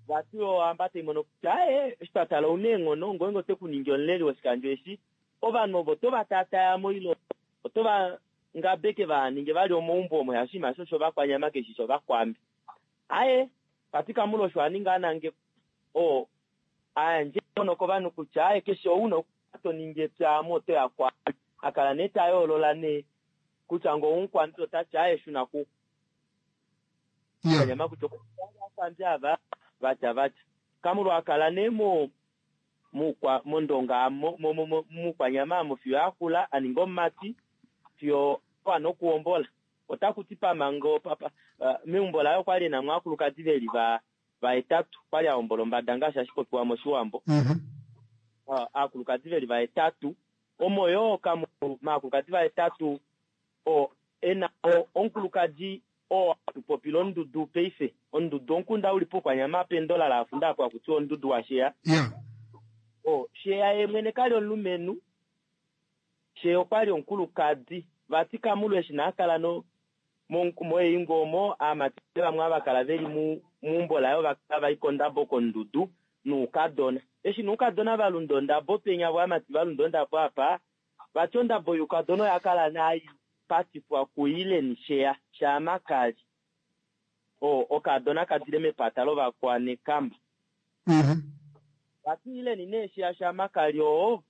Vati ohamba tai mono kutya aaye eshi twa tala ouna eenghono ngeenge ote ku ningi omuleli woshikandjo eshi ovanhu ovo oto va taataya mo ile oto va ngabeke vaha ninge vali omaumbo omo shaashi oshinima eshi oshovakwanyama keshi shovakwambi. Aaye vati Kamula osho a ninga a nangekwa oo a yandje eenghono kovanhu kutya aaye keshe ou una okukala to ningi epya ame oto ya kwaame. A kala nee ta yoolola nee kutya ngee oumukwambi ota ti aaye shuna ku Kwanyama kutya ovakwambi ava vatya vatya. Kamulwa a kala nee mo mukwa mondonga mo mo mukwanyama amo fiyo akula a ninga omumati fiyo a wana okuhombola. Otaku ti pamango papa meumbo laye okwali ena mo aakulukadi veli va vahetatu. Okwali a hombola ombada ngaashi hashi popiwa moshiwambo. Aakulukadi veli vahetatu omo yoo kamu maakulukadi vahetatu oo ena omukulukadi oo hatu popile ondudu paife. Ondudu omukunda uli pOukwanyama pendola laafunda apo haku tiwa ondudu waSheya. Oo Sheya ye mwene kali omulumenhu, Sheya okwali omukulukadi. Vati Kamulu eshi na kala no moeingo omo aamati vamwe ava kala veli meumbo laye ova kala vai kondabo kondudu noukadona. Eshi noukadona va lunda ondabo penya vo aamati va lunda ondabo apa, Vati ondabo youkadona oya kala nai patifwa kuIleni Sheya Shaamakali, oo okaadona ka dile mepata lOvakwanekamba. Vati Ileni nee Sheya Shaamakali oo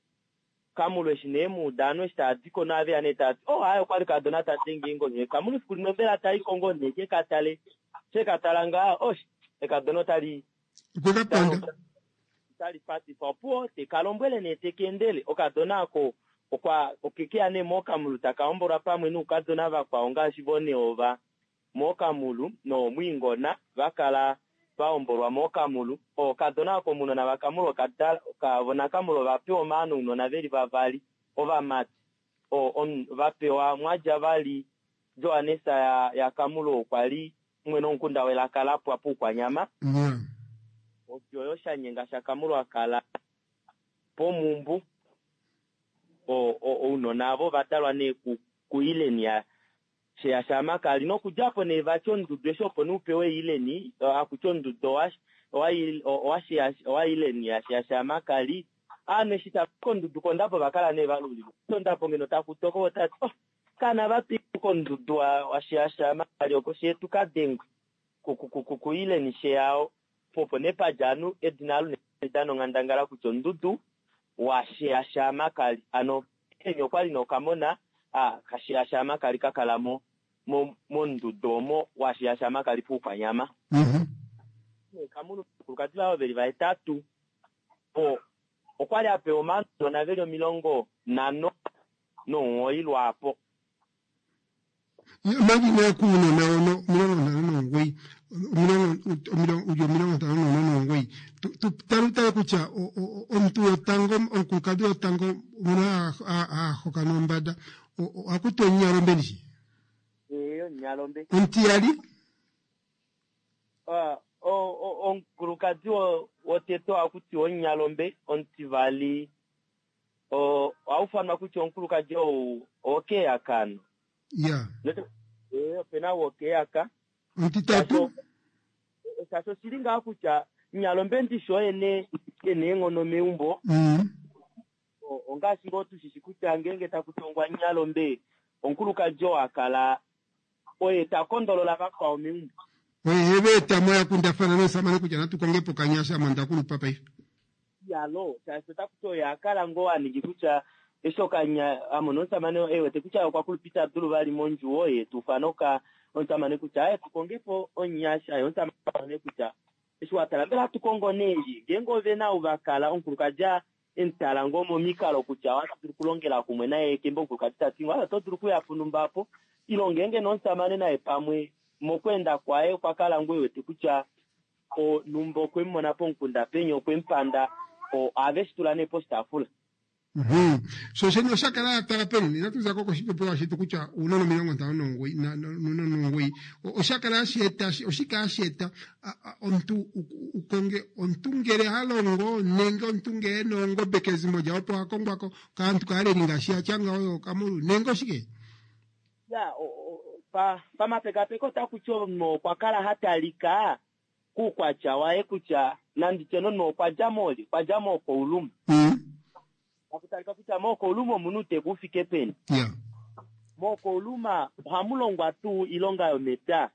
Kamulu eshi nee mu uda ovanhu eshi tava di ko nove ya nee tava ti, Oh, aaye okwali kaadona ta denge eengodi. Kamulu efiku limwe mbela ta i ko ngoo nee ke ka tale, she ka tala ngaa, osh, ekadona otali Okwe ka panda. Otali patifa. Opuwo, te ka lombwele nee te ka endele. Okadona ako okwa oke ke ya nee mookamulu taka hombolwa pamwe noukadona vakwao ngaashi vo nee ova mookamulu noomwiingona va kala va hombolwa mookamulu. Okadona ako omunona vakamulu oka dala oka vo nakamulu ova pewa omaano ounona ve li vavali ovamati. O, om, va pewa mwa dja vali Johannes ya, yaKamulu okwa li mwene womukunda welaka la pwa pUukwanyama. Odjo oyo Shanyenga shaKamulu a kala pOmumbu. Ounona avo ova dalwa nee kuIleni ya Sheya shaAmakali. Nokudja po nee vati ondudu eshi opo nee u pewe Ileni, haku ti ondudu owa Ileni ya Sheya shaAmakali. Ovanhu eshi tava i kondudu kOndambo ova kala nee va lulilwa. Ondambo ngeno taku toko vo tava ti, oh, kana va twike kondudu wa Sheya shaAmakali oko shetu ka dengwe kuIleni Sheya po opo nee pa dja anu edina alo nee dana onghandangala kutya ondudu wa Sheya shaAmakali. Ano Ileni okwa li nokamona ka Sheya shaAmakali ka kala mo mondudu omo wa Sheya shaAmakali pUukwanyama. Kamunu nomukulukadi waye ove li vahetatu. Okwa li a pewa omaanona ve li 59 lwaapo. Omanga inaya kuunona ono 59, uli 54 tu tale utale kutya omuntu wotango omukulukadhi wotango ngono a hokana ombanda ohaku tiwa omunyalombe ndishi? Ee, omunyalombe. Omutiyali? Omukulukadi wotete ohaku tiwa omunyalombe, omutivali oha ufanwa kutya omukulukadi ou owokeyaka ano. Ya. Ee, ope na wokeyaka. Omutitatu? Shaashi oshili ngaa kutya Nyalombe ndishi oye nee e na eenghono meumbo. Ongaashi ngoo tushishi kutya ngeenge taku tongwa Nyalombe, omukulukadi oo a kala oye ta kondolola vakwao meumbo. Oye he va eta mo ya kundafana nomusamane kutya natu konge po okanyasha ame onda kulupa paife. Iyalo, shaashi otaku ti oye a kala ngoo a ningi kutya. Eshi okanya amona omusamane ewete kutya okwa kulupita dulu vali mondjuwo ye tuufana oka omusamane kutya aye tukongepo omunyasha ye omusamane kutya eshi watala mbela atukongo neeli ngeenge ovena ou vakala omukulukadi emutala ngoo momikalo kutya ohatu dulu okulongela kumwe naye kembo omukulukadi tati wala oto dulu okuya punumba apo ilo ngeenge nomusamane naye pamwe mokweenda kwaye okwa kala ngoo ewete kutya onumba okwe mu mona pomukunda penya okwe mu panda ohave shi tula nee poshitaafula. So shene osha kala ya tala peni inatu za ko koshipopiwa shetu kutya uunona 59 nomugoyi osha kala hashi eta oshike hashi eta omuntu ukonge omuntu ngele ha longo nenge omuntu ngele ena oongombe kezimo lyawo opo ha kongwa ko kaantu kaaleli ngaashi ya tya ngawo yookamulu nenge oshike? Ya, pa pamapekapeko otaku ti omunhu okwa kala ha talika kuukwatya waye kutya nanditye nomunhu okwa dja moolye, okwa dja mookouluma. Taku talika kutya mookouluma omu na uuteku u fike peni. Mookouluma ohamu longwa tuu iilonga yomepya?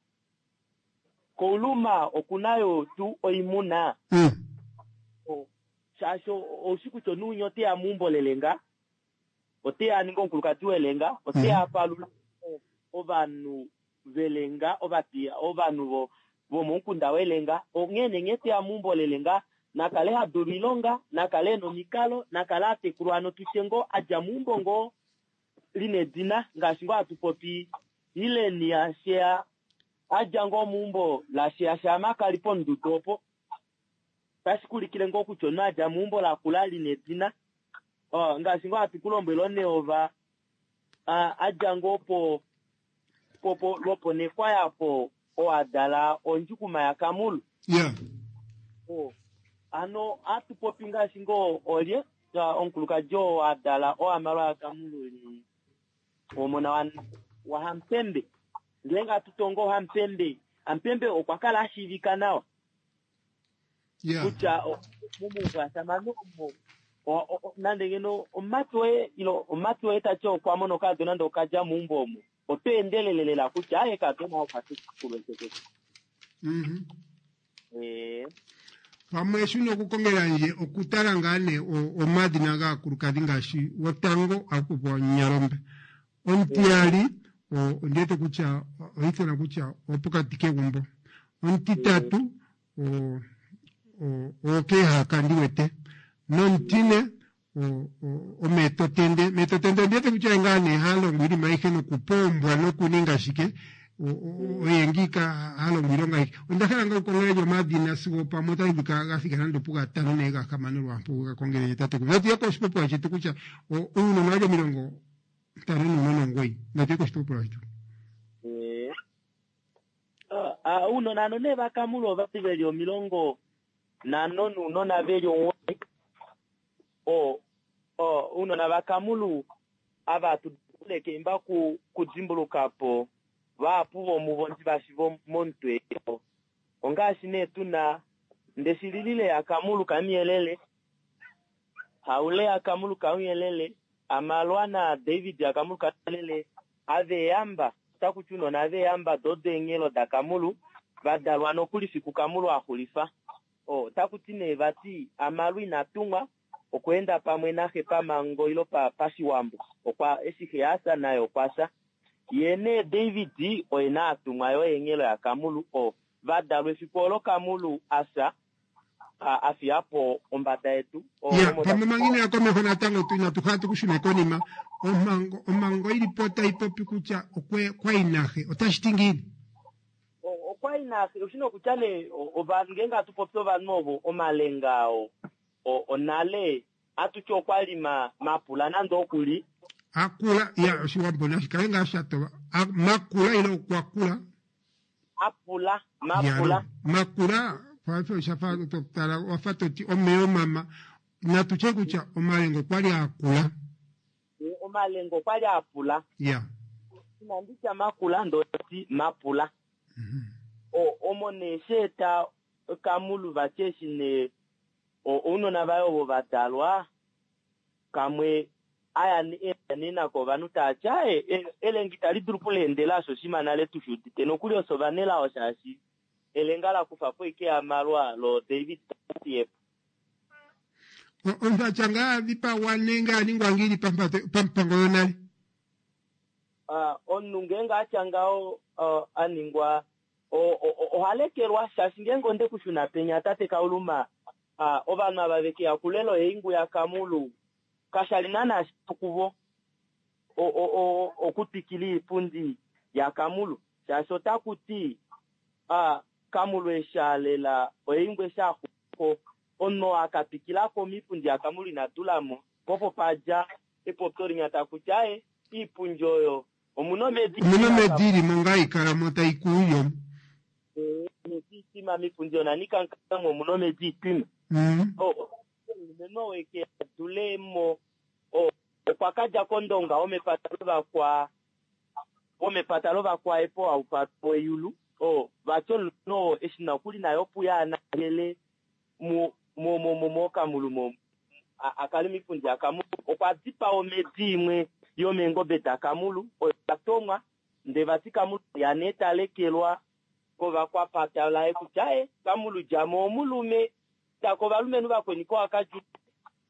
Kouluma oku na yo tuu oimuna? Shaashi oushi kutya omunhu winya ote ya meumbo lelenga, ote ya a ninge omukulukadi welenga, ote ya a palule ovanhu velenga, ovapiya, ovanhu vomomukunda welenga. Onghee nee nghee teya meumbo lelenga, na kale ha dulu oilonga, na kale e na omikalo, na kale a tekulwa hano tutye ngoo a dja meumbo ngoo li na edina, ngaashi ngoo hatu popi Hileni yaSheya a dja ngoo meumbo laSheya shaAmakali pomududu opo. Otashi ku ulikile ngoo kutya omunhu a dja meumbo lakula li na edina. Ngaashi ngoo hatu ku lombwele oNeova a dja ngoo po po po lwoponekwaya po oo a dala ondjukuma yaKamulu. Yeah. Oh, ano hatu popi ngaashi ngoo olye omukulukadi oo a dala oAmalwa yaKamulu li omona wa waHampembe. Ngeenge hatu tongo Hampembe, Hampembe okwa kala a shiivika nawa. Yeah. Kutya momauvasamano omo nande ngeno omumati woye ilo omumati woye ta ti okwa mona okadona nande okadja meumbo omo, oto endelele lela kutya aye kadona okwa tekulwa etekete. Pamwe eshi una okukongela ndje okutala ngaa nee omadhina gaakulukadhi ngaashi wotango ohaku popiwa Nyalombe, omutiyali ondi wete kutya oha ithanwa kutya opokati kegumbo, omutitatu okeehaka ndi wete nomutine omeetotende. Meetotende ondi wete kutya oye ngaa nee ha longo iinima ayihe nokupoombwa nokuninga shike, oye ngiika ha longo iilonga ayihe. Onda hala ngaa wukongelendje omadhina sigo pamwe otashi vulika ga thika nande opugatano nenge gahamano lwaampo wu ga kongelendje tatekulu. Natu ye koshipopiwa shetu kutya uunona wali 59 natu ye koshipopiwa shetu. Uunona ano nee vaKamulu ovali veli 50 nounona veli 9. O, o, ounona vaKamulu ava tu dule keemba ku, kudimbuluka po vahapu vomuvo ndi va shiva momutwe ongaashi nee tu na Ndeshililile yaKamulu kaMuyelele, Haule yaKamulu kaMuyelele, Amalwa naDavid yaKamulu kaMuyelele, Aveyamba, otaku ti ounona Aveyamba dodo eenghelo daKamulu, va dalwa nokuli fiku Kamulu a xulifa. Otaku ti nee vati Amalwa ina tumwa okweenda pamwe naxe pamango ilo pa, pashiwambo. Okwa, eshi xe a fya naye okwa fya. Ye nee David oye na a tumwa yo eenghelo yaKamulu o va dalwa efiku olo Kamulu a fya, a, a fiya po ombada yedu. O, Ya, omo pamwe taku manga ino ya komeho natango tu inatu hala tu ku shune konima. Omhango, omhango ili po tai popi kutya okwe, kwa yi naxe. Otashi ti ngiini? Okwa yi naxe, oshi nokutya nee ovanhu ngeenge hatu popi ovanhu ovo omalenga oo onale hatu ti okwa li ma mapula nande oku li. Akula, ya oshiwambo nashi kale ngaa sha tova. A, makula ile okwa kula. Apula, mapula. Ya, makula, paife osha fa to tala wa fa to ti omeya omama. Natu tye kutya omalenga okwa li a kula. Omalenga okwa li a pula. Ya. Inandi tya makula, ndee ti mapula. O, omo nee sha eta Kamulu vati eshi nee ounona vaye ovo va dalwa, kamwe a ya nee nako ovanhu tava ti aaye, elenga itali dulu okuleendela osho oshinima nale tushi udite nokuli ofye ovanelao shaashi elenga la kufa po ashike Amalwa lo David ta fiye po. Omuntu atya ngaa dhipagwa nenge a ningwa ngiini pampango yonale? Omuntu ngeenge atya ngaho a ningwa oha lekelwa shaashi ngeenge onde kushuna penya tate Kauluma ovanhu ava vekeya kulela oingu yaKamulu kashali naana shipu kuvo okutwikila iipundi yaKamulu shaashi otaku ti Kamulu eshi alela oingu eshi axuko omunhu akatwikilako miipundi yaKamulu ina tulamo popo padja epopyo linya takuti aye iipundi oyo omuna omedi omuna omedi ilimo ngaa ikalamo taikuuyo omedi itima miipundi oyo nanikankamwe omuna omedi itima omulumenhu oo eke adulemo okwa kadja kOndonga womepata lovakwa womepata lovakwaepo aupapo weyulu vati omulumenhu oo eshi nokuli naye opuya anangele mokamulu mo akale miipundi yaKamulu okwa dipaa omedi imwe yomeengobe daKamulu oyo yatomwa ndee vati Kamulu ya nee talekelwa kovakwapata laye kutya aye Kamulu djamo omulume tako ovalumenhu vakweni kowakadju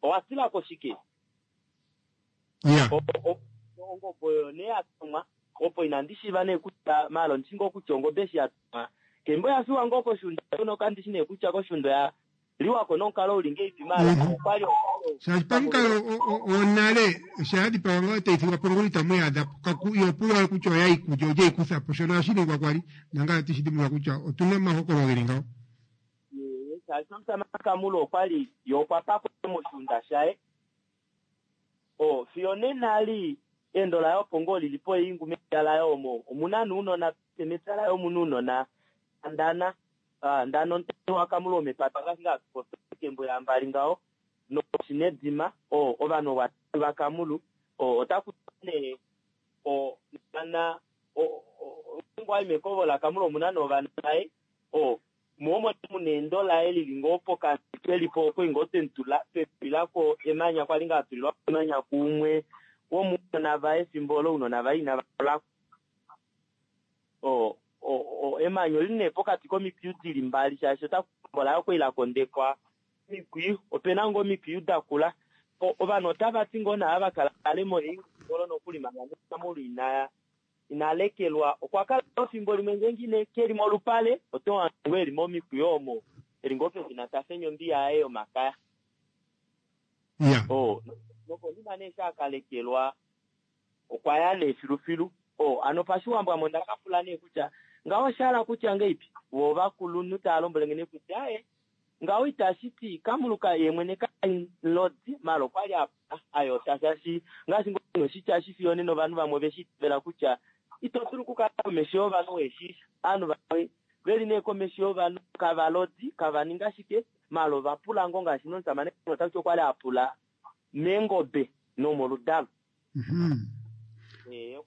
owatilako shike ongobe oyo nee yatomwa opo inandi shiiva nee kutya maala ondishi ngoo kutya ongobe eshi yatomwa kembo oyafiwa ngoo koshuunda nokandishi nee kutya koshuunda oya liwako nomukalo uli ngeipi maala okwali shaashi pamukalo wonale sha yadhipawa ngaho tayi thigwa po ngulu itamu yaadhapo ihopulwa kutya oya ikulya olye ikuthapo shono ohashi ningwa kwali nangaye otishi dhimbulula kutya otuna omahokolo geli ngaho. Shaashi omusamane Kamulu okwali yo okwa pakwa moshuunda shaye fiyo nena ali endo laye opo ngoo lili po eingu mepya laye omo omuna nounona mepya laye omuna ounona ndana ndana omutete waKamulu womepata ngaashi ngaa kembo yambali ngaho noshinedima ovanhu vaKamulu otaku nee ndana ngoo mekovo laKamulu omuna novana vaye moomo muna endo laye lili ngoo pokati kelipo okwali ngoo twemutulilako emanya kwali ngaa atulilwa emanya kuumwe womuunona vaye efimbo olo ounona vaye inava emanya olili nee pokati komikwiyu dili mbali shaashi otaku laye okwali lakondekwa omikwiyu opena ngoo omikwiyu dakula ovanhu otavati ngoo naava vakala nale moingolo nokuli manga Kamulu inaya inalekelwa okwa kala efimbo limwe ngeenge keli molupale otohange eli momikwiyu omo eli ngoo pefina tafenya ombiya yaye yomakaya nokonima nee eshi akalekelwa okwa ya nee filufilu hano pashiwambo ame ondakapula nee kutya ngaho oshahala kutya ngeipi vo ovakulunhu tava lombwelenge nee kutya aye ngaho itashiti Kamulu ye mwene kalodi maala okwali ayota shaashi ngaashi ngoo oshitya shifiyo nena ovanhu vamwe oveshi itavela kutya ito dulu okukala komesho yovanhu weshiisha ovanhu vamwe veli nee komesho yovanhu kavalodi kavaninga shike maala ovapula ngoo ngaashi nomusamane otakuti okwali apula meengobe nomoludalo.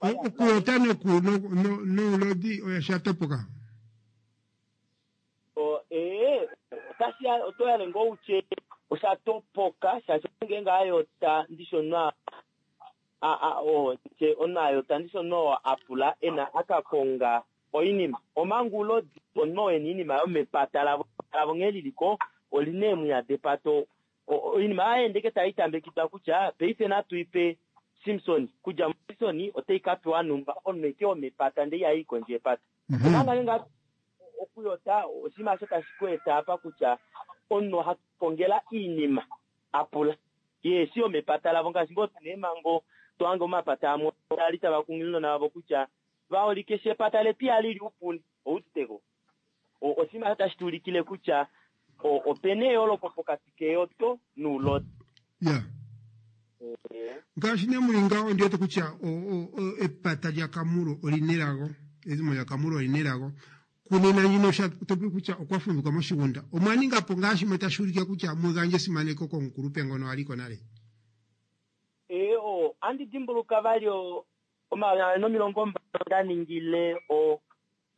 Okuyota noulodi oya shatopoka. Otoyale ngoo utye oshatopoka shaashi ngeenge ayota ndishi omunhu omunhu ayota ndishi omunhu apula ena akakonga oinima omanga oulodi omunhu oo ena oinima yomepata lavo lavo nghee liliko olina eemwiya depata oinima ohayeende taitambekidwa kutya paife natuipe Simpson kudja Simpson otai kapewa numba omunhu eke womepata ndee ihayi kondje yepata omanga ngeenge okuyota oshinima osho tashi ku eta apa kutya omunhu ohakongela iinima apula ye si yomepata lavo ngaashi ngoo tuna eemhango tohange omapata amwe ali tava kunghilile ounona vavo kutya vaholike eshi epata letu ihali li upuni ouuditeko oshinima osho tashi tuulikile kutya opena eyooloko pokati keyoto noulodi. Ngaashi nee muli ngaho ondi wete kutya epata lyaKamulu olina elago ezimo lyaKamulu olina elago kunena ndjino topopi kutya okwa fumvikwa moshigunda omwa ningapo ngaa shimwe tashi ulike kutya mugandje esimaneko komukulupe ngono aliko nale. Andi dimbuluka vali 2020 ndaningile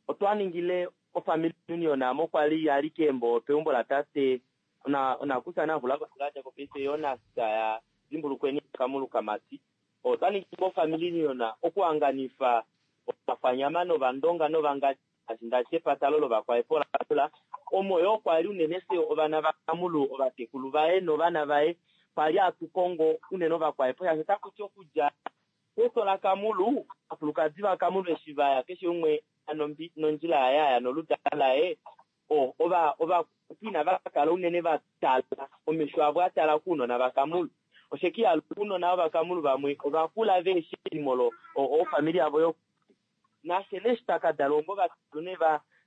otwa ningile ofamily union amo kwali yali keembo peumbo latate onakusa navula ko paife Jonas ya dimbulukweni Kamulu Kamati otwa ningile ofamily union okuhanganifa ovakwanyama novandonga novangadi ngaashi epata lovakwaepola omo yoo kwali unene se ovana vaKamulu ovatekulu vaye novana vaye. kwali atukongo unene ovakwaepo shaashi otakuti okudja peso laKamulu ovakulukadi vaKamulu eshi vaya keshe umwe nondjila yaye aya noludala laye ovakwaepo inava kala unene vatala omesho avo atala kuunona vaKamulu. Oshekiya ounona vovaKamulu vamwe ovakula veeshi elimo lo ofamili yavo yo nashe neshi takadala ongo vatune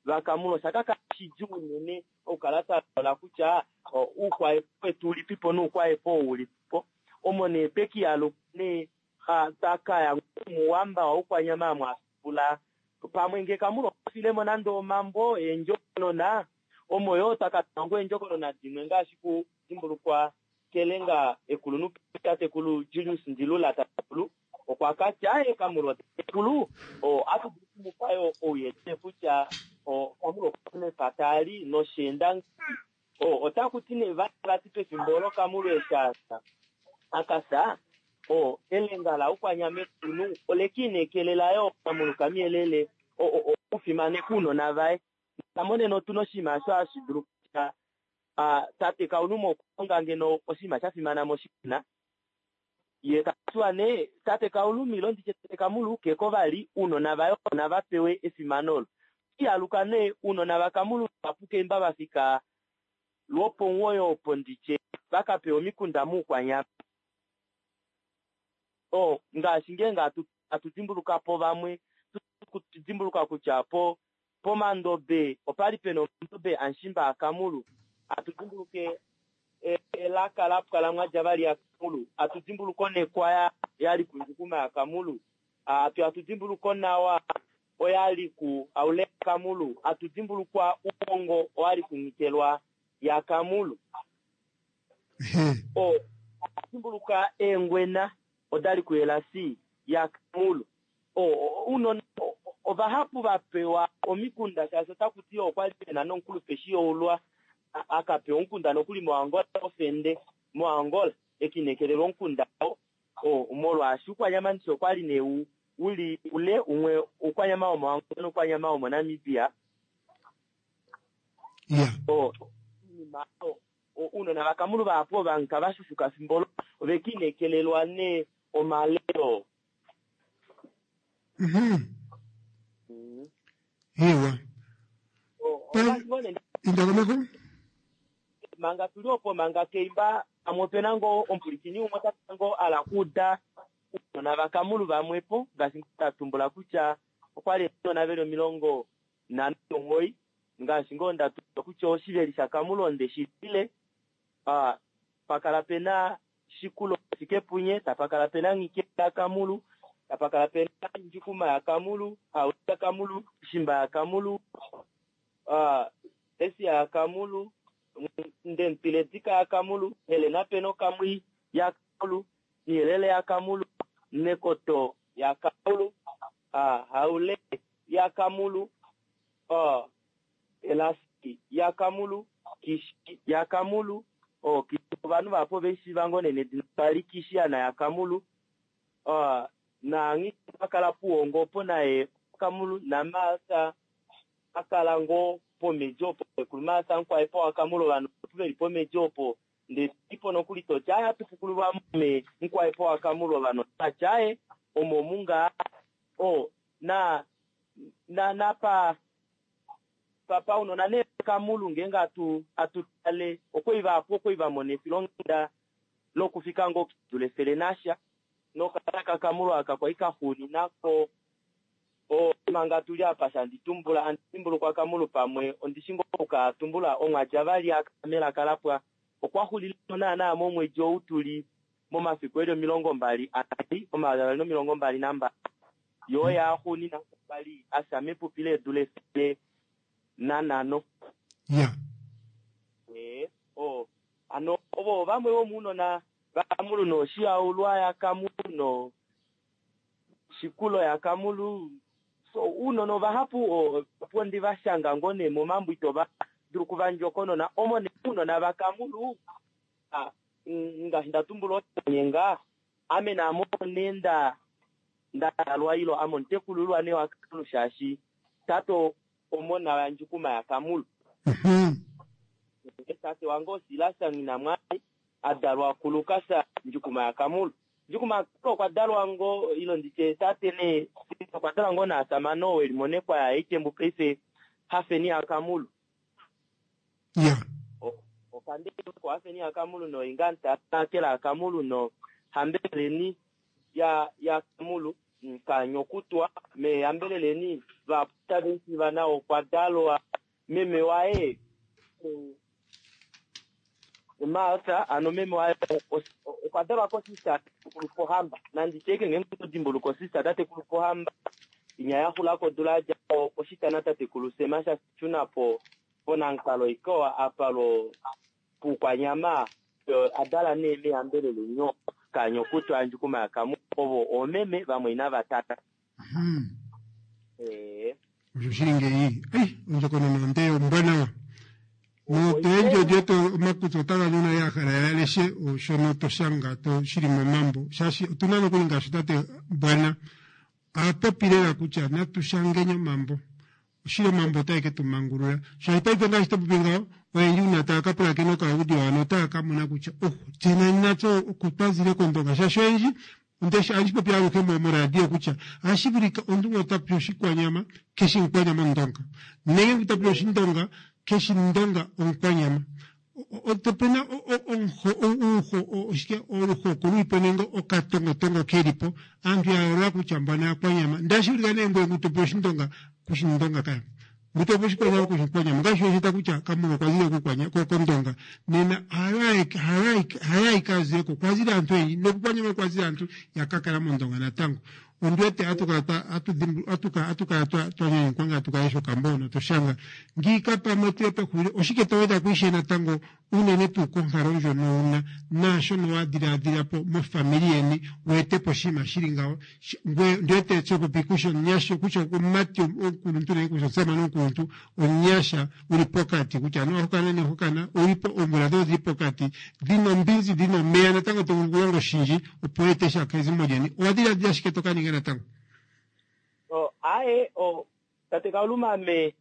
vaKamulu oshakakala shidjuu unene okukala twalola kutya oukwaepo wetu ulipipo noukwaepo ulipipo. Omo nee pekiyaluka nee takaya muwamba waukwanyama mwafula pamwe nge Kamulu okafilemo nande omambo eendjokonona omo yoo takatanga eendjokonona dimwe ngaashi kudimbulukwa kelenga ekulunhu tatekulu Julius Ndilula tatekulu okwa katya aye Kamulu tatekulu atudulu okumupa yo ouyelele kutya Kamulu okwa mepata ali nosheenda otakuti nee vati pefimbo olo Kamulu eshi akasa elenga laukwanyama ekulunhu olekiinekelela yo Kamulu kamuyelele okufimaneka ounona vaye. Namonena otuna oshinima osho hashi dulu kutya tate Kauluma okulonga ngeno oshinima sha fimana moshiwana ye katiwa nee tate Kauluma ilo nditye tate Kamulu keko vali ounona vaye nava pewe efimano olo. Ihaluka nee ounona vaKamulu vapukeimba vafika lwopomuwoyo opo nditye vakapewa omikunda muukwanyama. Ngaashi ngeenge atudimbuluka po vamwe tudimbuluka kutya po pomandobe opali pena omandobe amushimba aKamulu atudimbuluke elaka lapwa mwadja vali yaKamulu atudimbuluka onekwaya yali kundjukuma yaKamulu atudimbuluka onawa oyali ku aule yaKamulu atudimbulukwa uongo owali kunyikelwa yaKamulu atudimbuluka eengwena odali kuyelasi yaKamulu unona ovahapu vapewa omikunda shaashi otakuti okwali pena nomukulupe shiyoulwa akapewa omukunda nokuli moAngola ofende moAngola ekinekelelwa omukunda molwaashi ukwanyama ndishi okwali nee uli ule umwe ukwanyama womoAngola nokwanyama womoNamibia. Ounona vaKamulu vahapu ovanka vashushuka fimbo olo ovekiinekelelwa nee omalelo. Ewa. Indakomeko? Manga tuli opo manga keimba pamwe opena ngoo omupulikini umwe otaka ngoo ala kuuda ounona vaKamulu vamwepo ngaashi ndatumbula kutya okwali ounona veli 59 ngaashi ngoo ndatumbula kutya oshiveli shaKamulu onde shilile pakala pena Shikulo Fikepunye tapakala pena Ngike yaKamulu tapakala pena Njukuma yaKamulu Hauli yaKamulu Shimba yaKamulu Esia yaKamulu Ndempiledika yaKamulu Helena Peno Kamwi yaKamulu Nyelele yaKamulu Nekoto yaKamulu Haule yaKamulu Elasi yaKamulu Kishi yaKamulu ovanhu vapo veshiva ngoo nene dina pali Kishiana yaKamulu naangi akala puwongo opo naye Kamulu naMartha akala ngoo pomeji opo ekulu Martha mukwaepo waKamulu ovanhu veli pomeji opo ndetipo nokuli toti aya atupukululwa mome mukwaepo waKamulu ovanhu atyaye omo munga na na napa papa unona ne Kamulu ngeenge atutale okweiva apo okweiva mona efilonghenda lokufika ngoo kidule efele nasha nokala kaKamulu aka kwali kaxuuninako manga tuli apa shanditumbula andidimbulukwa Kamulu pamwe ondishi ngoo okukatumbula omwadja vali akamela lapwa okwaxulile naana momwedi ou tuli momafiku eli 22 2022 yoo yaxuunina kwali asha mepupi leedula 105. Ano ovo vamwe vomuunona vaKamulu noshiyaulwa yaKamulu no Shikulo yaKamulu so uunona ovahapu opo ndi vashanga ngoo nee momambo ito va dulu kuvandjokonona omo nee uunona vaKamulu ngaashi ndatumbula otanyenga ame naamo nee ndalwa ilo ame omutekululwa nee waKamulu shaashi tate omona waNjukuma yaKamulu. Tate wange oSilas Nghinamwali A dalwa kuLukas Ndjukuma yaKamulu. Ndjukuma yaKamulu okwa dalwa ngo ilo nditye tate nee okwa dalwa ngo naasamane oo weli monekwa yaHaitembu paife Hafeni yaKamulu. Ya. Okandeko Hafeni yaKamulu noinga ntakela yaKamulu no hambeleleni ya yaKamulu kanyokutwa mehambeleleni vaputa nao okwa dalwa meme waye Martha ano meme waye okwa dalwa kosista tatekulu Pohamba nanditye ngeenge to osista tatekulu Pohamba inya yaxula kodula yadja oshitana tatekulu Sema shashuna po ponankalo ikowa apa lo puukwanyama adala nee mehambelelo nyo kanyokutwa Ndjukuma yaKamulu ovo oomeme vamwaina vatata. Osho shili ngeyi ei ondjokonona onde ombwanawa notoyendji odieto omakutsi otaga nuna ya hala ya leshe shono to shanga to shili momambo shaashi otuna nokuli ngaashi tate Bwana apopi lela kutya natu shangeni omambo oshili omambo otae ke tu mangulula shaashi paife ngaashi to popi ngaho oyendji una taya ka pulakena okaudio hano otaya ka mona kutya oh tse nani natse oko twazile kOndonga shaashi oyendji ohashi popi aluhe moradio kutya ohashi vulika omuntu ngo ta popi oshikwanyama keshi omukwanyama omundonga nenge ngu ta popi oshindonga keshi ndonga omukwanyama opena oshike oluhoko lulipo nenge okatongotongo kelipo aantu ya yoolola kutya mbano aakwanyama ndashi vulika nee ngoye ngu topopi oshindonga kushindonga kaya ngu topopi oshikwanyama kushikwanyama ngaashi weshita kutya Kamulu okwa zile kOndonga nena hayo ayike azileko okwazile aantu oyendji nokukwanyama okwazile aantu yakakala mOndonga natango ondi wete atukala twanyanyukwa nga tukalesha okambo hono toshanga ngiika pamwe tuye pexulilo oshike to weda kuishe natango unene tuu konkalo ndjono wuna naashono wa dhiladhilapo mofamili yeni weetepo oshinima shili ngawo ngweye ndi wete tsopopi kutya omunyasha kutya omumati omukuluntu nenge kutya omusamane omukuluntu omunyasha uli pokati kutya anuwa hokana nehokana ulipo oomvula dhoye odhili pokati dhina ombinzi dhina omeya natango to vulu okulonga oshindji opo weete sha kezimo lyeni owa dhiladhila shike to ka ninga natango? Aaye tate Kauluma ame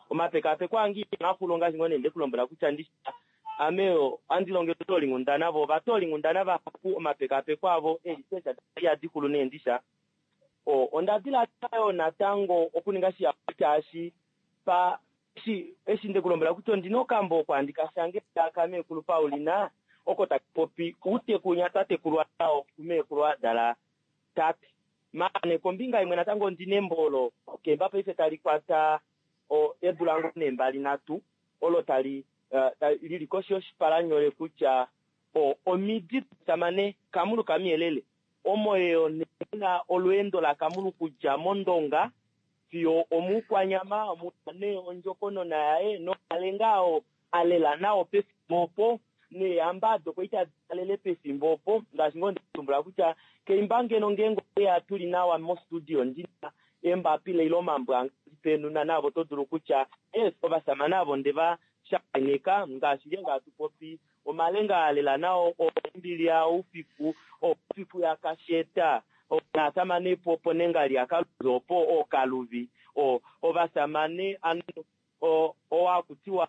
omapekapeko ange inaga xula ongaashi ngoo nee ndekulombwela kutya ndishi ame ohandi longele ovatoolinghundana vo ovatoolinghundana vahapu omapekapeko avo eeresearch ihadi xulu nee ndisha. Onda diladila yoo natango okuninga shihapu shaashi pa eshi eshi ndekulombwela kutya ondina okambo oko handi ka shange kameekulu Paulina oko taka popi outeku winya twa tekulwa nao kumeekulu adala tate. Maana kombinga imwe natango ondina embo olo kemba paife tali kwata eedula ngoo nee 23 olo tali lili koshi yoshipalanyole kutya omidi domusamane Kamulu Kamuyelele omo yeyo nee olweendo laKamulu kudja mOndonga fiyo omuukwanyama muna nee ondjokonona yaye nomalenga oo a lela nao pefimbo opo neehamba ado kwali tadi alele pefimbo opo ngaashi ngoo ndatumbula kutya keimba ngeno ngeenge oya tuli nawa mostudio ndina eembapila ile omambo ange penuna navo to dulu kutya yes ovasamane avo ndeva shakeneka ngaashi ngeenge hatu popi omalenga a lela nao ombili yaUfiku Oufiku yaKasheta naasamane po nengali yaKaluvi opo ooKaluvi ovasamane ano owakutiwa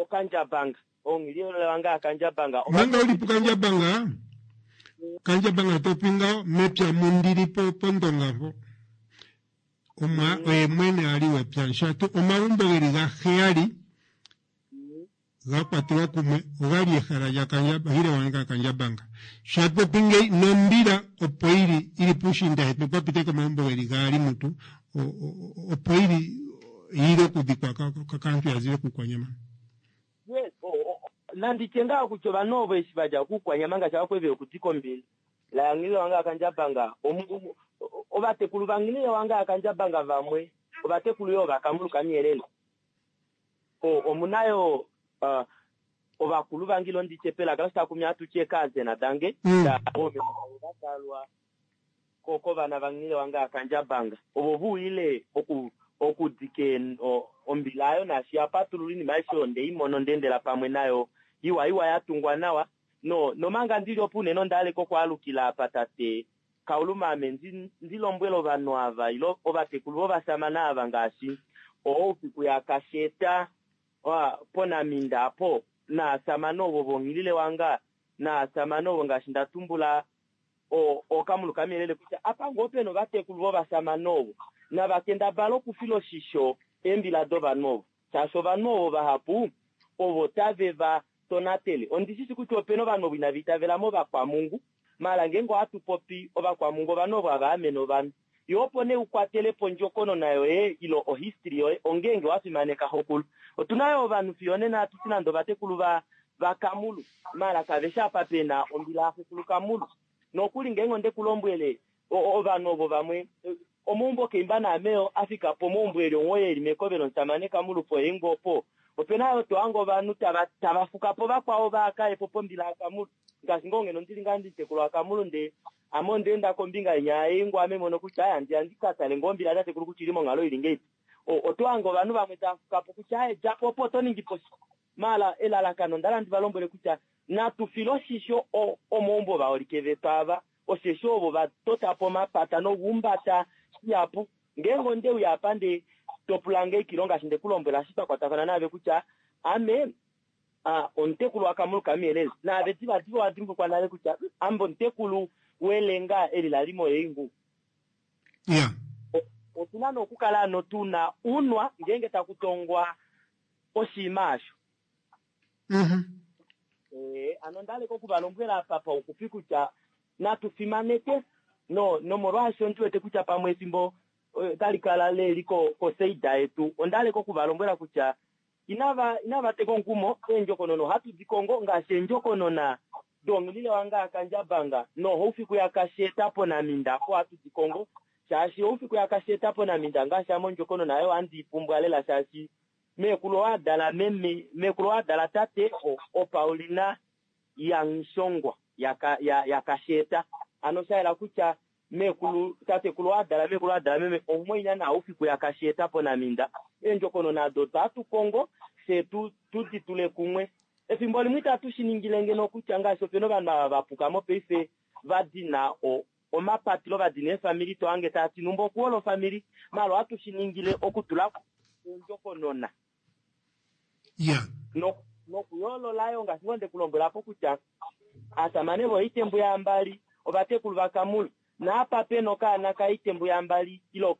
Okandjabanga onghililewanga yaKandjabanga. Manga uli puKandjabanga Kandjabanga topi ngaho mepya mundili po pOndonga po omwa oye mwene ali wepya shatu omagumbo geli gaheyali ga kwatelwa kumwe ogali ehala lyaHilewanga Kandjabanga sho hatu popi ngeyi nombila opo yili ili puushiinda hetu pwa pita omagumbo geli gaali mutu opo yili yili okudhikwa kaantu ya zile kUukwanyama. Yes, nanditye ngaa kutya ovanhu ovo eshi vadja kUukwanyama ngaashi avakweve yokudika ombila laYanghilewanga yaKandjabanga ovatekulu vaNghilewanga yaKandjabanga vamwe ovatekulu yoo vaKamulu kaMuyelele. Omuna yoo ovakulu vange ilo nditye pelaka loshitakumi hatu ti eekazena dange vadalwa kovana vaNghilewanga yaKandjabanga ovo ve uyile okudika ombila ayo naashi ya patulula oinima aishe oyo nde i mona onda endela pamwe nayo iwa iwa ya tungwa nawa nomanga ndili opo unene onda haleka okwaalukila apa tate Kauluma ame ndi lombwele ovanhu ava ile ovatekulu vovasamane ava ngaashi Oufiku yaKasheta poNaminda apo. naasamane ovo vonghilile wanga naasamane ovo ngaashi nda tumbula ookamulu kamuyelele kutya apa ngoo pena ovatekulu vovasamane ovo navakendabala okufila oshisho eembila dovanhu ovo shaashi ovanhu ovo vahapu ovo tave va tonatele. Ondishishi kutya opena ovanhu ovo inava itavela movakwamungu maala ngeenge ohatu popi ovakwamungu ovanhu ovo hava amene ovanhu yo opo nee ukwatele po ondjokonona yoye ilo ohistory yoye ongeenge wa fimaneka xokulu. Otuna yo ovanhu fiyo onena hatuti nande ovatekulu vakamulu maala kaveshi apa pena ombila yaxekulu kamulu. Nokuli ngeenge onde ku lombwele ovanhu ovo vamwe omaumbo keimba naameyo afika po omaumbo eli onghoo eli mekovelo omusamane kamulu poyengo opo opena yo tohange ovanhu tava fuka po vakwao vaakaye po pombila yakamulu ngaashi ngoo ngeno ndili ngaa nditekulu wakamulu nde ame ondeenda kombinga inya yengo ame mono kutya aya ndiya ndikatale ngoo ombila tatekulu kutya ili monghalo ili ngeipi. Otohange ovanhu vamwe tava fuka po kutya aye djapo opo oto ningi po maala elalakano ndala ndi valombwele kutya natu file oshisho omaumbo vaholike vetu ava osheshi ovo vatota po omapata nokuumbata shihapu. Ngeenge onde uya apa nde topula ngeikilo ngaashi nde ku lombwela eshi twakwatafana naave kutya ame omutekulu wakamulu kamuyelele naave divadiva owa dimbulukwa nale kutya ame omutekulu welenga eli lali moyeingu. Otuna nokukala ano tuna unwa ngeenge taku tongwa oshiima asho. Ano ndaleka okuvalombwela apa pauxupi kutya natu fimaneke nomolwaasho ndiwete kutya pamwe efimbo tali kala leli koseida yetu ondaleka okuvalombwela kutya inava teka omukumo eendjokonona ohatu di kongo ngaashi eendjokonona donghilile wange akandjabanga nohoufiku yakasheeta ponaminda apo ohatu di kongo shaashi oufiku yakasheeta ponaminda ngaashi ame ondjokonona ayo ohandi ipumbwa lela shaashi meekulu owadala meme meekulu owadala tate opaulina yangshongwa yakasheeta ano shayela kutya meekulu tatekulu owadala meekulu owadala meme omumwaina naaufiku yakasheeta ponaminda eendjokonona ado otwatu kongo fye tudi tule kumwe. Efimbo limwe itatu shi ningile ngeno kutya ngaashi opena ovanhu ava vapuka mopaife vadina omapatilo vadina eefamili tohange taati numba okuhola ofamili maala ohatu shi ningile okutula ondjokonona nokuyoolola yo ngaashi ngoo ndekulombwela po kutya aasamane voitembu yambali ovatekulu vakamulu naapa pena okaana kaitembu yambali ilo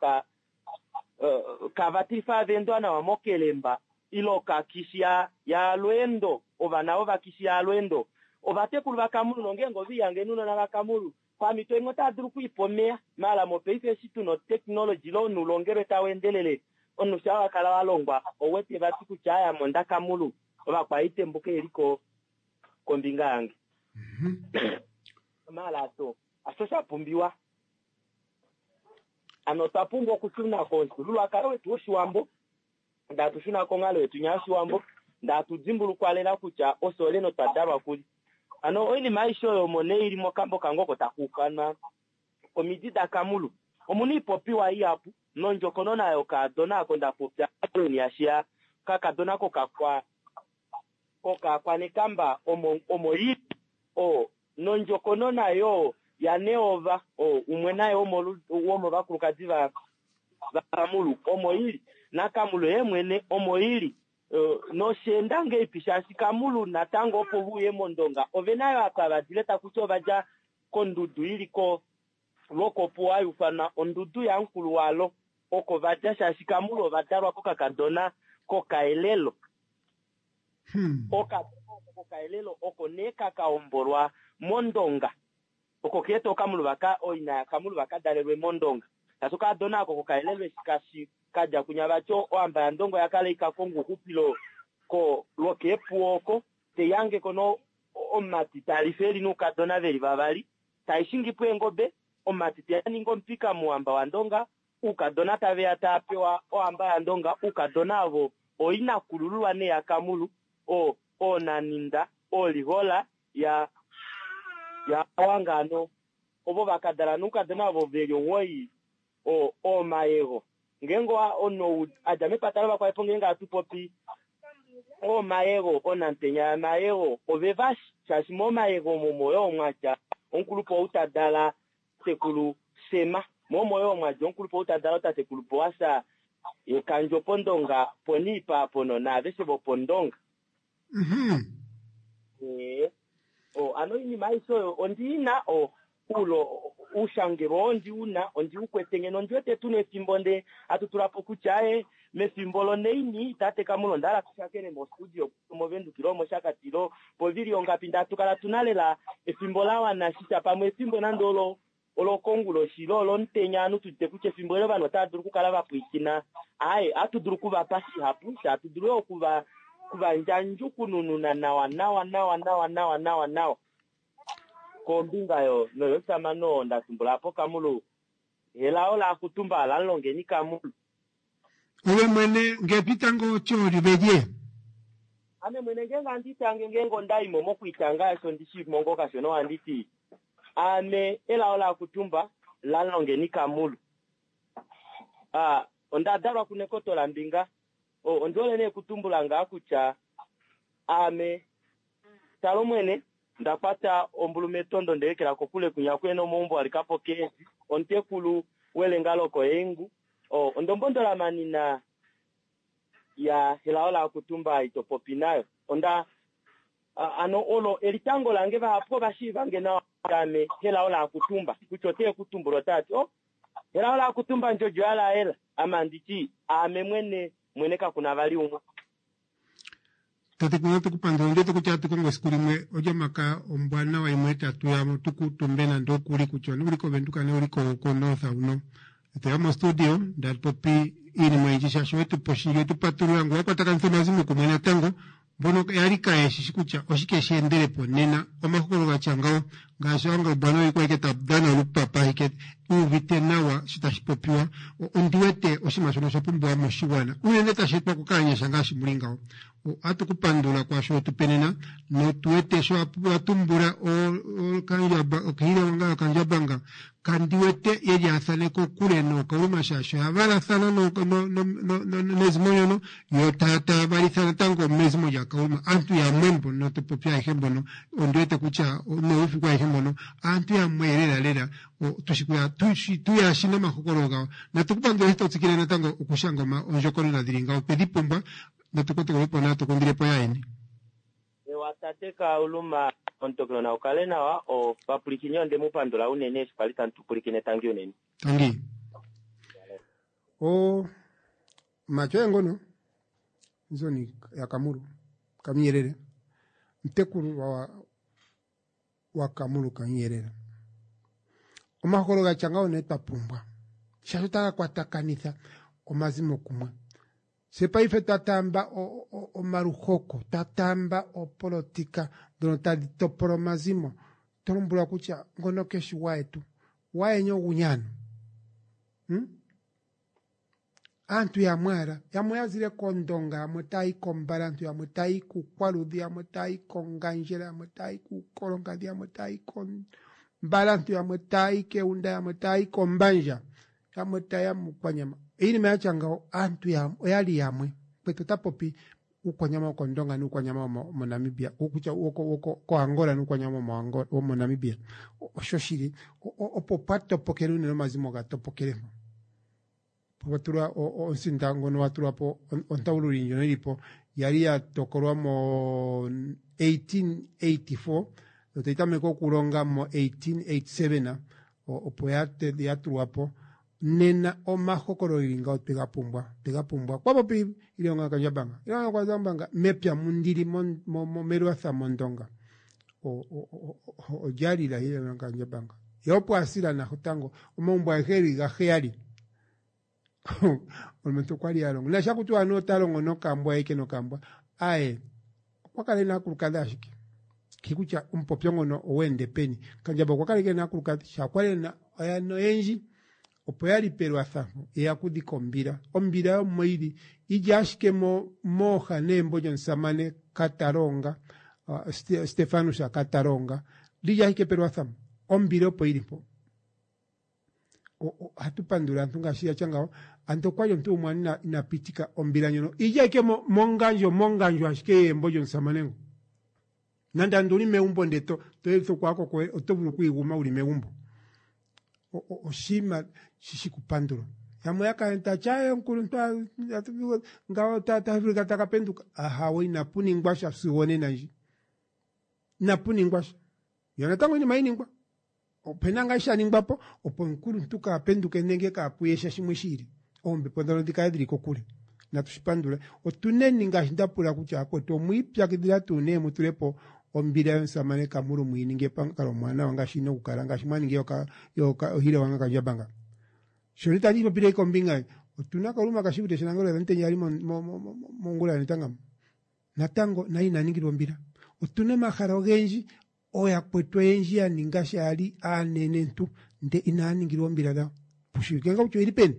kavatilifa avendwa nawa mokelemba ilo kakishi ya lweendo ovana vovakishi ya lweendo ovatekulu vakamulu nongeenge oviyange nunona vakamulu pamito imwe otava dulu okwiipa omeya maala mopaife eshi tuna oteknoloji lo omunhu tau endelele omunhu sha wakala walongwa owete vati kutya aya monda kamulu ovakwaitembu keliko kombinga yange. Maala ato asho shapumbiwa ano otwa pumbwa okushuna komufyuululwakalo wetu woshiwambo ndatu shuna konghalo yetu nya yoshiwambo ndatu dimbulukwa lela kutya osole notwa dalwa kuli. Ano oinima aishe oyo omo nee ili mokambo kange oko taku ufanwa omidi dakamulu. Omuna ipopiwa ihapu nondjokonona yokaadona ako nda popya yashiya kakadona kokakwa kokakwanekamba omo ili nondjokonona yo yaneova umwe naye womovakulukadi vakamulu omo ili nakamulu ye mwene omo ili nosheenda ngeipi shaashi kamulu natango opo vuye mondonga ovenayo apa vadile takuti ovadja kondudu ili ko lwokopuwa hayufanwa ondudu yamukulu walo oko vadja shaashi kamulu ovadalwa kokakadona kokaelelo. Okadona kokaelelo oko nee kakaombolwa mondonga oko keeta okamulu vaka oina yakamulu vakadalelwe mondonga shaashi okadona ako kokaelelo eshi kashi kadja kunya vati ohamba yandongo yakala ikakonga ouxupilo ko lwokeepuwo oko teihange kono omumati talifa eli noukadona veli vavali taishingipo eengobe omumati teyaninga omupika muhamba wandonga uukadona taveya taapewa ohamba yandonga uukadona avo oinakulululwa nee yakamulu oonaninda oolihola ya wangano ovo vakadala noukadona avo veli onghoi oomayego ngeenge omunhu adja mepata lovakwaepo ngeenge hatu popi oomayego onamutenya yamayego ovevashi shaashi momayego omo yoo mwadja omukulupe ou tadala tatekulu Sema momo yoo mwadja omukulupe ou tadala tatekulu Boasa yekandjo pondonga poniipa apono naaveshe vopondonga. Ee. O, ano oinima aishe oyo ondi ina o ulo uushangelwa oo ndi una ondi u kwete ngeno ondi wete tuna efimbo nde hatu tula po kutya aye mefimbo loneini tate Kamulu onda hala tushakene mostudio moVenduka ile omOshakati ile povili ongapi ndee hatu kala tuna lela efimbo la wana shitya pamwe efimbo nande olo olokonguloshi ile olomutenya ovanhu tudite kutya efimbo eli ovanhu otava dulu okukala va pwilikina aaye ohatu dulu okuvapa shihapu sha hatu dulu yoo okuva okuvandjandjukunununa nawa nawa nawa nawa nawa nawa nawa kombinga yo noyomusamane oo nda tumbula apo Kamulu helao laakutumba lamulongeni Kamulu. Ove mwene nge twitanga otyoli velye? Ame mwene ngeenge handi itange ngeenge onda i mo mokuitanga osho ndi shii mo ngoo kashona ohandi ti aame elao laakutumba lamulongeni Kamulu. A onda dalwa kuNekoto laMbinga. O ondi hole nee okutumbula ngaa kutya aame Talomwene nda kwata ombulu metondo nde ekela kokule kwinya kuhe na omaumbo a lika po keedi, omutekulu welenga lokoEingu. O ondombondola manina ya Helao Laakutumba ito popi nayo. Onda ano olo elitango lange vahapu ova shiiva nge nawa ame Helao Laakutumba kutya ote ku tumbula otava ti oh Helao Laakutumba ndjodjo ya laela ame andi ti aame mwene mwene kakuna vali umwe. Tatekulu natu ku pandula ondjete kutya atu kongo esiku limwe olyomakaya ombwanawa imwe tatu ya mo tu kuutumbe nande okuli kutya uli koVenduka ne uli koNorth huno. Eto ya mostudio ndatu popi iinima oyindji shaashi owetu pa oshindji wetu patulula ngoye wa kwatakanitha omazimo kumwe natango mbono yali kaye shishi kutya oshike she endelepo nena omahokololo gatya ngawo ngaashi Angelo Bwana oye kwali ta dhana olupapa ashike uuvite nawa sho tashi popiwa ondi wete oshinima shono osha pumbiwa moshigwana unene tashi etwa kokaanyasha ngaashi muli ngawo ohatu ku pandula kwaasho wetu pe nena notu wete sho wa tumbula okandjaba okahilewanga yokandjabanga kandi wete ye lyaathane kokule nookauluma shaashi oya valathana nezimo ndyono yo taya taya valitha natango mezimo lyakauluma aantu yamwe mbono to popi ayehe mbono ondi wete kutya noufiku ayehe mbono aantu yamwe lela lela tushi tuya shi nomahokololo gawo natu ku pandula eshi to tsikile natango okushanga ondjokonona dhili ngawo twedhi pumbwa natu kotokolepo natu kundilepo yaeni. Ewa tate Kauluma omutokelo nau kale nawa o vapulikini onde mu pandula unene eshi kwali tamu tu pulikine tangi unene. Tangi. O matyo engono nzoni ya Kamulu Kamuyelele mutekulu wa wa Kamulu Kamuyelele omahokolo gatya ngawo nee twa pumbwa shaashi otaga kwatakanitha omazimo kumwe Se paife twa taamba omaluhoko, twa taamba oopolotika ndhono tadhi topola omazimo, to lombwelwa kutya ngono keshi gwayetu. Gwayeni oguni ano? Hmm? Aantu yamwe ala, yamwe ya zile kOndonga, yamwe taya yi kOmbalantu, yamwe taya yi kUukwaludhi, yamwe taya yi kOngandjera, yamwe taya yi kUukolonkadhi, yamwe taya yi kOmbalantu, yamwe taya yi kEunda, yamwe taya yi kOmbandja. Yamwe taye ya mUukwanyama. Iinima ya tya ngawo, aantu ya, oya li yamwe. Mukwetu ota popi Uukwanyama wokOndonga nUukwanyama womoNamibia, kutya woko, woko, koAngola nUukwanyama womoAngola, womoNamibia. Oshoshili, opo pwa topokele unene omazimo ga topokele mpo. Pwa tulwa omusinda ngono wa tulwa po, ontaululi ndjono yi li po, ya li ya tokolwa mo 1884, yo tayi tameke okulonga mo 1887, opo ya tulwa po nena omahokololo geli ngawo twega pumbwa twega pumbwa kwa popi ilonga kandjabanga ilonga kandjabanga mepya mundili melwatha mondonga olya lila ilonga kandjabanga ye opo asila natango omagumbo agehe geli gaheyali omulumentu okwa li a longo nasha kutya anuwa ota longo nokambwa eke nokambwa aye okwa kala ena aakulukadhi ashike ki kutya omupopyo ngono oweende peni Kandjaba okwa kala ike ena aakulukadhi sha kwali ena oyana oyendji opo ya li pelwatha ye ya kudhika ombila ombila yomoili ili ashike mo mooha neembo lyomusamane Katalonga uh, Stefanus Katalonga lili ashike pelwatha ombila opo ili mpo ohatu pandula aantu ngaashi ya tya ngawo ando okwali omuntu gumwe ina, ina pitika ombila ndjono ije ike mongandjo mongandjo ashike yembo lyomusamane ngo nande ando uli megumbo nde to to yelutha okwaako koye oto vulu okwiiguma uli megumbo oshinima shi kupandulwa yamwe ya kala ta tya omukuluntu ngawo ta vulika taka penduka ahawe inapu ningwa sha sigo onena ndji. Inapu ningwa sha. Yo natango iinima iningwa. Opena ngaa sha ningwa po opo omukuluntu kaa penduke nenge kaa puye sha shimwe shi ili. Oombepo ndhono dhi kale dhili kokule. Natu shi pandule. Otuneni ngaashi nda pula kutya akwetu omwiipyakidhila tuu nee mu tule po ombila yomusamane Kamuru mu yi ninge pamukalo omwaanawa ngaashi yi na okukala ngaashi mwa ningi yoHilewanga Kandjabanga. Shono itandi shi popile kombinga otuna Kaluma Kashivute shaNangolo Mutenya ali mongula yonetanga natango naye ina ningilwa ombila. Otuna omahala ogendji ooyakwetu oyendji ya ninga sha yali aanenentu nde inaya ningilwa oombila dhawo. Pushiwike nga kutya oyili peni.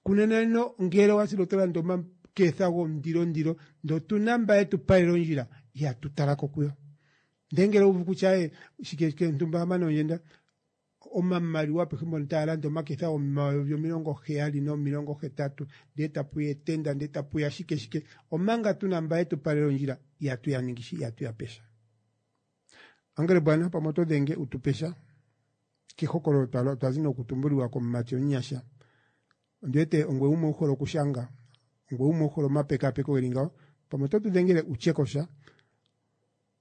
Kunena ino ngele owa sile oto landa omaketha gomundilondilo ndee otuna mba yetu palela ondjila ihatu talako kuyo. Ndee ngele owuuvu kutya aye shike shike ntumba a mana ondjenda omamaliwa apehe mpono taya landa omaketha gomayovi 70 no 80 ndee tapuya etenda ndee tapuya shike shike omanga tuna mba yetu palela ondjila ihatu ya ningi shi ihatu ya pesha. Angele bwana pamwe oto dhenge u tu pe sha kehokololo twa twa zi nokutumbulilwa komumati omunyasha. Ondi wete ongwe umwe u hole okushanga, ongwe umwe u hole omapekapeko geli ngawo, pamwe oto tu dhengele u tye ko sha.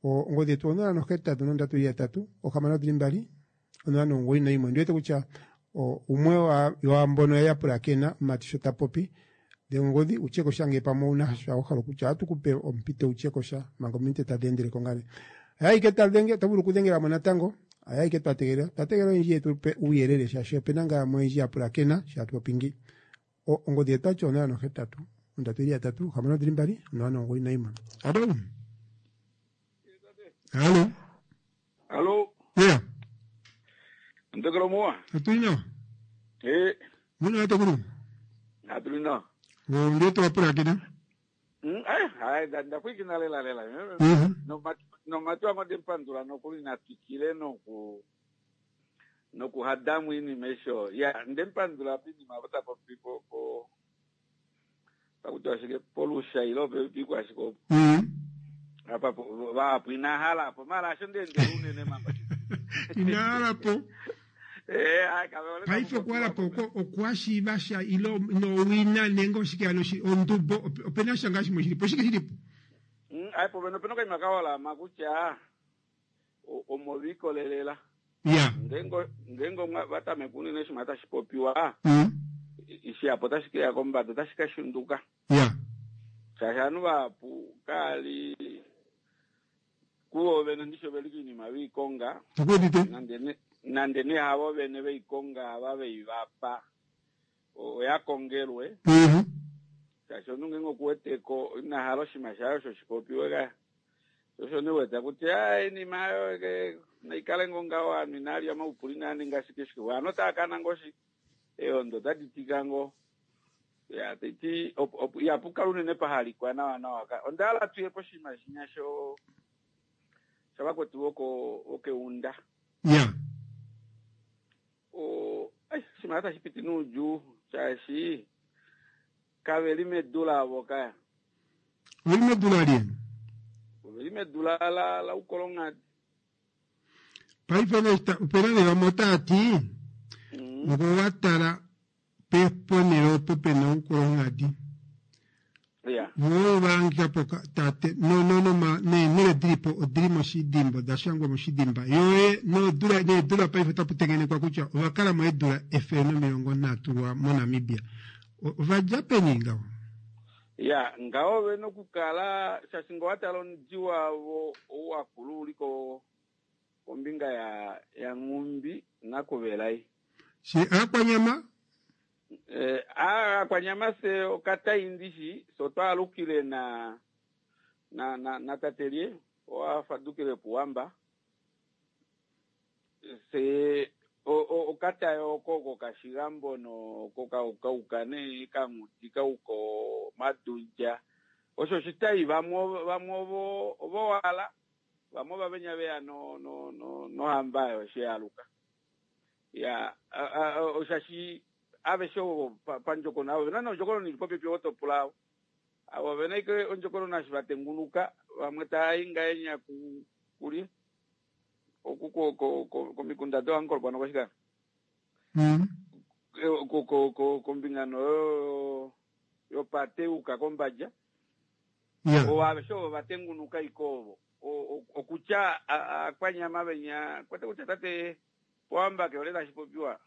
Ongodhi yetu 083 632 091. Ondi wete kutya umwe waambono ya pulakena omumati sho ta popi dhenga ongodhi u tye ko sha ngele pamwe owu na sha wa hala okutya. Ohatu ku pe ompito wu tye ko sha manga ominute tadhi endele ko ngaa nee. Hayaike ta dhenge, oto vulu okudhengela mo natango. Hayaike twa tegelela. Otwa tegelela oyendji ye tu pe uuyelele shaashi ope na ngaa yamwe oyendji ya pulakena sho hatu popi ngi. Ongodhi yetu otayi ti 0 8 3 3 6 2 0 9 1. Hallo. Hallo. Hallo. Yeah. Ntekelo muwa. Otuli nawa. Eh. Muna watekulu. Atuli nawa. Ndio twapulakena. Eh, hai ndapwikina lela lela. Nomatu ango ndempandula nokuli natwikile noku nokuhadamu iinima esho. Ya, ndempandula piinima opo tapopi po po pakutiwa shike polusha ilo pepikwa ashike opo. Apa vahapu ina hala po mara asho ndeendela unene mamba. Ina hala po. Eh, Paife okuhala po oko okwa shiiva sha ile nowina nenge oshike hano ondubo opena sha ngaa shimwe shili po oshike shili po? Ai po pena okaima ka holama kutya omo lwiikolelela. Ya. Ngeenge ngeenge omwa va tameka unene oshinima tashi popiwa, shihapu otashi ke ya kombada, otashi ka shunduka. Ya. Shaashi ovanhu vahapu kaali kuvo vene ndishi oveli koinima ve i konga, Tukuudite. nande ne nande nee havo vene ve i konga ava ve i va pa oya kongelwe. Shaashi omunhu ngeenge oku wete ko ina hala oshinima shaye osho shi popiwe ka. Osho nee wete kutya ah, iinima ayo ke naikale ngoo ngaho ovanhu inaa lya omaupuli inaa ninga shike shike ovanhu otava kana ngoo shi eehondo otadi tika ngoo ya taiti ihapu kala unene pahalikwa nawa nawa ka onda hala tuye poshinima shinya sho shavakwetu voko vokeunda ya o ai oshinima tashi piti nuudjuu shaashi kave li medu lavo kaya Oveli medu lalye? Oveli medu la la la ukolonghadi. Paife nee opena nee vamwe otaa ti ngee owa tala ponhele opo pena oukolonghadi voo ova hangika po tate no no no neenhele dilipo odili moshidimba oda shangwa moshidimba yo nodula needula paife otapu tengenekwa kutya ova kala mo eedula 130 lwa moNamibia ova dja peni ngaho? Ya, ngaho ove na okukala, shaashi nge owa tala omudi wavo ou wakulu uli ko, kombinga ya, yaNghumbi naKuvelai. She Aakwanyama? Eh, Aakwanyama fye okatai ndishi, fye otwa alukile na, na, na, natate lye, owa fadukile puWamba. Fye okatayo oko kokashigambo no kokauka nee kanghudi kauka omadundja osho oshitai vamwe vamwe ovo ovowala vamwe ovavenya veya no no no nohamba oyo eshi yaaluka ya oshashi aveshe ovo pandjokonona avo ovena nee ondjokonona ili popepi ovo topula avo avo ovena ashike ondjokonona eshi vatengunuka vamwe tava i ngahenya kulye oku ko ko ko komikunda doAnkolokwa nokoshikana ko ko ko kombinga noyo yopate yuuka kombadja. Yeah. Ovo aveshe ovo va tengunuka iko ovo. Okutya aakwanyama venya kwete kutya tate Pohamba ke hole tashi popiwa.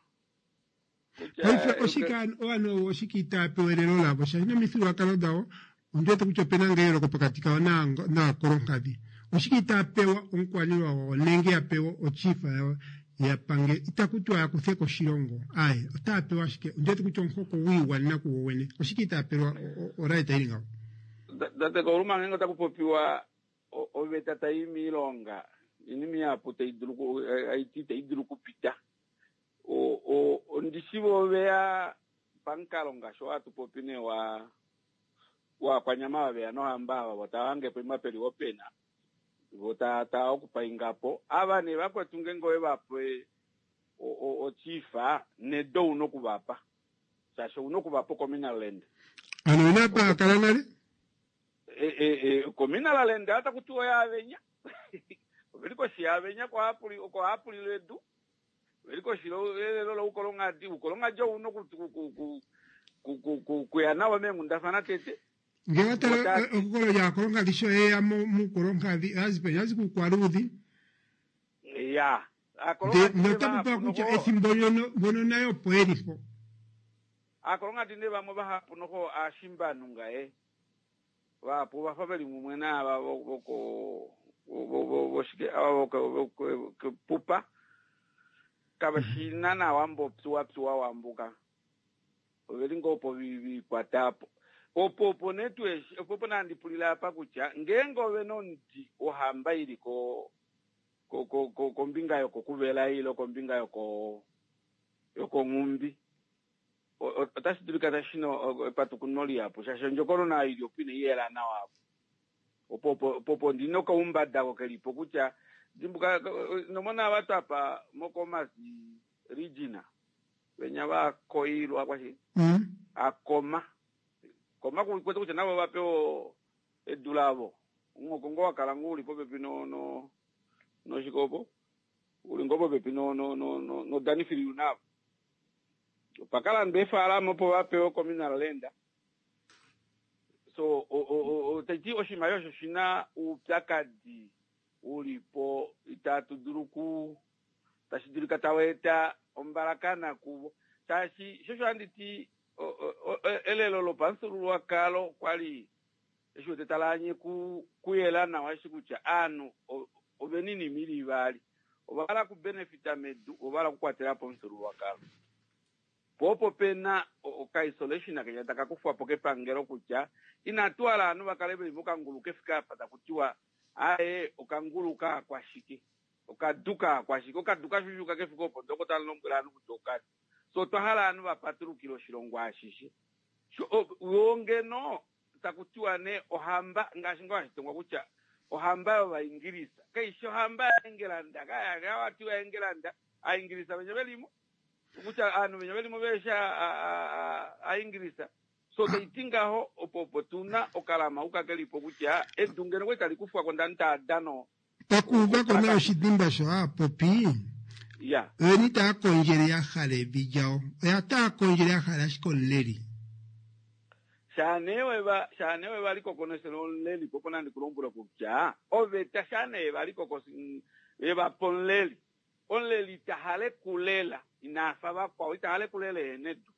Paife oshike ovanhu oshike itava pewa elelo lavo shaashi nomifyuululwakalo davo ondi wete kutya opena ngaa eyooloko pokati kavo naakolonkadhi. Oshike itava pewa omukwaniilwa wavo nenge ya pewa ochief yavo ya pange itaku tiwa ya kuthe ko oshilongo aaye otava pewa ashike ondi wete kutya omuhoko gwiigwanena kugo gwene oshike itava pelwa oright ili ngawo. Tate Kauluma ngeenge otaku popiwa oveta tai miilonga inima ihapu tai dulu aiti itai dulu okupita. Ondi shi vo veya pamukalo ngaashi oo hatu popi nee wa waakwanyama ava veya nohamba ava vo tava hange poima peli opena vo ta ta okupainga po ava nee vakwetu ngeenge owe va pe ochifa nedo una oku va pa shaashi ouna oku va pa communal land. Ano ina pa kala nale? Communal land ota kutiwa oyaavenya oveli koshi yaavenya oko haapulile edu Oveli koshi yelelo loukolonghadi. Oukolonghadi ou una okuya navo meenghundafana tete. Ngee wa tala ehokolo lyaakolonghadi sho ye ya muukolonghadhi oya zi peni? Oya zi kuukwaluudhi. Ya. Nota popiwa kutya ethimbo ndyono mbono nayo opo ye li mpo. Aakolonghadi nee vamwe vahapu noho aashimbanhu ngaye. Vahapu ovafa ve li mumwe naava voko voshike ava vokepupa kave shi naana wambo pyuwa pyuwa wambuka oveli ngoo opo vikwata apo opo opo nee tu eshi opo opo nandi pulile apa kutya ngeenge ove na omuti wohamba ili ko kombinga yokokuvela ile kombinga yoko yokonghumbi otashi dulika tashi na epatukuno lihapu shaashi ondjokonona ili opo inai yela nawa apo. Opo opo opo ndi na okaumbada ko ke li po kutya dimbuka nomona ava twapa moKomas Regina venya va koilwa kwashi akoma koma kwete kutya navo va pewa edu lavo omuhoko ngo wa kala ngo uli popepi no no noshikopo uli ngo popepi no no no no noDanifiliu navo Opa ka landwa eefaalama opo va pewe communal land. So tai ti oshinima osho oshi na oupyakadi u li po itatu dulu ku tashi dulika tau eta ombalakana kuvo shaashi sho osho handi ti elelo lopamufyuululwakalo kwa li eshi wete tala anye kuyela nawa eshi kutya aanhu ovena oinima ili ivali ova hala okubenefita medu vo ova hala okukwatela po omufyuululwakalo. Po opo pe na okaisolation kenya taka kufwa po kepangelo kutya inatu hala ovanhu va kale ve li mokangulu kefike apa taku tiwa aaye okangulu kaakwashike, okadu kaakwashike, okadu kashushuka kefike opo ndee oko tamu lombwele ovanhu kutya okadu. So otwa hala ovanhu va patulukile oshilongo ashishe. Wo ngeno taku tiwa nee ohamba ngaashi ngoo hashi tongwa kutya ohamba yOvaingilisa kai shi ohamba yaEngelanda ka wa tiwa Engelanda Aaingilisa venya ve limo kutya ovanhu venya ve limo vehe shi Aaingilisa so tai ti ngaho opo opo tu na okalama uka ke lipo kutya edu ngeno kwali tali kufwa ko ndani taa dana Pakuuva ko nawa oshidimba sho aapopi ya oyeni taa kondjele ya hala evi lyawo oya taa kondjele ya hala ashike omuleli. Shaa nee weva, shaa nee weva likokonesela omuleli, po opo nandi ku lombwele kutya oveta shaa nee yeva likokos, yeva pa omuleli, omuleli ita hale kulela inaa fa vakwao, ita hale kulela ehena edu.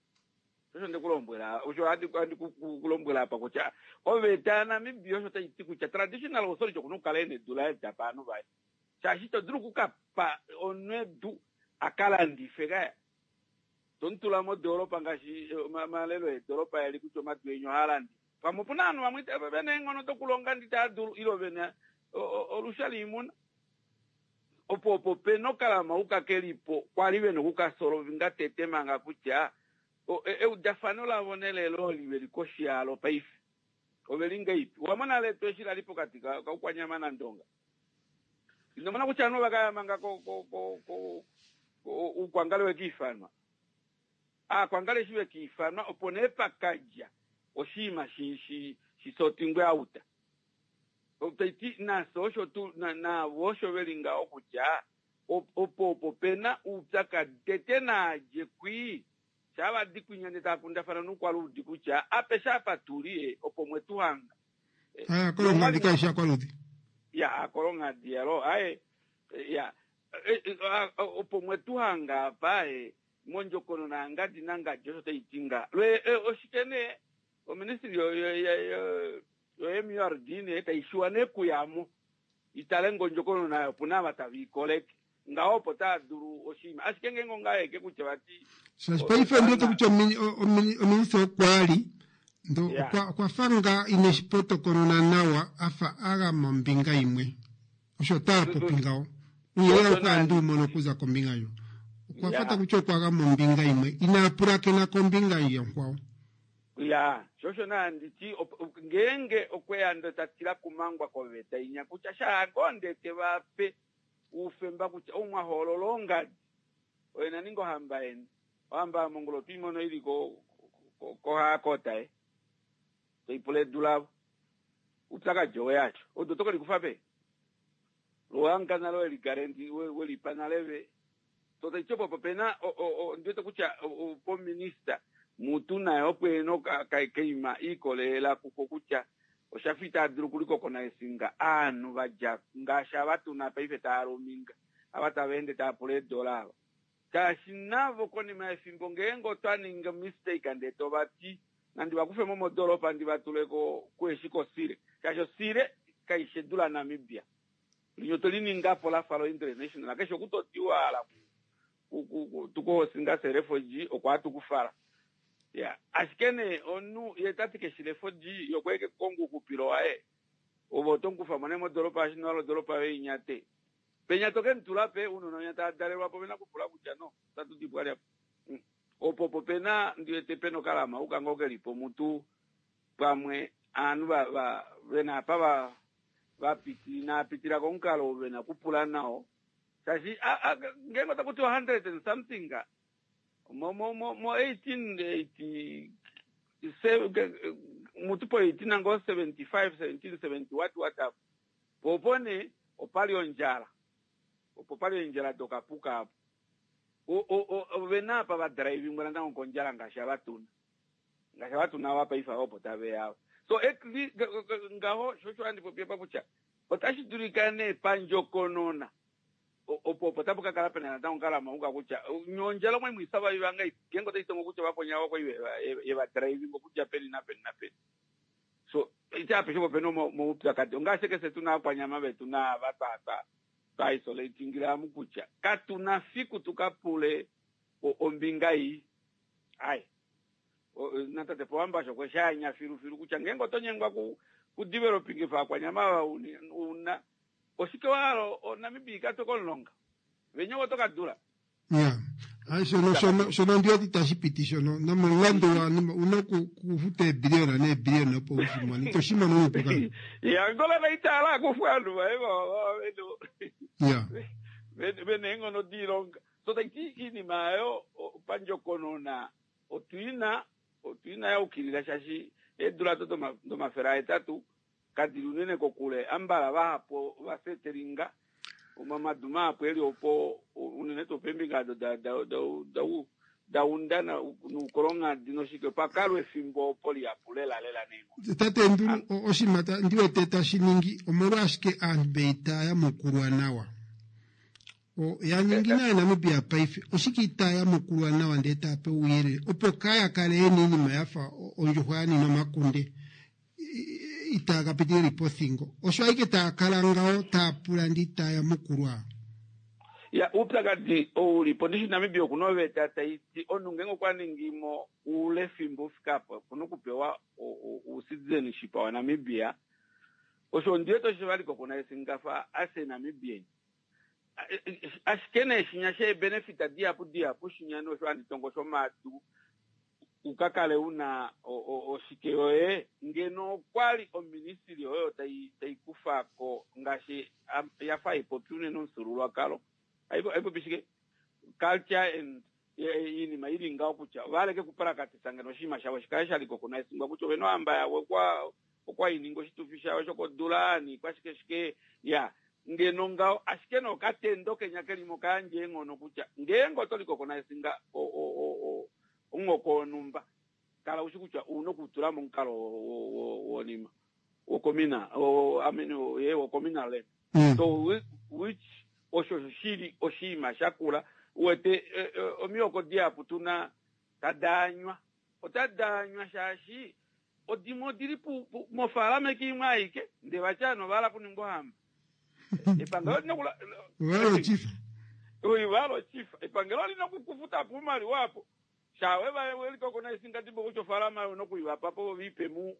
Osho nde ku lombwela, osho handi handi ku ku lombwela apa kutya oveta yaNamibia osho tai ti kutya traditional authority oku na okukala e na edu laye ta pa ovanhu vaye. Shaashi ito dulu oku ka pa omunhu edu a ka landife kaya. To mu tula modoolopa ngaashi omalelo eedolopa eli kutya omadu enya ohaa landifwa. Pamwe opu na ovanhu vamwe ve na eenghono dokulonga ndee itava dulu ile ve na olusha loimuna. Opo opo pe na okalamauka ke li po kwa li ve na okukasolovinga tete manga kutya eudafano lavo nelelo oli ve li koshi yalo paife ove li ngaipi. Owa mona letu eshi la li pokati kaUkwanyama naNdonga. Ino mona kutya ovanhu ova ka ya manga Uukwangale we ka ifanwa. Aakwangale eshi ve ka ifanwa opo nee pa ka dja oshinima shi sotingwe out. Tai ti nafye osho tu navo osho ve li ngaho kutya opo opo pe na oupyakadi tete naa dje kwii shaa va di kwinya ndee tava kundafana noukwaluudi kutya apeshe apa tu li opo mwe tu hanga. Ah, kolonghadi kai shi akwaludi. Ya akolonghadi yalo aye ya opo mwetuhanga apa mondjokonona yangadi nangadi osho taiti nga oshike nee oministry yo MURD nee taishiwa nee kuyamo itale ngondjokonona nayo opuna ava tava ikoleke ngaho opo taa dulu oshinima ashike ngeenge ongaeke kutya vati shaashi paife ndiwete kutya ominister okwali ndo okwa fa nga ine shipotokonona nawa afa agama ombinga imwe osho taa popi ngaho uyelele okwa ndi umono okuza kombinga yo okwa fata kutya okwa gama ombinga imwe inaa pulakena kombinga yonkwao ya shosho naa nditi ngeenge okweya ndo tatila kumangwa koveta inya kutya shaagonde te vape uufemba kutya ou mwahoolola ongadi oye naninga ohamba yeni ohamba yamongolo otwiimono ili kohaakota e toipula edu lavo upyakadi oweyacho odo tokelikufa pe lowanga nalo weligarendi welipa nale ve totaiti opo pena ndiwete kutya pominista mutu naye opo ena keima iikolelela kuko kutya oshafa itaa dulu okulikokona esinga aanhu vadja ngaashi ava tuna paife taa luminga ava tava ende tava pula eedola ava shaashi navo konima yefimbo ngeenge otwa ninga mistake ndee tovati nandi vakufe mo modoropa ndi vatule kueshi kosire shaashi osire kaishi edu laNamibia linye otoli ningapo lafa lo international keshe oku totiwa ala tukuhosinga se refugee okwa tukufala ya ashike nee omunhu ye tati keshi refugee yokweeke kukonga uuxupilo waye ove otomukufa nee modoropa ashi nowala odoropa yoye inyate penya tokemutula pe uunona winya taa dalelwapo vena kupula kutya no otatu dipwa lyapo opo opo pena ndiwete pena okalama uka ngoo kelipo mutu pamwe aanhu vena apa vapiti naapitila komukalo vena kupula nao shaashi ngeenge otaku tiwa 100 and something mo mo 1887 mutu po 18 ngo 75 1770 what what up popo ne opali ondjala opo pali eendjala dokapuka apo ovena apa vadrivingwa natango kondjala ngaashi avatuna ngaashi avatuna ava paife ava opo taveya ava so ngaho shosho handi popi apa kutya otashi dulika nee pandjokonona opo opo tapu kakala pena natango kalamauka kutya nyondjala omwe mwisava ngai ngeenge otaitongo kutya vaponya vako yevadriving okudja peni napeni napeni so ite apeshe opo pena omaupyakadi ongaashi kese tuna akwanyama vetu naava twa isolatingila kutya katuna fiku tukapule ombinga iyi ai natate Pohamba sho kweshaanya filufilu kutya ngeenge oto nyengwa ku developing fa akwanyama ava una oshike wahala oNamibia ikatwe komulonga venye oto kadula ya hayi shono ndiweti tashi piti shono nomulandu una kufuta eebiliyona neebiliyona opo ushimone ito shimono nuupu ka ya ngola naitala akufu anhu vae ya vena eenghono diilonga so taiti iinima yayo pandjokonona otwina otwina yaukilila shaashi eedula do domafele ahetatu kadili unene kokule ambala vahapu vasetelinga omamadu mahapu eli opo unene tuu peembinga ado daunda nuukolonghadi noshike pakalwa efimbo opo lihapu lela lela neenghono tate Ndulu oshinima ndiwete tashi ningi omolwashike aantu beitaya yamukulwa nawa ya ningi naye Namibia paife oshike itaya yamukulwa nawa ndee taya pe ouyelele opo kaya kale yena iinima yafa ondjuhwa yanina omakunde itaya kapitilila pothingo osho aike taya kala ngaho taya pula ndi itaya yamukulwa ya uupyakadi oulipo ndishi Namibia okuna oveta taiti omunhu ngeenge okwa ningimo uule fimbo ufika apo okuna okupewa ucitizenship waNamibia osho ndiwete osho valiko kuna esingafa ase Namibian ashike nee shinya sheebenefit dihapu dihapu shinya nosho handi shomadu ukakale una oshike yoye ngeno okwali oministry oyo taikufako ngaashi yafa haipopi unene omufyuululwakalo haipopi shike culture and iinima ili ngaho kutya valeke kupalakatisa ngeno oshinima shavo shikale shaliko kuna esingwa kutya ovena ohamba yavo okwa ininga oshitufi shawo shokodula niikwashike shike ya ngeno ngaho ashike nokatendo kenya kelimo kayandja eenghono kutya ngeenge otoliko kona esinga omuhoko wonhumba kala ushi kutya una okutula momukalo wonima. wokomina I mean ye wokomina land. So which osho shili oshinima shakula uwete omihoko dihapu tuna tadaanywa otadaanywa shaashi odimwe odili mofaalama eke imwe aike ndee vati ovanhu ovahala okuninga ohamba. Epangelo olina okula Ovahala ochifa. Ovahala ochifa. Epangelo olina okukufuta po oumaliwa apo. Sha we va welikoko naisingadibo kutya ofaalama oyo ouna okuivapa po viipe mu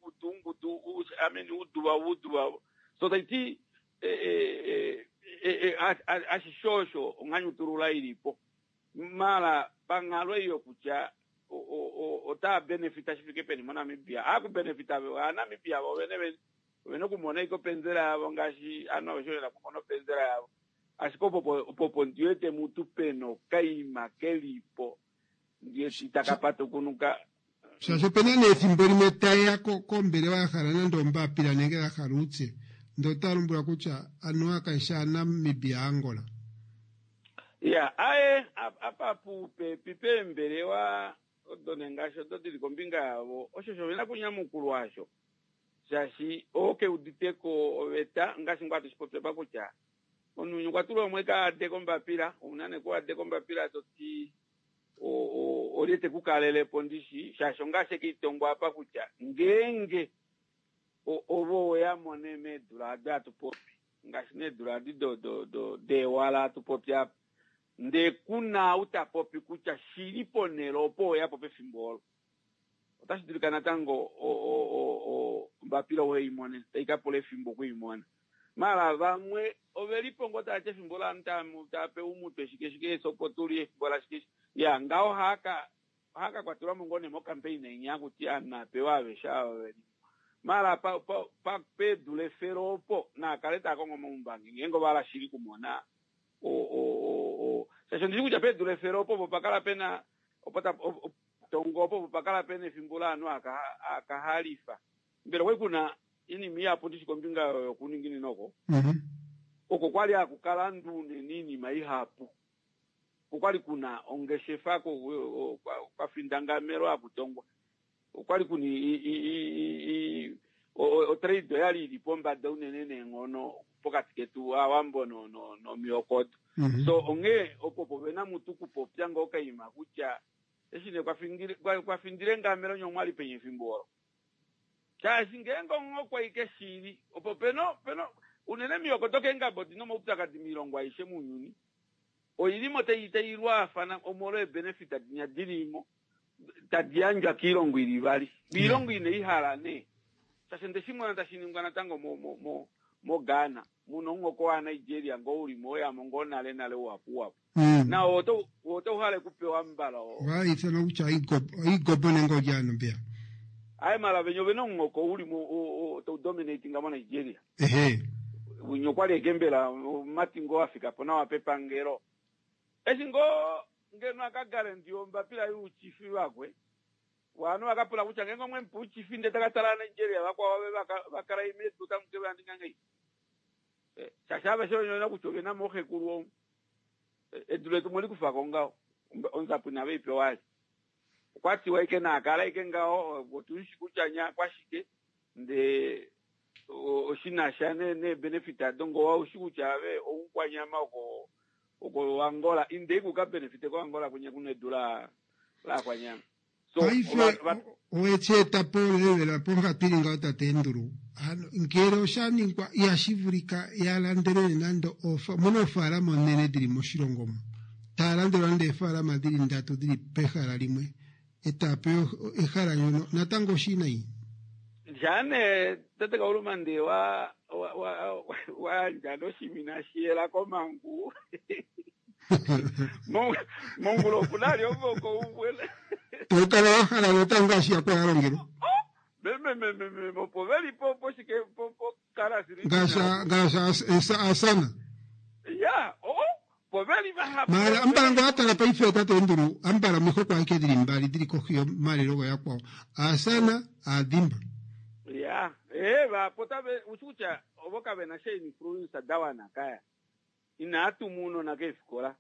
ungudu ungudu I mean uduva uduva. So taiti ashishe osho onghanyutulula ilipo. Mala panghalo ei yokutya otaa benefita shi fike peni moNamibia. Aakubenefita Aanamibia vo vene vene ovena okumona ike openzela yavo ngaashi ovanhu aveshe vena okumona openzela yavo. Ashike opopo ndiwete mutu pena okaima kelipo ndiwete itaka patukunuka. Shaashi opena nee efimbo limwe tayeya kombelewa ya hala nande ombapila nenge ya hala uutse ndee otaya lombwelwa kutya anuwa kayishi aaNamibia Angola. Ya aye apa pupepi peembelewa odo nee ngaashi odo dili kombinga yavo osho sho vena okunyamukulwa asho shaashi oo keuditeko oveta ngaashi ngoo hatu shipopya apa kutya omunhu okwa tulwa umwe kaade kombapila ouna nee kuade kombapila toti olye tekukalelepo ndishi shaashi ongaashi ekeitongwa apa kutya ngeenge ovo weyamo nee meedula ado hatu popi ngaashi needula adi deewala hatu popi apa ndee kuna ou ta popi kutya shili ponhele opo weyapo pefimbo olo otashi dulika natango ombapila uheimone tai kapula efimbo okuimona. Mala vamwe ovelipo ngoo tavati efimbo lovanhu tava umutwe shike shike sopo tuli efimbo lashike ya ngaho ohaka kwatelwamo ngoo nee mocampaign inya kuti ovanhu apewa aveshe ava veli mala peedula efele opo naakale taa kongo omaumbangi ngeenge ovahala shili kumona shaashi ondishi kutya peedula efele opo opo pakala pena opo tongo opo pakala pena efimbo lovanhu akahalifa mbela okwali kuna inima ihapu ndishi kombinga yokuninginina oko oko kwali hakukala unene iinima ihapu okwali kuna ongeshefa kwafindangamelo hakutongwa okwali kuna otrade oyali ili pombada unene neenghono pokati ketu Aawambo nomihoko odo. So onghee opo povena mutu kupopya ngoo okaima kutya eshi nee kwafindile ngamelo nye omwali peni efimbo olo. Shaashi ngeenge onghoko aike shili opo peno unene mihoko dokeengaba odina omaupyakadi moilongo aishe mounyuni oilimo tai lwaafana omolwa eebenefit dinya dilimo tadi yandjwa koilongo ili vali oilongo ine ihala nee shaashi ndeshimona tashi ningwa natango moGhana muna omuhoko waNigeria ngoo ulimo oyamo ngoo nale nale uhapu uhapu nao otauhale kupewa mbala vaithanwa kutya oigobo nenge olyaano mbeya aye mala venye ovena omuhoko ulimo taudominatinga moNigeria ehe unye okwali ekembela omati ngoo afika po nawa pepangelo eshi ngoo ngeno akagarandiwa ombapila youchifi vakwe vanhu vakapula kutya ngeenge omwe mupa uchifi ndee takatala Nigeria vakwao ave vakala imedu tamuke vaninga ngei shaashi aveshe onyona kutya ovena mooxekulu omu edu letu mwelikufako ngaho onzapo inave ipewa ali okwatiwa ike naakala ike ngaho otushi kutya nya kwashike ndee oshinasha neebenefit ado ngoo aushi kutya ave oukwanyama oko oko Angola inde ikuka benefit ko Angola kunye kuna edu la lakwanyama. So paife owecheeta po lelevela ponghatu ili ngaho tate Enduru ngele oshaningwa ihashi vulika yalandelele nande muna oofaalama onene dhili moshilongo omu taya landelwa nande eefaalama dhili ndatu dhili pehala limwe etaya pewa ehala ndjono natango oshiinayi. Jane tate Kaulumande wayandja noshimina shiyela komangu mongula okuna ali omoko umwe tokala wahala natango ngaashi yakwa yalongelwa mememememe opo veli po poshike po ngaashi asana ya po veli vahapu mala ambala ngo atala paife tate Enduru ambala mihoko aike dhili mbali dhili kohi yomalelo goyakwao asana aadhimba ya vapo tave ushi kutya ovo kavena sha influence dawana kaya inaatuma uunona keefikola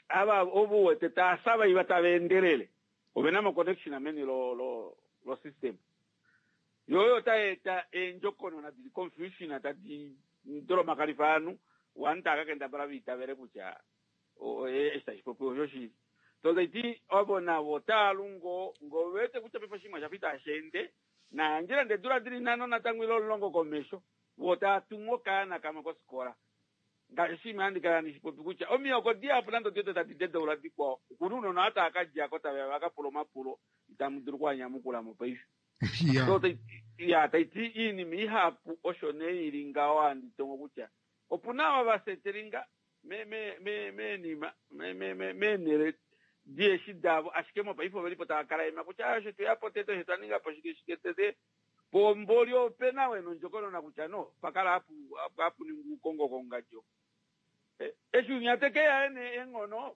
ava ovo wete taasa iva tava endelele ovena mo connection meni lo system. Yo oyo tai eta eendjokonona dili confusion tadi dolomakalifa ovanhu, ovanhu tava ka kendabala va itavele kutya eshi tashi popiwa oshoshili. So tai ti ovo navo otava lu ngoo ngee ove wete kutya paife oshinima oshafa itashi ende, nayandje nande eedula dili nhano natango ile omulongo komesho, voo tava tumu okaana kamwe kofikola. Ngaashi oshinima handi kala handi shi popi kutya omihoko dihapu nande odi wete tadi dedaula dikwao, okuna ounona ava tava ka dja ko tave ya va ka pula omapulo itamu dulu okuanyamukula mopaife. So tai ya tai ti iinima ihapu osho nee ili ngaho handi tongo kutya opuna ava va setelinga me me me meenima me me me meenhele dieshi davo ashike mopaife oveli po tava kala ema kutya osho tweya po tete osho twa ninga po shike shike tete pomboli opena we nondjokonona kutya no pakala hapu hapu ningwa uukongo kongadjo eshi unya teke ya ene enghono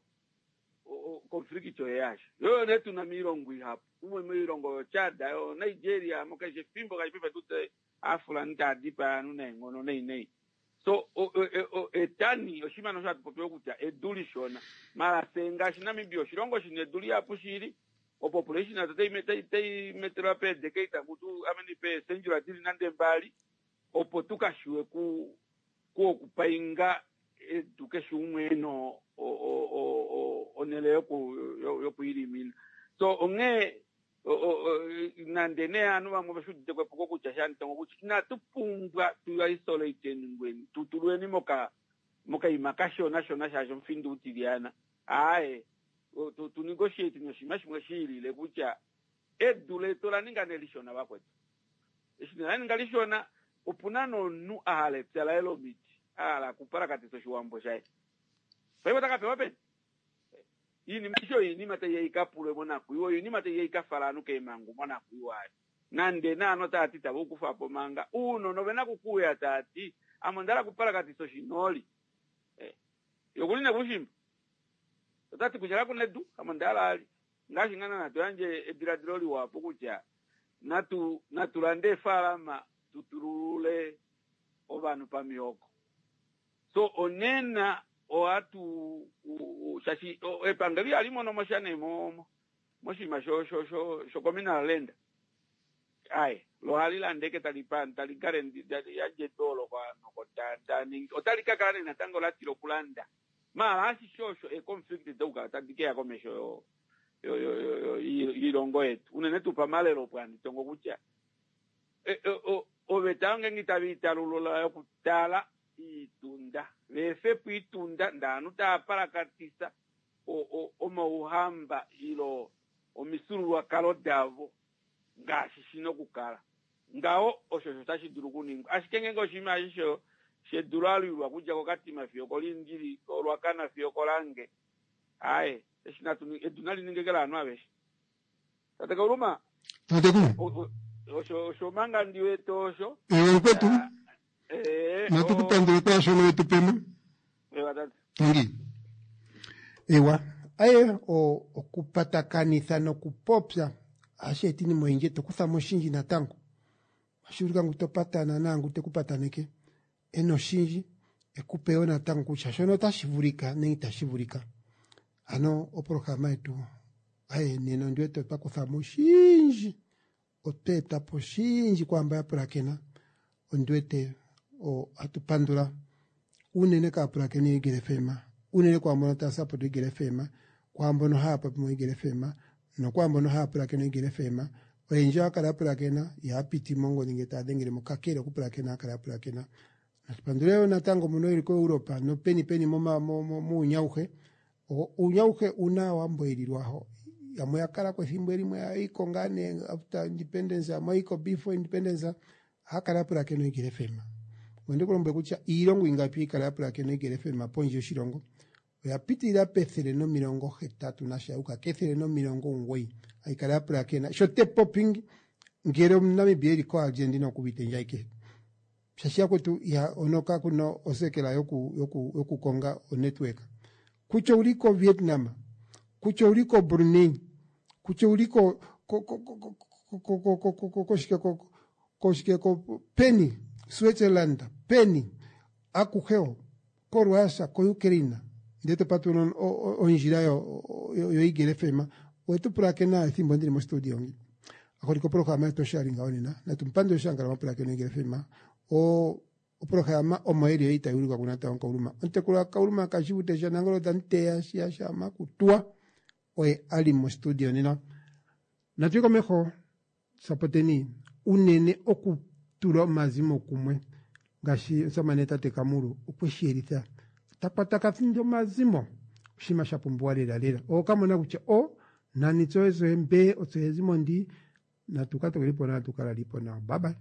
conflict oye yasho yo ne tuna miilongo ihapu umwe moilongo yo Chad yo Nigeria mokeshe fimbo kashi pepe tute Aafulani taya dipaya aantu neenghono nei nei. So etani oshinima osho hatu popi kutya edu lishona. Mara fye ngaashi Namibia oshilongo shina edu lihapu shili, opopulation yetu otayi metelwa peedecade takutu I mean peecentury dili nande mbali opo tu ka shiwe ku ku okupainga edu keshe umwe ena onhele yoku yokwiilimina. So onghee nande nee ovanhu vamwe ove shi udite ko epuko kutya shantongo kutya inatu pumbwa tu isolate ngweni tu tulweni moka mokaima kashona shona shaashi omufinda utilyana aaye tu ninge oshieti noshinima shimwe shi ilile kutya edu letu ola ninga nee lishona vakwetu eshi nee la ninga lishona opuna nomunhu a hala epya laye lomiti a hala okupalakatisa oshiwambo shaye paife ota ka pewa peni Iinima aishe oyo iinima tai ya i ka pulwe monakwiiwa, oyo iinima tai ya i ka fala ovanhu keemhangu monakwiiwa ayo. Nande naanhu otava ti itava u kufa po manga, uunona ove na okukuuya tava ti, Ame onda hala okupalakatisa oshinooli. Eh, ye okuli nee koushimba. Ota ti kutya kaku na edu, ame onda hala ali. Ngaashi ngaa naana to yandje ediladilo liwa opo kutya natu, natu lande eefaalama tu tululule ovanhu pamihoko. So onena ohatu shashi epangelo ihali mono mo sha nee moshinima sho communal land. Aye, lo ohali landa eke tali pa tali guarantee tali yandje edu olo kovanhu ta ningi. Otali ka kala nee natango la tila okulanda. Maala ashishe osho e conflict dokukala tadi keya komesho yoilongo yetu. Unene tuu pamalelo opo handi tongo kutya oveta yonge itave i talulula yokutala iitunda veefe po iitunda ndaanhu tava palakatisa omauhamba ilo omifyuululwakalo davo ngaashi shi na okukala. Ngaho osho osho tashi dulu okuningwa. Ashike ngeenge oshinima eshi shedu la lwilwa okudja koKatima fiyo okoLiindili, koRuacana fiyo okoLange, aaye, eshi natu edu nali ninge ke laanhu aveshe. Tate Kauluma. Tatekulu. Osho osho manga ndi wete osho. Ewa mukwetu. Eh, Natu kupandule kwaashono wetu pemo. Ewa tate. Tangi. Ewa. Aye o okupatakanitha nokupopya ohashi eta iinima oyindji to kutha mo oshindji natango. Ohashi vulika ngu to patana naangu te ku pataneke e na oshindji e ku pe wo natango kutya shono otashi vulika nenge itashi vulika. Ano oprograma yetu aye nena ondi wete otwa kutha mo oshindji, otwa eta po oshindji kwaamba ya pulakena. Ondi wete ohatu pandula unene kaapulakeni yoEagle FM, unene kwaambono taya support Eagle FM, kwaambono haya popi moEagle FM nokwaambono haya pulakene oEagle FM. Oyendji ohaya kala ya pulakena, ihaya piti mongodhi ngele taya dhengele mo, kakele okupulakena ohaya kala ya pulakena. Natu pandule wo natango mbono yeli koEuropa nopeni peni muuyuni auhe. Uuyuni auhe una Aawambo yeli lwaho. Yamwe oya kala ko ethimbo limwe ya yi ko ngaa nee after independence, yamwe oya yi ko before independence. Ohaya kala ya pulakena oEagle FM. Ondi ku lombwele kutya iilongo ingapi hayi kala ya pulakena oEagle FM pondje yoshilongo? Oya pitilila pethele nomilongo hetatu nasha ya uka kethele nomilongo omugoyi hayi kala ya pulakena sho te popi ngele omuNamibia eli koArgentina oku uvite ndje ayike. Shaashi yakwetu iha ono kaku na osekela yoku yoku yokukonga onetwork. Kutya ouli koVietnam, kutya ouli koBrunei, kutya ouli ko ko ko ko ko ko ko ko ko koshike ko koshike ko peni Switzerland peni akuhe ho koRussia koUkraine ndele to patulula ondjila yoEagle FM owetu pulakena ethimbo ndili mostudio ngi. Aholike oprograma yetu osho yali ngaho nena. Natu mupandule Shanghala mapulakeno Eagle FM. O oprograma omo eli ei tai ulikwa kuNatao Kauluma. Omutekulu waKauluma Kashivute shaNangolo Tamuteya shiya shaMakutuwa oye ali mostudio nena. Natu ye komeho sapoteni unene okutula omazimo kumwe ngaashi omusamane tate Kamulu okwe shi yelitha ta kwatakafinda omazimo oshinima sha pumbiwa lela lela okamona kutya o nani tse oye mbe otse ezimo ndi natu ka tokelipo nawa tu ka lalipo nawa bye bye.